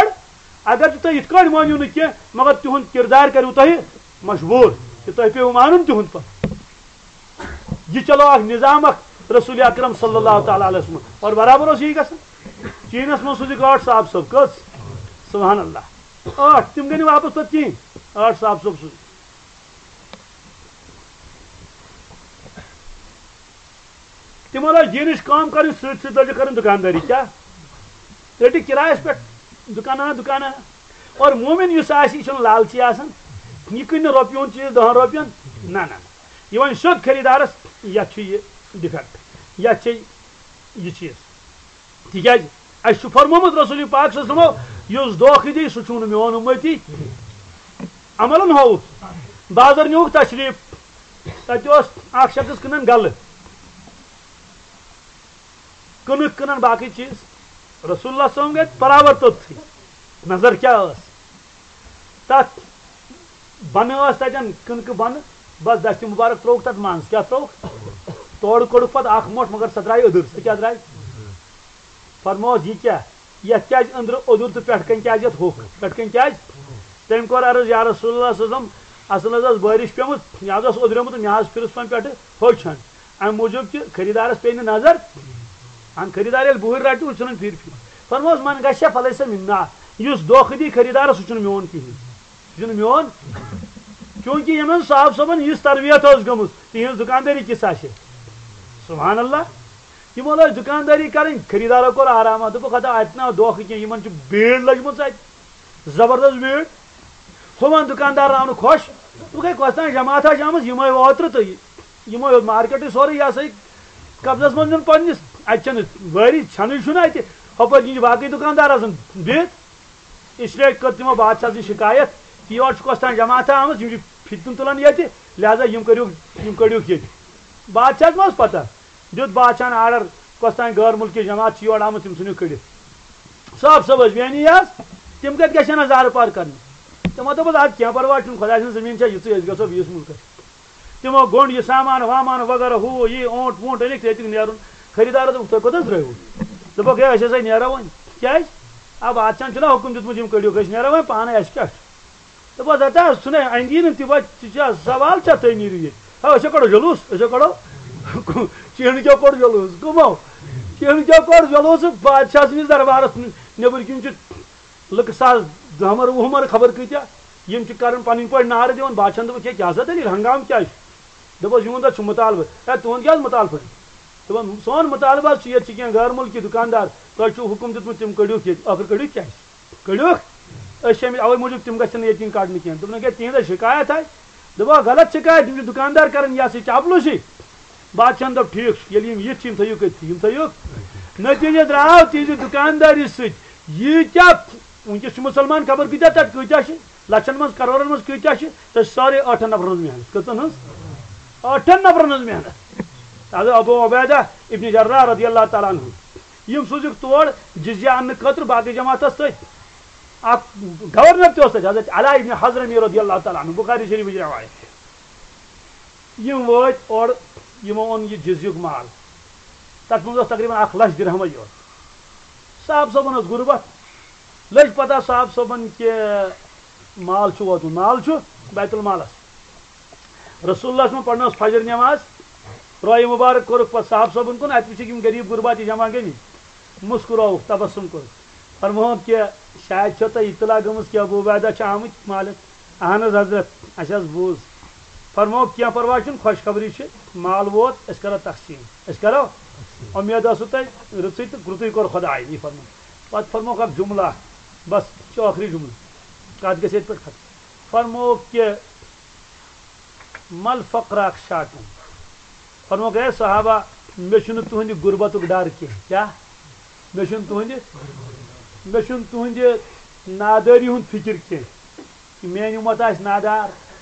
اگر تہِ تُہۍ یِتھ کٲٹھۍ مٲنِو نہٕ کینٛہہ، مگر تِہُنٛد کِردار کَریو تۄہہِ مجبوٗر کہِ تۄہہِ پیٚیِو مانُن تِہُنٛد پَتہٕ۔ یہِ چلو اکھ نظام اکھ رسول اکرم صلی اللہ تعالیٰ علیہ وسلم۔ اور برابر اوس یی گژھان۔ چیٖنَس منٛز سوٗزِکھ ٲٹھ صاحب صٲب، کٔژ؟ سبحان اللہ۔ ٲٹھ، تِم گٔے نہٕ واپس پَتہٕ کِہیٖنۍ۔ ٲٹھ صاحب صٲب سوٗزِکھ۔ تِمن ٲس دیٖنٕچ کٲم کرٕنۍ، سۭتۍ سۭتۍ لٲجِکھ کرٕنۍ دُکاندٲری۔ کیٛاہ؟ رٔٹِکھ کِرایَس پٮ۪ٹھ دُکان اَنان، دُکان اَنان۔ اور مومِن یُس آسہِ، یہِ چھُنہٕ لالچی آسان، یہِ کٕنہِ نہٕ رۄپیہِ ہُنٛد چیٖز دَہَن رۄپیَن، نہ، نہ، نہ۔ یہِ وَنہِ سیوٚد خریٖدارَس، یَتھ چھُ یہِ ڈِفیکٹ، یَتھ چھِ یہِ چیٖز۔ تِکیٛازِ اَسہِ چھُ فرمومُت رسول پاک صلی اللہ علیہ وسلمو، یُس دھوکہٕ دی، سُہ چھُنہٕ میون اُمتی۔ عملن ہووُکھ، بازر نیوٗکھ تشریٖف، تَتہِ اوس اَکھ شخص کٕنان گَلہٕ، کٕنٕکھ کٕنان باقٕے چیٖز۔ رسول اللہ صلی اللہ علیہ وسلم گٔے برابر توٚتتھٕے۔ نظر کیٛاہ ٲس؟ تَتھ بَنہٕ ٲس تَتٮ۪ن، کٕنکہٕ بَنہٕ، بَس دَستہِ مُبارک ترٛووُکھ تَتھ منٛز۔ کیٛاہ ترٛووُکھ؟ تورٕ کوٚڑُکھ پَتہٕ اَکھ مۄٹھ، مگر سۄ درٛاے أدٕر۔ سۄ کیٛاہ درٛاے؟ فرموس، یہِ کیٛاہ؟ یَتھ کیٛازِ أنٛدرٕ اوٚدُر تہٕ پٮ۪ٹھٕ کَنۍ کیٛازِ یَتھ ہوٚکھ؟ پٮ۪ٹھٕ کَنۍ کیٛازِ؟ تٔمۍ کوٚر عرض، یا رسول اللہ صلی اللہ علیہ وسلم، اَصٕل حظ ٲس بٲرِش پیٚمٕژ، یہِ حظ اوس اوٚدریومُت، مےٚ حظ پھِرُس پَن پٮ۪ٹھٕ ہوٚچھ ہَن۔ اَمہِ موٗجوٗب کہِ خریٖدارَس پیٚیہِ نہٕ نظر۔ اَہَن، خریٖدار ییٚلہِ بُہٕرۍ رَٹہِ، وٕچھُن پھِرِ پھِرِ۔ فرموس، من غش فلیس منا، یُس دھوکہٕ دی خریٖدارَس، سُہ چھُنہٕ میون کِہیٖنۍ۔ یہِ چھُنہٕ میون۔ چوٗنٛکہِ یِمن صاحب صٲبن یِژھ تربیت ٲس گٔمٕژ، تِہنٛز دُکاندٲری کِژھ آسہِ؟ سبحان اللہ۔ یِمو لٲج دُکاندٲری کرٕنۍ، خریٖدارو کوٚر آرام، دوٚپُکھ، "ہتا، اتہِ نہ دھوکہٕ کینٛہہ، یِمن چھِ بیٖڑ لٔجمٕژ اتہِ، زبردست بیٖڑ۔ ہُمن دُکاندارن آو نہٕ خۄش، دوٚپُکھ، ہے، کۄس تام جماعت آسہِ آمٕژ، یِمے اوترٕ تہٕ یِمو ہیوٚت مارکیٹٕے سورُے، یہِ ہسا یہِ قبضس منٛز نیُن پننِس، اتہِ چھنہٕ وٲری ژھٮ۪نٕے چھُنہٕ اتہِ، ہۄپٲرۍ کِنۍ چھِ باقٕے دُکاندار آسان بِہِتھ۔" اس لیے کٔر تِمو بادشاہ سٕنٛز شکایت، یور چھُ کۄس تام جماعتھا آمٕژ، یِم چھِ فتنہٕ تُلان ییٚتہِ، لہذا یِم کٔرِو، یِم کٔڑِوکھ ییٚتہِ۔ بادشاہس ما اوس پتہ؟ دیُت بادشاہن آرڈر، کۄس تام غٲر مُلکی جماعت چھِ یور آمٕژ، تِم ژھٕنِو کٔڑِتھ۔ صاحب صٲب ٲسۍ بیٚہنی حظ، تِم کتہِ گژھن حظ زارٕ پار کرنہِ؟ تِمو دوٚپُس، ادٕ کینٛہہ پرواے چھُنہٕ، خۄداے سٕنٛز زٔمیٖن چھےٚ یِژٕے، أسۍ گژھو بیٚیِس مُلکس۔ تِمو گوٚنٛڈ یہِ سامان وامان وغیرہ، ہُہ یہِ اوٗنٹ ووٗنٹ أنِکھ تہٕ ییٚتِکۍ نیرُن۔ خریٖدارو دوٚپُکھ، "تُہۍ کوٚت حظ درٛٲیوٕ؟" دوٚپُکھ، "ہے، أسۍ ہسا نیرو وۄنۍ۔" کیٛازِ؟ آ، بادشاہن چھُنہ حُکُم دیُتمُت، یِم کٔڑِو، أسۍ نیرو وۄنۍ پانے، اَسہِ کیٛاہ چھُ؟ دوٚپُس، "ہتا، سُہ نے اَندی نہٕ تہِ وۄنۍ، ژٕ چھا سوال چھا تُہۍ نیٖرِو ییٚتہِ؟ ہے، أسۍ ہا کَڑو جلوٗس، أسۍ ہا کَڑو، چینہٕ کیٛاہ کوٚڑ جلوٗس، کٕمو؟ چینہٕ کیٛاہ کوٚڑ جلوٗس؟" بادشاہ سٕنٛدِس دربارس نیٚبٕرۍ کِنۍ چھُ لُکہٕ ساس دَہمَر وُہمَر خبر کۭتیاہ، یِم چھِ کَران پَنٕنۍ پٲٹھۍ نعرٕ دِوان، بادشاہَن دوٚپُکھ، "ہے، کیٛاہ سا دٔلیٖل، ہنگامہٕ کیٛازِ چھُ؟" دوٚپُس، "یِہُنٛد حظ چھُ مُطالبہٕ۔" "ہے، تُہُنٛد کیٛاہ حظ مُطالبہٕ چھُ؟" دوٚپُن، "سون مُطالبہٕ حظ چھُ، ییٚتہِ چھِ کینٛہہ غٲر مُلکی دُکاندار، تۄہہِ چھُو حُکُم دیُتمُت، تِم کٔڑِوکھ ییٚتہِ، ٲخٕر کٔڑِوکھ کیٛازِ؟ کٔڑِوکھ؟ أسۍ چھِ اَمہِ اَوَے موٗجوٗب، تِم گژھن نہٕ ییٚتہِ یِنۍ کَڑنہٕ کینٛہہ۔" دوٚپُن، "ہے، تِہِنٛز حظ شِکایت آے۔" دوٚپُکھ، "غلط شِکایت، یِم چھِ دُکاندار کَران یہِ ہسا یہِ چاپلوٗسی۔" بادشاہن دوٚپ، "ٹھیٖک چھُ، ییٚلہِ یِم یِتھ چھِ، یِم تھٲیِو کٔرِتھ، یِم تھٲیِو۔" نٔتیٖجہٕ درٛاو تِہنٛزِ دُکاندٲری سۭتۍ ییٖتیٛاہ، وٕنکیٚس چھِ مُسلمان خبر کۭتیٛاہ، تَتہِ کۭتیٛاہ چھِ، لَچھَن منٛز، کَرورَن منٛز کۭتیٛاہ چھِ، سۄ چھِ سارے ٲٹھَن نفرَن ہٕنٛز محنت۔ کٔژَن ہٕنٛز؟ ٲٹھَن نفرَن ہٕنٛز محنت۔ حضرت ابو عبیدہ ابن جراح رضی اللہ تعالیٰ عنہ، یِم سوٗزِکھ تور جزیہ اَننہٕ خٲطرٕ باقٕے جماعتَس سۭتۍ۔ اَکھ گورنر تہِ اوس تَتہِ، حضرت علاء ابن حضرمی رضی اللہ تعالیٰ عنہ، بخاری شریفٕچ روایت۔ یِم وٲتۍ اورٕ، یِمو اوٚن یہِ جزیُک مال۔ تَتھ منٛز اوس تقریٖباً اَکھ لَچھ درہمٕے یوت۔ صاحب صٲبَن ٲس غُربت۔ لٔج پَتہ صاحب صٲبَن کہِ مال چھُ ووتمُت، مال چھُ بیت المالَس۔ رسول اللہ صٲبَن پَرنٲوٕس فجر نٮ۪ماز، رویہِ مُبارک کوٚرُکھ پَتہٕ صاحب صٲبَن کُن، اَتہِ وٕچھِکھ یِم غریٖب غُربات یہِ جمع گٔمٕتۍ۔ مُسکُراوُکھ، تبسم کوٚرُکھ۔ فرمووُکھ کہِ شاید چھو تۄہہِ اطلاع گٔمٕژ کہِ ابو عبیدہ چھِ آمٕتۍ مالِک۔ اہن حظ حضرت، اَسہِ حظ بوٗز۔ فرمووُکھ، کینٛہہ پرواے چھُنہٕ، خوشخبری چھِ، مال ووت، أسۍ کرو تقسیٖم۔ أسۍ کرو؟ اُمید ٲسوٕ تۄہہِ رٕژٕے تہٕ رُتُے کوٚر خۄدایَن، یہِ فرموو۔ پتہٕ فرمووُکھ اکھ جملہ، بس، یہِ چھُ ٲخری جملہٕ، کتھ گژھِ ییٚتہِ پٮ۪ٹھ ختم۔ فرمووُکھ کہِ، "مل فقر اخشاکم"، فرمووُکھ، "اے صحابہ، مےٚ چھُنہٕ تُہنٛدِ غُربتُک ڈر کینٛہہ۔" کیٛاہ؟ مےٚ چھُنہٕ تُہنٛدِ، مےٚ چھُنہٕ تُہنٛدِ نادٲری ہُنٛد فِکر کینٛہہ۔ میٛٲنۍ اُمت آسہِ نادار،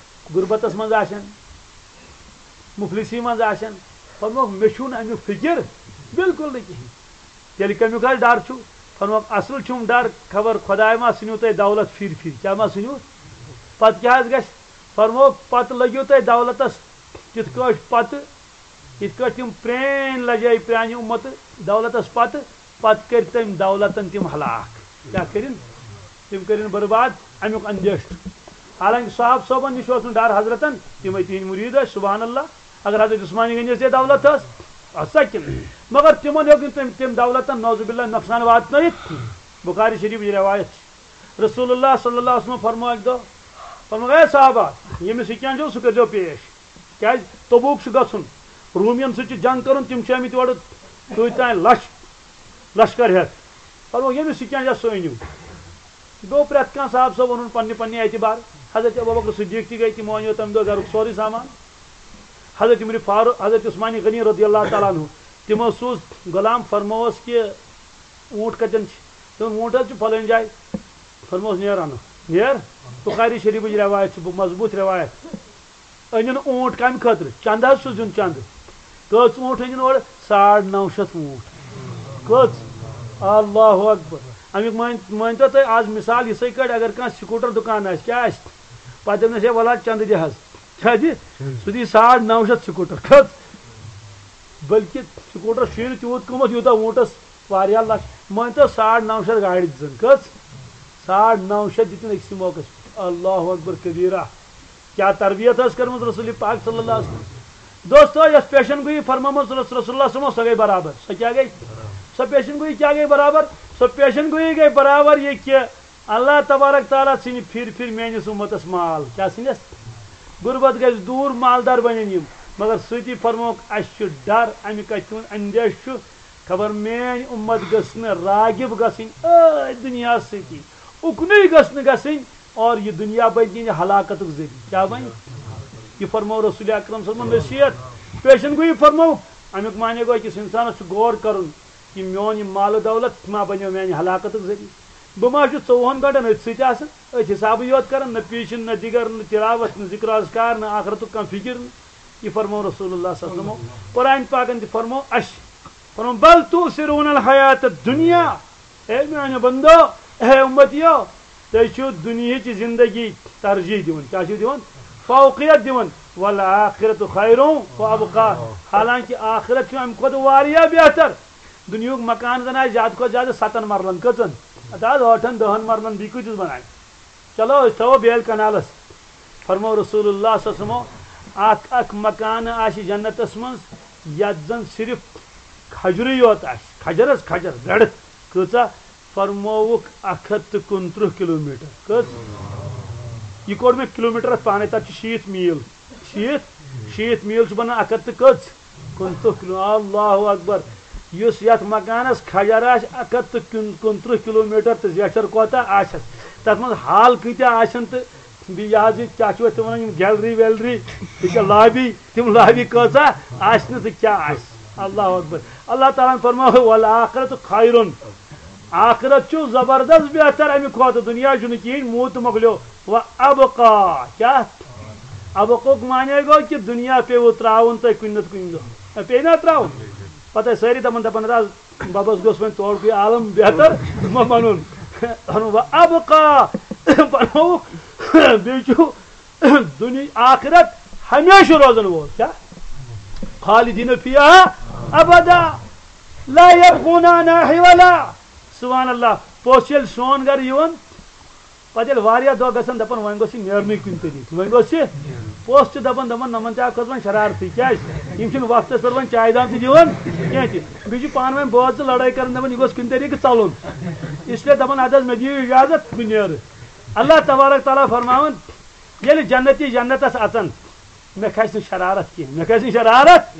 غُربتَس منٛز آسن، مُفلِسی منٛز آسن، فرمووُکھ، مےٚ چھُنہٕ اَمیُک فِکر بِلکُل نہٕ کِہیٖنۍ۔ تیٚلہِ کَمیُک حظ ڈَر چھُ؟ فرمووُکھ، اَصٕل چھُم ڈَر، خبر خۄداے ما ژھٕنِو تۄہہِ دولت پھِرِ پھِرِ۔ کیٛاہ ما ژھٕنِو؟ پَتہٕ کیٛاہ حظ گژھِ؟ فرمووُکھ، پَتہٕ لٔگِو تۄہہِ دولتَس تِتھ کٲٹھۍ پَتہٕ، یِتھ کٲٹھۍ تِم پرٛٲنۍ لَجے پرٛانہِ اُمَتہٕ دولتَس پَتہٕ، پَتہٕ کٔرۍ تٔمۍ دولتَن تِم ہلاک۔ کیٛاہ کٔرِن؟ تِم کٔرِن برباد، اَمیُک اندیشہٕ۔ حالانکہ صاحب صٲبَن نِش اوس نہٕ ڈر حضرتَن، تِمَے تِہِنٛدۍ مُریٖد ٲسۍ، سبحان اللہ۔ اگر حضرت عثمانِ غنیَس یہِ دولت ٲس، اَتھ سا کِنہٕ؟ مگر تِمَن ہیوٚک نہٕ تٔمۍ، تٔمۍ دولتَن نعوذ باللہ نۄقصان واتنٲیِتھ۔ بخاری شریفٕچ روایت چھِ۔ رسول اللہ صلی اللہ علیہ وسلم فرموو اَکہِ دۄہ، فرموو، "اے صحابہ، ییٚمِس یہِ کینٛہہ چھُو، سُہ کٔرۍزیو پیش۔" کیٛازِ؟ تبوک چھُ گژھُن، روٗمِیَن سۭتۍ چھُ جنگ کَرُن، تِم چھِ آمٕتۍ یورٕ کۭتۍ تام لَچھ لشکر ہٮ۪تھ۔ پتہٕ ووٚن، ییٚمِس سُہ کینٛہہ سُہ أنِو۔ گوٚو پرٛٮ۪تھ کانٛہہ صاحب صٲب اوٚنُن پننہِ پننہِ اعتبار۔ حضرت ابوبکر صدیق تہِ گٔے، تِمو أنیو تمہِ دۄہ گرُک سورُے سامان۔ حضرت عمر فاروق، حضرت عثمان غنی رضی اللہ تعالیٰ عنہ، تِمو سوٗز غلام، فرمووس کہِ اوٗنٹ کتٮ۪ن چھِ؟ تِمن، اوٗنٹ حظ چھُ فلٲنۍ جایہِ۔ فرمووس، نیر انو، نیر۔ بخاری شریفٕچ روایت چھِ، مضبوٗط روایت۔ أنِن اوٗنٹ کمہِ خٲطرٕ؟ چندٕ حظ چھُس دیُن، چندٕ۔ کٔژ اوٗنٹ أنِن اورٕ؟ ساڑ نو شیٚتھ اوٗنٹ۔ کٔژ؟ اللہ اکبر۔ امیُک مٲنۍ، مٲنۍتو تُہۍ آز مثال یِتھَے کٲٹھۍ، اگر کانٛہہ سکوٗٹر دُکان آسہِ، کیٛاہ آسہِ؟ پتہٕ دٔپنس، ہے وَلہٕ حظ چندٕ دِ حظ۔ کیٛاہ دِ؟ سُہ دی ساڑ نو شیٚتھ سکوٗٹر۔ کٔژ؟ بلکہِ سکوٗٹرس چھُے نہٕ تیوٗت قۭمتھ، یوٗتاہ اوٗنٹس۔ واریاہ لچھ، مٲنۍ تو ساڑ نو شیٚتھ گاڑِ دِژٕن۔ کٔژ؟ ساڑ نو شیٚتھ دِتِن أکسٕے موقعس پٮ۪ٹھ۔ اللہ اکبر کبیرہ۔ کیٛاہ تربیت ٲس کٔرمٕژ رسول پاک صلی اللہ علیہ وسلم۔ دوستو، یۄس پیشن گویی فرمٲومٕژ رس-، رسول اللہ صلی اللہ علیہ وسلم، سۄ گٔے برابر۔ سۄ کیٛاہ گٔے؟ سۄ پیشن گویی کیٛاہ گٔے برابر؟ سۄ پیشن گویی گٔے برابر یہِ کہِ اللہ تبارک تعالیٰ ژھٕنہِ پھِرِ پھِرِ میٲنِس اُمتس مال۔ کیٛاہ ژھٕنٮ۪س؟ غربت گژھِ دوٗر، مالدار بنن یِم۔ مگر سۭتی فرمووُکھ، اسہِ چھُ ڈر، امہِ کتھِ ہُنٛد اندیشہِ چھُ، خبر میٲنۍ اُمت گٔژھ نہٕ راغب گژھٕنۍ أتھۍ دُنیاہس سۭتی، اُکنُے گٔژھ نہٕ گژھٕنۍ، اور یہِ دُنیا بنہِ تِہنٛدِ ہلاکتُک ذٔریعہٕ۔ کیٛاہ بنہِ؟ یہِ فرموو رسول اکرم صلی اللہ علیہ وسلم نصیحت، پیشن گویی فرموو۔ امیُک معنی گوٚو أکِس انسانس چھُ غور کرُن، یہِ میون یہِ مال و دولت ما بنیو میانہِ ہلاکتُک ذٔریعہٕ؟ بہٕ ما چھُس ژوٚوُہن گٲنٛٹن أتھۍ سۭتۍ آسان، أتھۍ حسابٕے یوت کران، نہ پیٖشن، نہ دِگر، نہ تلاوت، نہ ذکر اذکار، نہ آخرتُک کانٛہہ فکر نہٕ۔ یہِ فرموو رسول اللہ صلی اللہ علیہ وسلم۔ قرآن پاکن تہِ فرموو اسہِ، فرموو، بل تؤثرون الحیات الدنیا۔ اے میانیو بندو، اے امتیو، تُہۍ چھِو دُنیہٕچ زندگی ترجیح دِوان۔ کیٛاہ چھِو دِوان؟ فوقیت دِوان۔ والآخرۃ خیر و ابقیٰ۔ حالانکہ آخرت چھُ امہِ کھۄتہٕ واریاہ بہتر۔ دُنیہُک مکان زن آسہِ زیادٕ کھۄتہٕ زیادٕ ستن مرلن۔ کٔژن؟ ہتہٕ حظ، ٲٹھن دہن مرلن، بیٚیہِ کۭتِس بناوِ؟ چلو، أسۍ تھاوو بیل کنالس۔ فرموو رسول اللہ صلی اللہ علیہ وسلمو، اکھ اکھ مکانہٕ آسہِ جنتس منٛز، یتھ زن صرف کھجرٕے یوت آسہِ۔ کھجر حظ، کھجر، گڑھ۔ کۭژاہ؟ فرمووُکھ، اکھ ہتھ تہٕ کُنترٕہ کلوٗمیٹر۔ کٔژ؟ یہِ کوٚڑ مےٚ کلوٗمیٹرس پانے، تتھ چھِ شیٖتھ میٖل۔ شیٖتھ؟ شیٖتھ میٖل چھُ بنان اکھ ہتھ تہٕ کٔژ؟ کُنترٕہ کلوٗ۔ اللہ اکبر۔ یُس یتھ مکانس کھجر آسہِ اکھ ہتھ تہٕ کُن-، کُنترٕہ کلوٗمیٹر تہٕ زیچھر کوتاہ آسٮ۪س، تتھ منٛز ہال کۭتیاہ آسن تہٕ بیٚیہِ یہِ حظ یہِ کیٛاہ چھِ أسۍ تِمن ونان، یِم گیلری ویلری، یہِ چھےٚ لابی، تِم لابی کۭژاہ آسہِ نہٕ تہٕ کیٛاہ آسہِ۔ اللہ اکبر۔ اللہ تعالیٰ ہن فرموو، والآخرۃ خیر۔ آخرت چھُ زبردست بہتر امہِ کھۄتہٕ، دُنیا چھُنہٕ کِہیٖنۍ، موٗد تہٕ مۄکلیو۔ و ابقیٰ، کیٛاہ؟ ابقُک معنی گوٚو کہِ دُنیا پیوٕ ترٛاوُن تۄہہِ کُنہِ نتہٕ کُنہِ دۄہ۔ پیٚیہِ نا ترٛاوُن؟ پتہٕ ٲسۍ سٲری دپان، دپان، "رز، ببس گوٚژھ وۄنۍ توڑکُے عالم بہتر ما بنُن۔" و ابقیٰ، بنووُکھ، بیٚیہِ چھُ دُنیا آخرت ہمیشہِ روزن وول۔ کیٛاہ؟ خالدین فیہا ابدا لا یبغون عنہا حولا۔ سبحان اللہ۔ پوٚژھ ییٚلہِ سون گرٕ یِوان، پتہٕ ییٚلہِ واریاہ دۄہ گژھن، دپان، "وۄنۍ گوٚژھ یہِ نیرنُے کُنہِ طریٖقہٕ، وۄنۍ گوٚژھ یہِ۔" پوٚژھ چھُ دپان، دپان، "نۄمن تہِ آو کھٔژ وۄنۍ شرارتٕے، کیٛازِ؟ یِم چھِنہٕ وقتس پٮ۪ٹھ وۄنۍ چایہِ دام تہِ دِوان کینٛہہ تہِ۔ بیٚیہِ چھِ پانہٕ ؤنۍ بٲژ زٕ لڑٲے کران، دپان، یہِ گوٚژھ کُنہِ طریٖقہٕ ژلُن۔ اس لیے دپان، ادٕ حظ، مےٚ دِیِو اجازت، بہٕ نیرٕ۔" اللہ تبارک تعالیٰ فرماوان، ییٚلہِ جنتی جنتس اژن، مےٚ کھسہِ نہٕ شرارت کینٛہہ، مےٚ کھسہِ نہٕ شرارت۔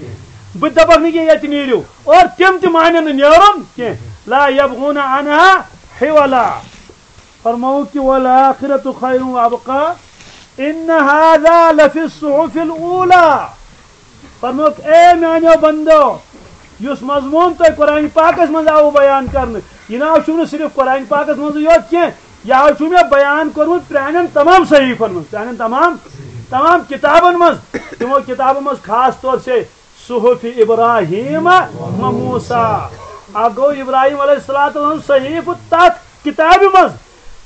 بہٕ تہِ دپکھ نہٕ کینٛہہ، ییٚتہِ نیٖرِو۔ اور تِم تہِ مانن نہٕ نیرُن کینٛہہ۔ لا یبغون عنہا حولا۔ فرمووُکھ کہِ والآخرۃ خیر و ابقیٰ، ان ھذا لفی الصحف الاولیٰ۔ فرمووُکھ، اے میانیو بندو، یُس مضموٗن تۄہہِ قرآن پاکس منٛز آوٕ بیان کرنہٕ، یہِ نہ حظ چھُو نہٕ صرف قرآن پاکس منٛزٕے یوت کینٛہہ، یہِ حظ چھُو مےٚ بیان کوٚرمُت پرانٮ۪ن تمام صحیفن منٛز، پرانٮ۪ن تمام، تمام کِتابن منٛز، تِمو کِتابو منٛز خاص طور سے صحف ابراہیم و موسیٰ۔ اکھ گوٚو ابراہیم علیہ الصلوۃ والسلام صحیفہٕ تتھ کتابہِ منٛز،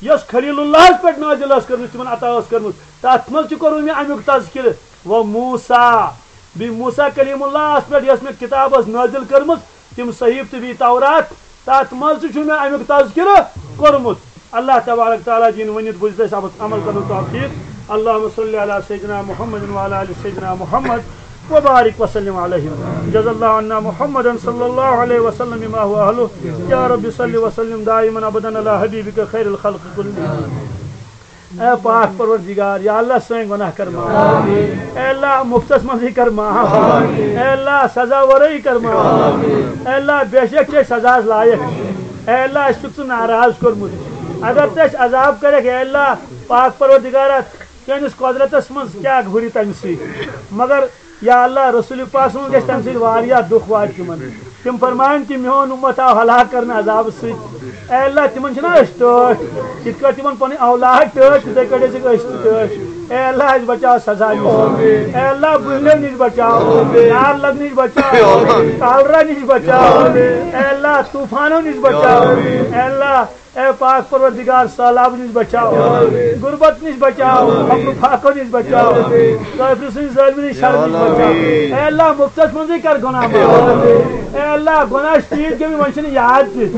یۄس خلیل اللہس پٮ۪ٹھ نازل ٲس کٔرمٕژ، تِمن عطا ٲس کٔرمٕژ۔ تتھ منٛز تہِ کوٚر مےٚ امیُک تذکرٕ۔ و موسیٰ، بیٚیہِ موسیٰ کلیم اللہس پٮ۪ٹھ یۄس مےٚ کتاب ٲس نازل کٔرمٕژ، تِم صحیفہٕ تہٕ بیٚیہِ تورات، تتھ منٛز تہِ چھُ مےٚ امیُک تذکرٕ کوٚرمُت۔ اللہ تبارک تعالیٰ دِیِن ؤنِتھ بوٗزِتھ اَسہِ عمل کرنُک توفیق۔ اللہم صلی علی سیدنا محمد وعلی آل سیدنا محمد وبارک وسلم علیہ۔ جزا اللہ عنا محمدا صلی اللہ علیہ وسلم بما هو اہلہ۔ یا رب صلی وسلم دائما ابدا علی حبیبک خیر الخلق کلہم۔ اے پاک پروردگار، یا اللہ سٲنۍ گۄناہ کر معاف۔ اے اللہ مفتس منٛزٕے کر معاف۔ اے اللہ سزا ورٲیی کر معاف۔ اے اللہ بے شک چھِ أسۍ سزاہس لایق۔ اے اللہ، اَسہِ چھُکھ ژٕ ناراض کوٚرمُت۔ اگر ژٕ اَسہِ عذاب کَرَکھ، اے اللہ، پاک پروردگارا، چٲنِس قۄدرتَس منٛز کیٛاہ ہُرِ تَمہِ سۭتۍ؟ مگر یا اللہ، رسول پاک صٲبَس گژھِ تَمہِ سۭتۍ واریاہ دُکھ واتہِ تِمَن۔ تِم فرمایَن کہِ میون اُمت آو ہلاک کرنہٕ عذابہٕ سۭتۍ۔ اے اللہ، تِمَن چھِنہ أسۍ ٹٲٹھۍ، یِتھ کٲٹھۍ تِمَن پَنٕنۍ اولاد ٹٲٹھۍ، تِتھَے کٲٹھۍ ٲسِکھ أسۍ تہِ ٹٲٹھۍ۔ اے اللہ، اَسہِ بچاو سزا نِش۔ اے اللہ، بُہلٮ۪و نِش بچاو، نار لگنہٕ نِش بچاو، کالرا نِش بچاو۔ اے اللہ، طوفانو نِش بچاو۔ اے اللہ، اے پاک پروردگار، سہلاب نِش بچاو، غربت نِش بچاو، فقر و فاقہ نِش بچاو، کافر سٕنٛدِ ظٲلمہِ نِش شر نِش بچاو۔ اے اللہ، مُفتس منٛزٕے کر گۄناہ معاف۔ اے اللہ، گۄناہ چھِ تیٖتۍ گٔمٕتۍ، وۄنۍ چھِنہٕ یاد تہِ۔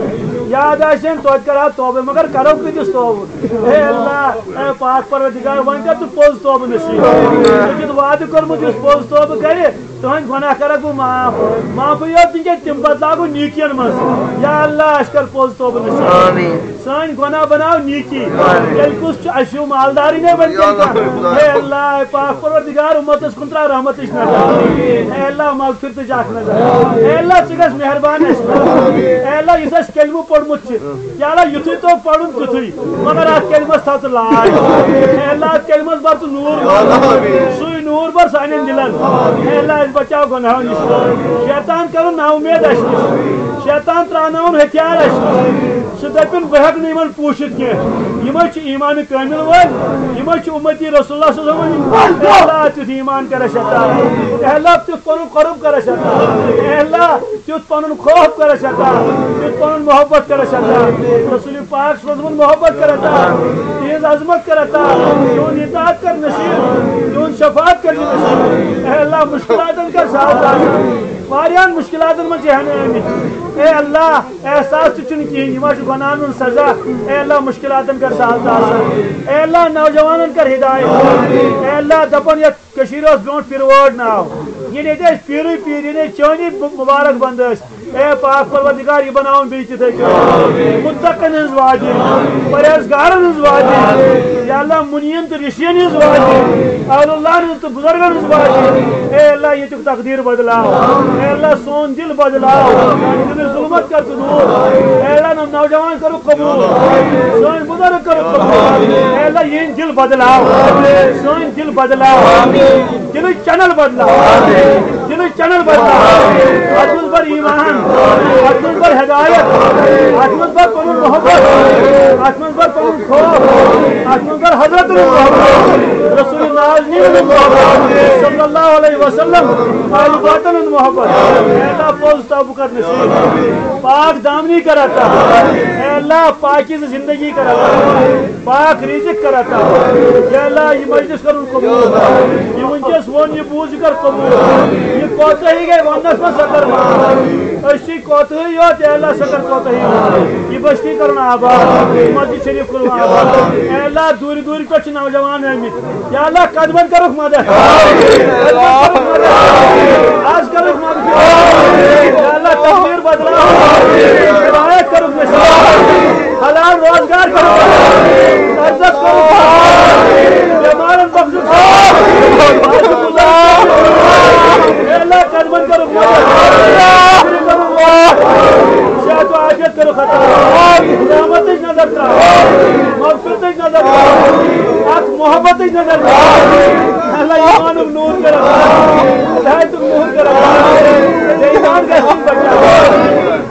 یاد آسن توتہِ کرہا توبہٕ، مگر کرو کۭتِس توبہٕ؟ اے اللہ، اے پاک پروردگار، وۄنۍ کر ژٕ پوٚز توبہٕ نصیب۔ ژےٚ چھُتھ وعدٕ کوٚرمُت، یُس پوٚز توبہٕ کرِ، تُہنٛدۍ گۄناہ کرکھ بہٕ معاف۔ معافٕے یوت نہٕ کینٛہہ، تِم بدلاو بہٕ نیٖکین منٛز۔ یا اللہ، اَسہِ کر پوٚز توبہٕ نصیب۔ آمین۔ سٲنۍ گۄناہ بناو نیٖکی۔ آمین۔ تیٚلہِ کُس چھُ، اَسہِ ہیوٗ مالدارٕے نہ وۄنۍ یا اللہ، تیٚلہِ کانٛہہ۔ اے اللہ، اے پاک پروردگار، اُمتس کُن ترٛاو رحمتٕچ نظر۔ آمین۔ اے اللہ، مغفرتٕچ اکھ نظر۔ آمین۔ اے اللہ، ژٕ گژھ مہربان اَسہِ پٮ۪ٹھ۔ آمین۔ اے اللہ، یُس اَسہِ کلمہٕ پوٚرمُت چھُ، یا اللہ، یُتھُے تو پرُن تیُتھُے، مگر اتھ کلمس تھاو ژٕ لاج۔ اے اللہ، اتھ کلمس بر ژٕ نور۔ سُے نور بر سانٮ۪ن دلن۔ اے اللہ، اسہِ بچاو گۄناہو نِش۔ شیطان کرُن نا اُمید اسہِ نِش۔ شیطان تراوناوُن ہتھیار اسہِ نِش۔ سُہ دپن، بہٕ ہیکہٕ نہٕ یِمن پوٗچھِتھ کینٛہہ۔ یِمے چھِ ایمان کٲمل وٲلۍ، یِمے چھِ اُمتی رسول اللہ صلی اللہ علیہ وسلم۔ اے اللہ، تیُتھ ایمان کر اسہِ عطا۔ اے اللہ، تیُتھ پنُن قرب کر اسہِ عطا۔ اے اللہ، تیُتھ پنُن خوف کر اسہِ عطا، تیُتھ پنُن محبت کر اسہِ عطا۔ رسول پاک صلی اللہ علیہ وسلم محبت کر عطا، تہنٛز عظمت کر عطا، تہنٛد اطاعت کر نصیب، تہنٛد شفاعت کر نصیب۔ اے اللہ، مشکلاتن کر سہل آسان، واریاہن مشکلاتن منٛز چھِ ہٮ۪نہٕ آمٕتۍ۔ اے اللہ، احساس تہِ چھُنہٕ کِہیٖنۍ، یِم حظ چھِ گۄناہن ہُنٛد سزا۔ اے اللہ، مشکلاتن کر سہل آسان۔ اے اللہ، نوجوانن کر ہدایت۔ اے اللہ، دپان یتھ کٔشیٖرِ اوس برونٛٹھ پِرٕ وٲر ناو۔ ییٚلہِ ییٚتہِ ٲسۍ پیٖرٕے پیٖر، ییٚلہِ ییٚتہِ چٲنی مُبارک بنٛد ٲسۍ، اے پاک پروردگار، یہِ بناوُن بیٚیہِ تِتھَے کٔنۍ۔ مُتقن ہٕنٛز وادی، پرہیزگارن ہٕنٛز وادی۔ یا اللہ، مُنیٖن تہٕ رِشیٖن ہٕنٛز وادی۔ اہل اللہ ہٕنٛز تہٕ بُزرگن ہٕنٛز وادی۔ اے اللہ، ییٚتیُک تقدیٖر بدلاو۔ اے اللہ، سون دِل بدلاو۔ دِلٕچ ظُلمت کر ژٕ دوٗر۔ اے اللہ، نوجوان کرُکھ قبول۔ سٲنۍ بُزرگ کرُکھ قبول۔ اے اللہ، یِہِنٛدۍ دِل بدلاو۔ سٲنۍ دِل بدلاو۔ دِلٕچ چینل بدلاو۔ دِلٕچ چینل بدلاو۔ اتھ منٛز بر ایمان۔ اتھ منٛز بر ہدایت۔ اتھ منٛز بر پنُن محبت۔ اتھ منٛز بر پنُن خوف۔ اتھ منٛز بر حضرت محبت۔ رسول نازنین محبت۔ صلی اللہ علیہ وسلم۔ آل باطن محبت۔ اے اللہ، پوٚز توبہٕ کر نصیب۔ پاک دامنی کر عطا۔ اے اللہ، پاکیزٕ زندگی کر عطا۔ پاک رزق کر عطا۔ یا اللہ، یہِ مجلس کرُن قبول۔ یہِ وٕنکیٚس ووٚن، یہِ بوٗز، یہِ کر قبول۔ یہِ کوتاہی گٔے وننس منٛز، سۄ کر معاف۔ أسۍ چھِ کوتاہی یوت، اے اللہ، سۄ کر کوتاہی معاف۔ یہِ بستی کرُن آباد، مسجد شریف کرُن آباد۔ اے اللہ، دوٗرِ دوٗرِ پٮ۪ٹھ چھِ نوجوان آمٕتۍ۔ یا اللہ، قدمن کرُکھ مدد۔ قدمن کرُکھ مدد۔ آز کرُکھ مدد۔ یا اللہ، تقدیر بدلاو۔ ہدایت کرُکھ نصیب۔ حلال روزگار کرُکھ۔ قرضس کرُکھ۔ بیمارن بخشُکھ۔ اے اللہ، قدمن کرُکھ مدد۔ صحت و عافیت کرُکھ عطا۔ رحمتٕچ نظر تراو۔ مغفرتٕچ نظر تراو۔ اکھ محبتٕچ نظر تراو۔ اللہ، ایمانُک نور کر عطا۔ ہدایتُک نور کر عطا۔ بے ایمان گژھِ نہٕ بچاو۔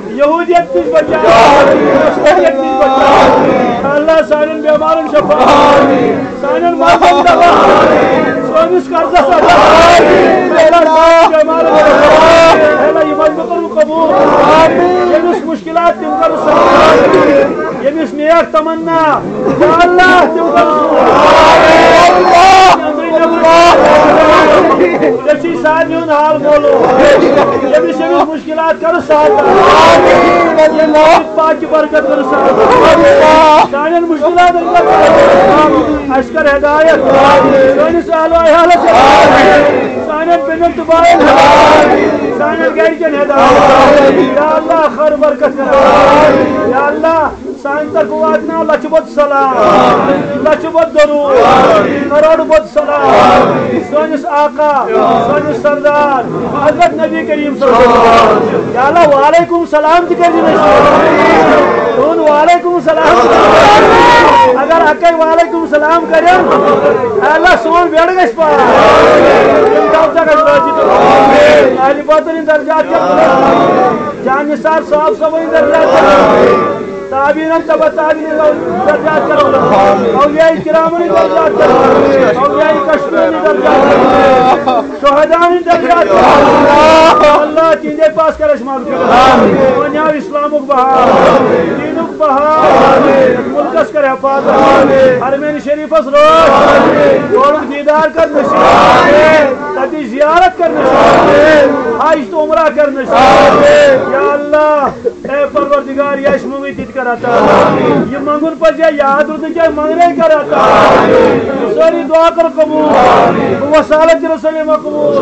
یہودیت نِش بچاو۔ نصرانیت نِش بچاو۔ اللہ، سانٮ۪ن بیمارن شفا۔ سانٮ۪ن مرضن دوا۔ سٲنِس قرضس عطا۔ اللہ، سانٮ۪ن بیمارن شفا۔ اللہ، یہِ مجمع کرُن قبول۔ ییٚمِس مشکلات تِم کر سہل۔ ییٚمِس نیک تمنا، یا اللہ، تِم کر سہل۔ ژےٚ چھُے سارنٕے ہُنٛد حال معلوم۔ ییٚمِس، ییٚمِس مشکلات کر سہل۔ ییٚمِس پاکہِ برکت کر سہل۔ سانٮ۪ن مشکلاتن کر سہل۔ اَسہِ کر ہدایت۔ سٲنِس اہل و عیالس ہدایت۔ سانٮ۪ن بیٚنٮ۪ن تہٕ باین ہدایت۔ سانٮ۪ن گرِکٮ۪ن ہدایت۔ یا اللہ، خٲر برکت کر۔ یا اللہ، سانہِ طرفہٕ واتناو لچھِ بوٚد سلام، لچھِ بوٚد درود، کروڑ بوٚد سلام سٲنِس آقا، سٲنِس سردار حضرت نبی کریم صلی اللہ علیہ وسلم۔ یا اللہ، وعلیکم سلام تہِ کٔرۍزِ نصیب۔ سون وعلیکم السلام۔ اگر اکے وعلیکم السلام کرن، اللہ سون بیڑ گژھِ پار۔ تم کب تک گژھِ راضی تو۔ اہل بدر ہٕنٛدۍ درجات کیا بلند۔ جان نثار صاحب صٲبٕنۍ درجات کیا بلند۔ تابعین تبع تابعین درجات کیا بلند۔ اولیاء کرامن درجات کیا بلند۔ اولیاء کشمیری درجات کیا بلند۔ شہداء درجات۔ اللہ تہندے پاس کر اَسہِ مغفرت۔ بنیاو اسلامک بہار، دینک بہار، ملکس کر حفاظت۔ حرمین شریفس روز، تورک دیدار کر نصیب۔ تتی زیارت کر نصیب۔ حج تو عمرہ کر نصیب۔ یا اللہ، اے پروردگار، یہ اَسہِ منگے تہِ کر عطا۔ یہ منگن پزِ یا یاد روزن کیا منگنے کر عطا۔ ساری دعا کر قبول۔ وصالت رسول مقبول۔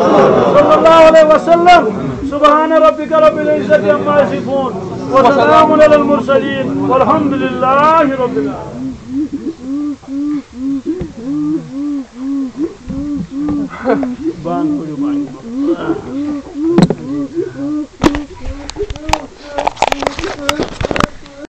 صلی اللہ علیہ وسلم۔ سبحان ربک رب العزت عما یصفون۔ وسلام علی المرسلین۔ والحمد للہ رب العالمین۔ بانگ پٔرِو، بانگ۔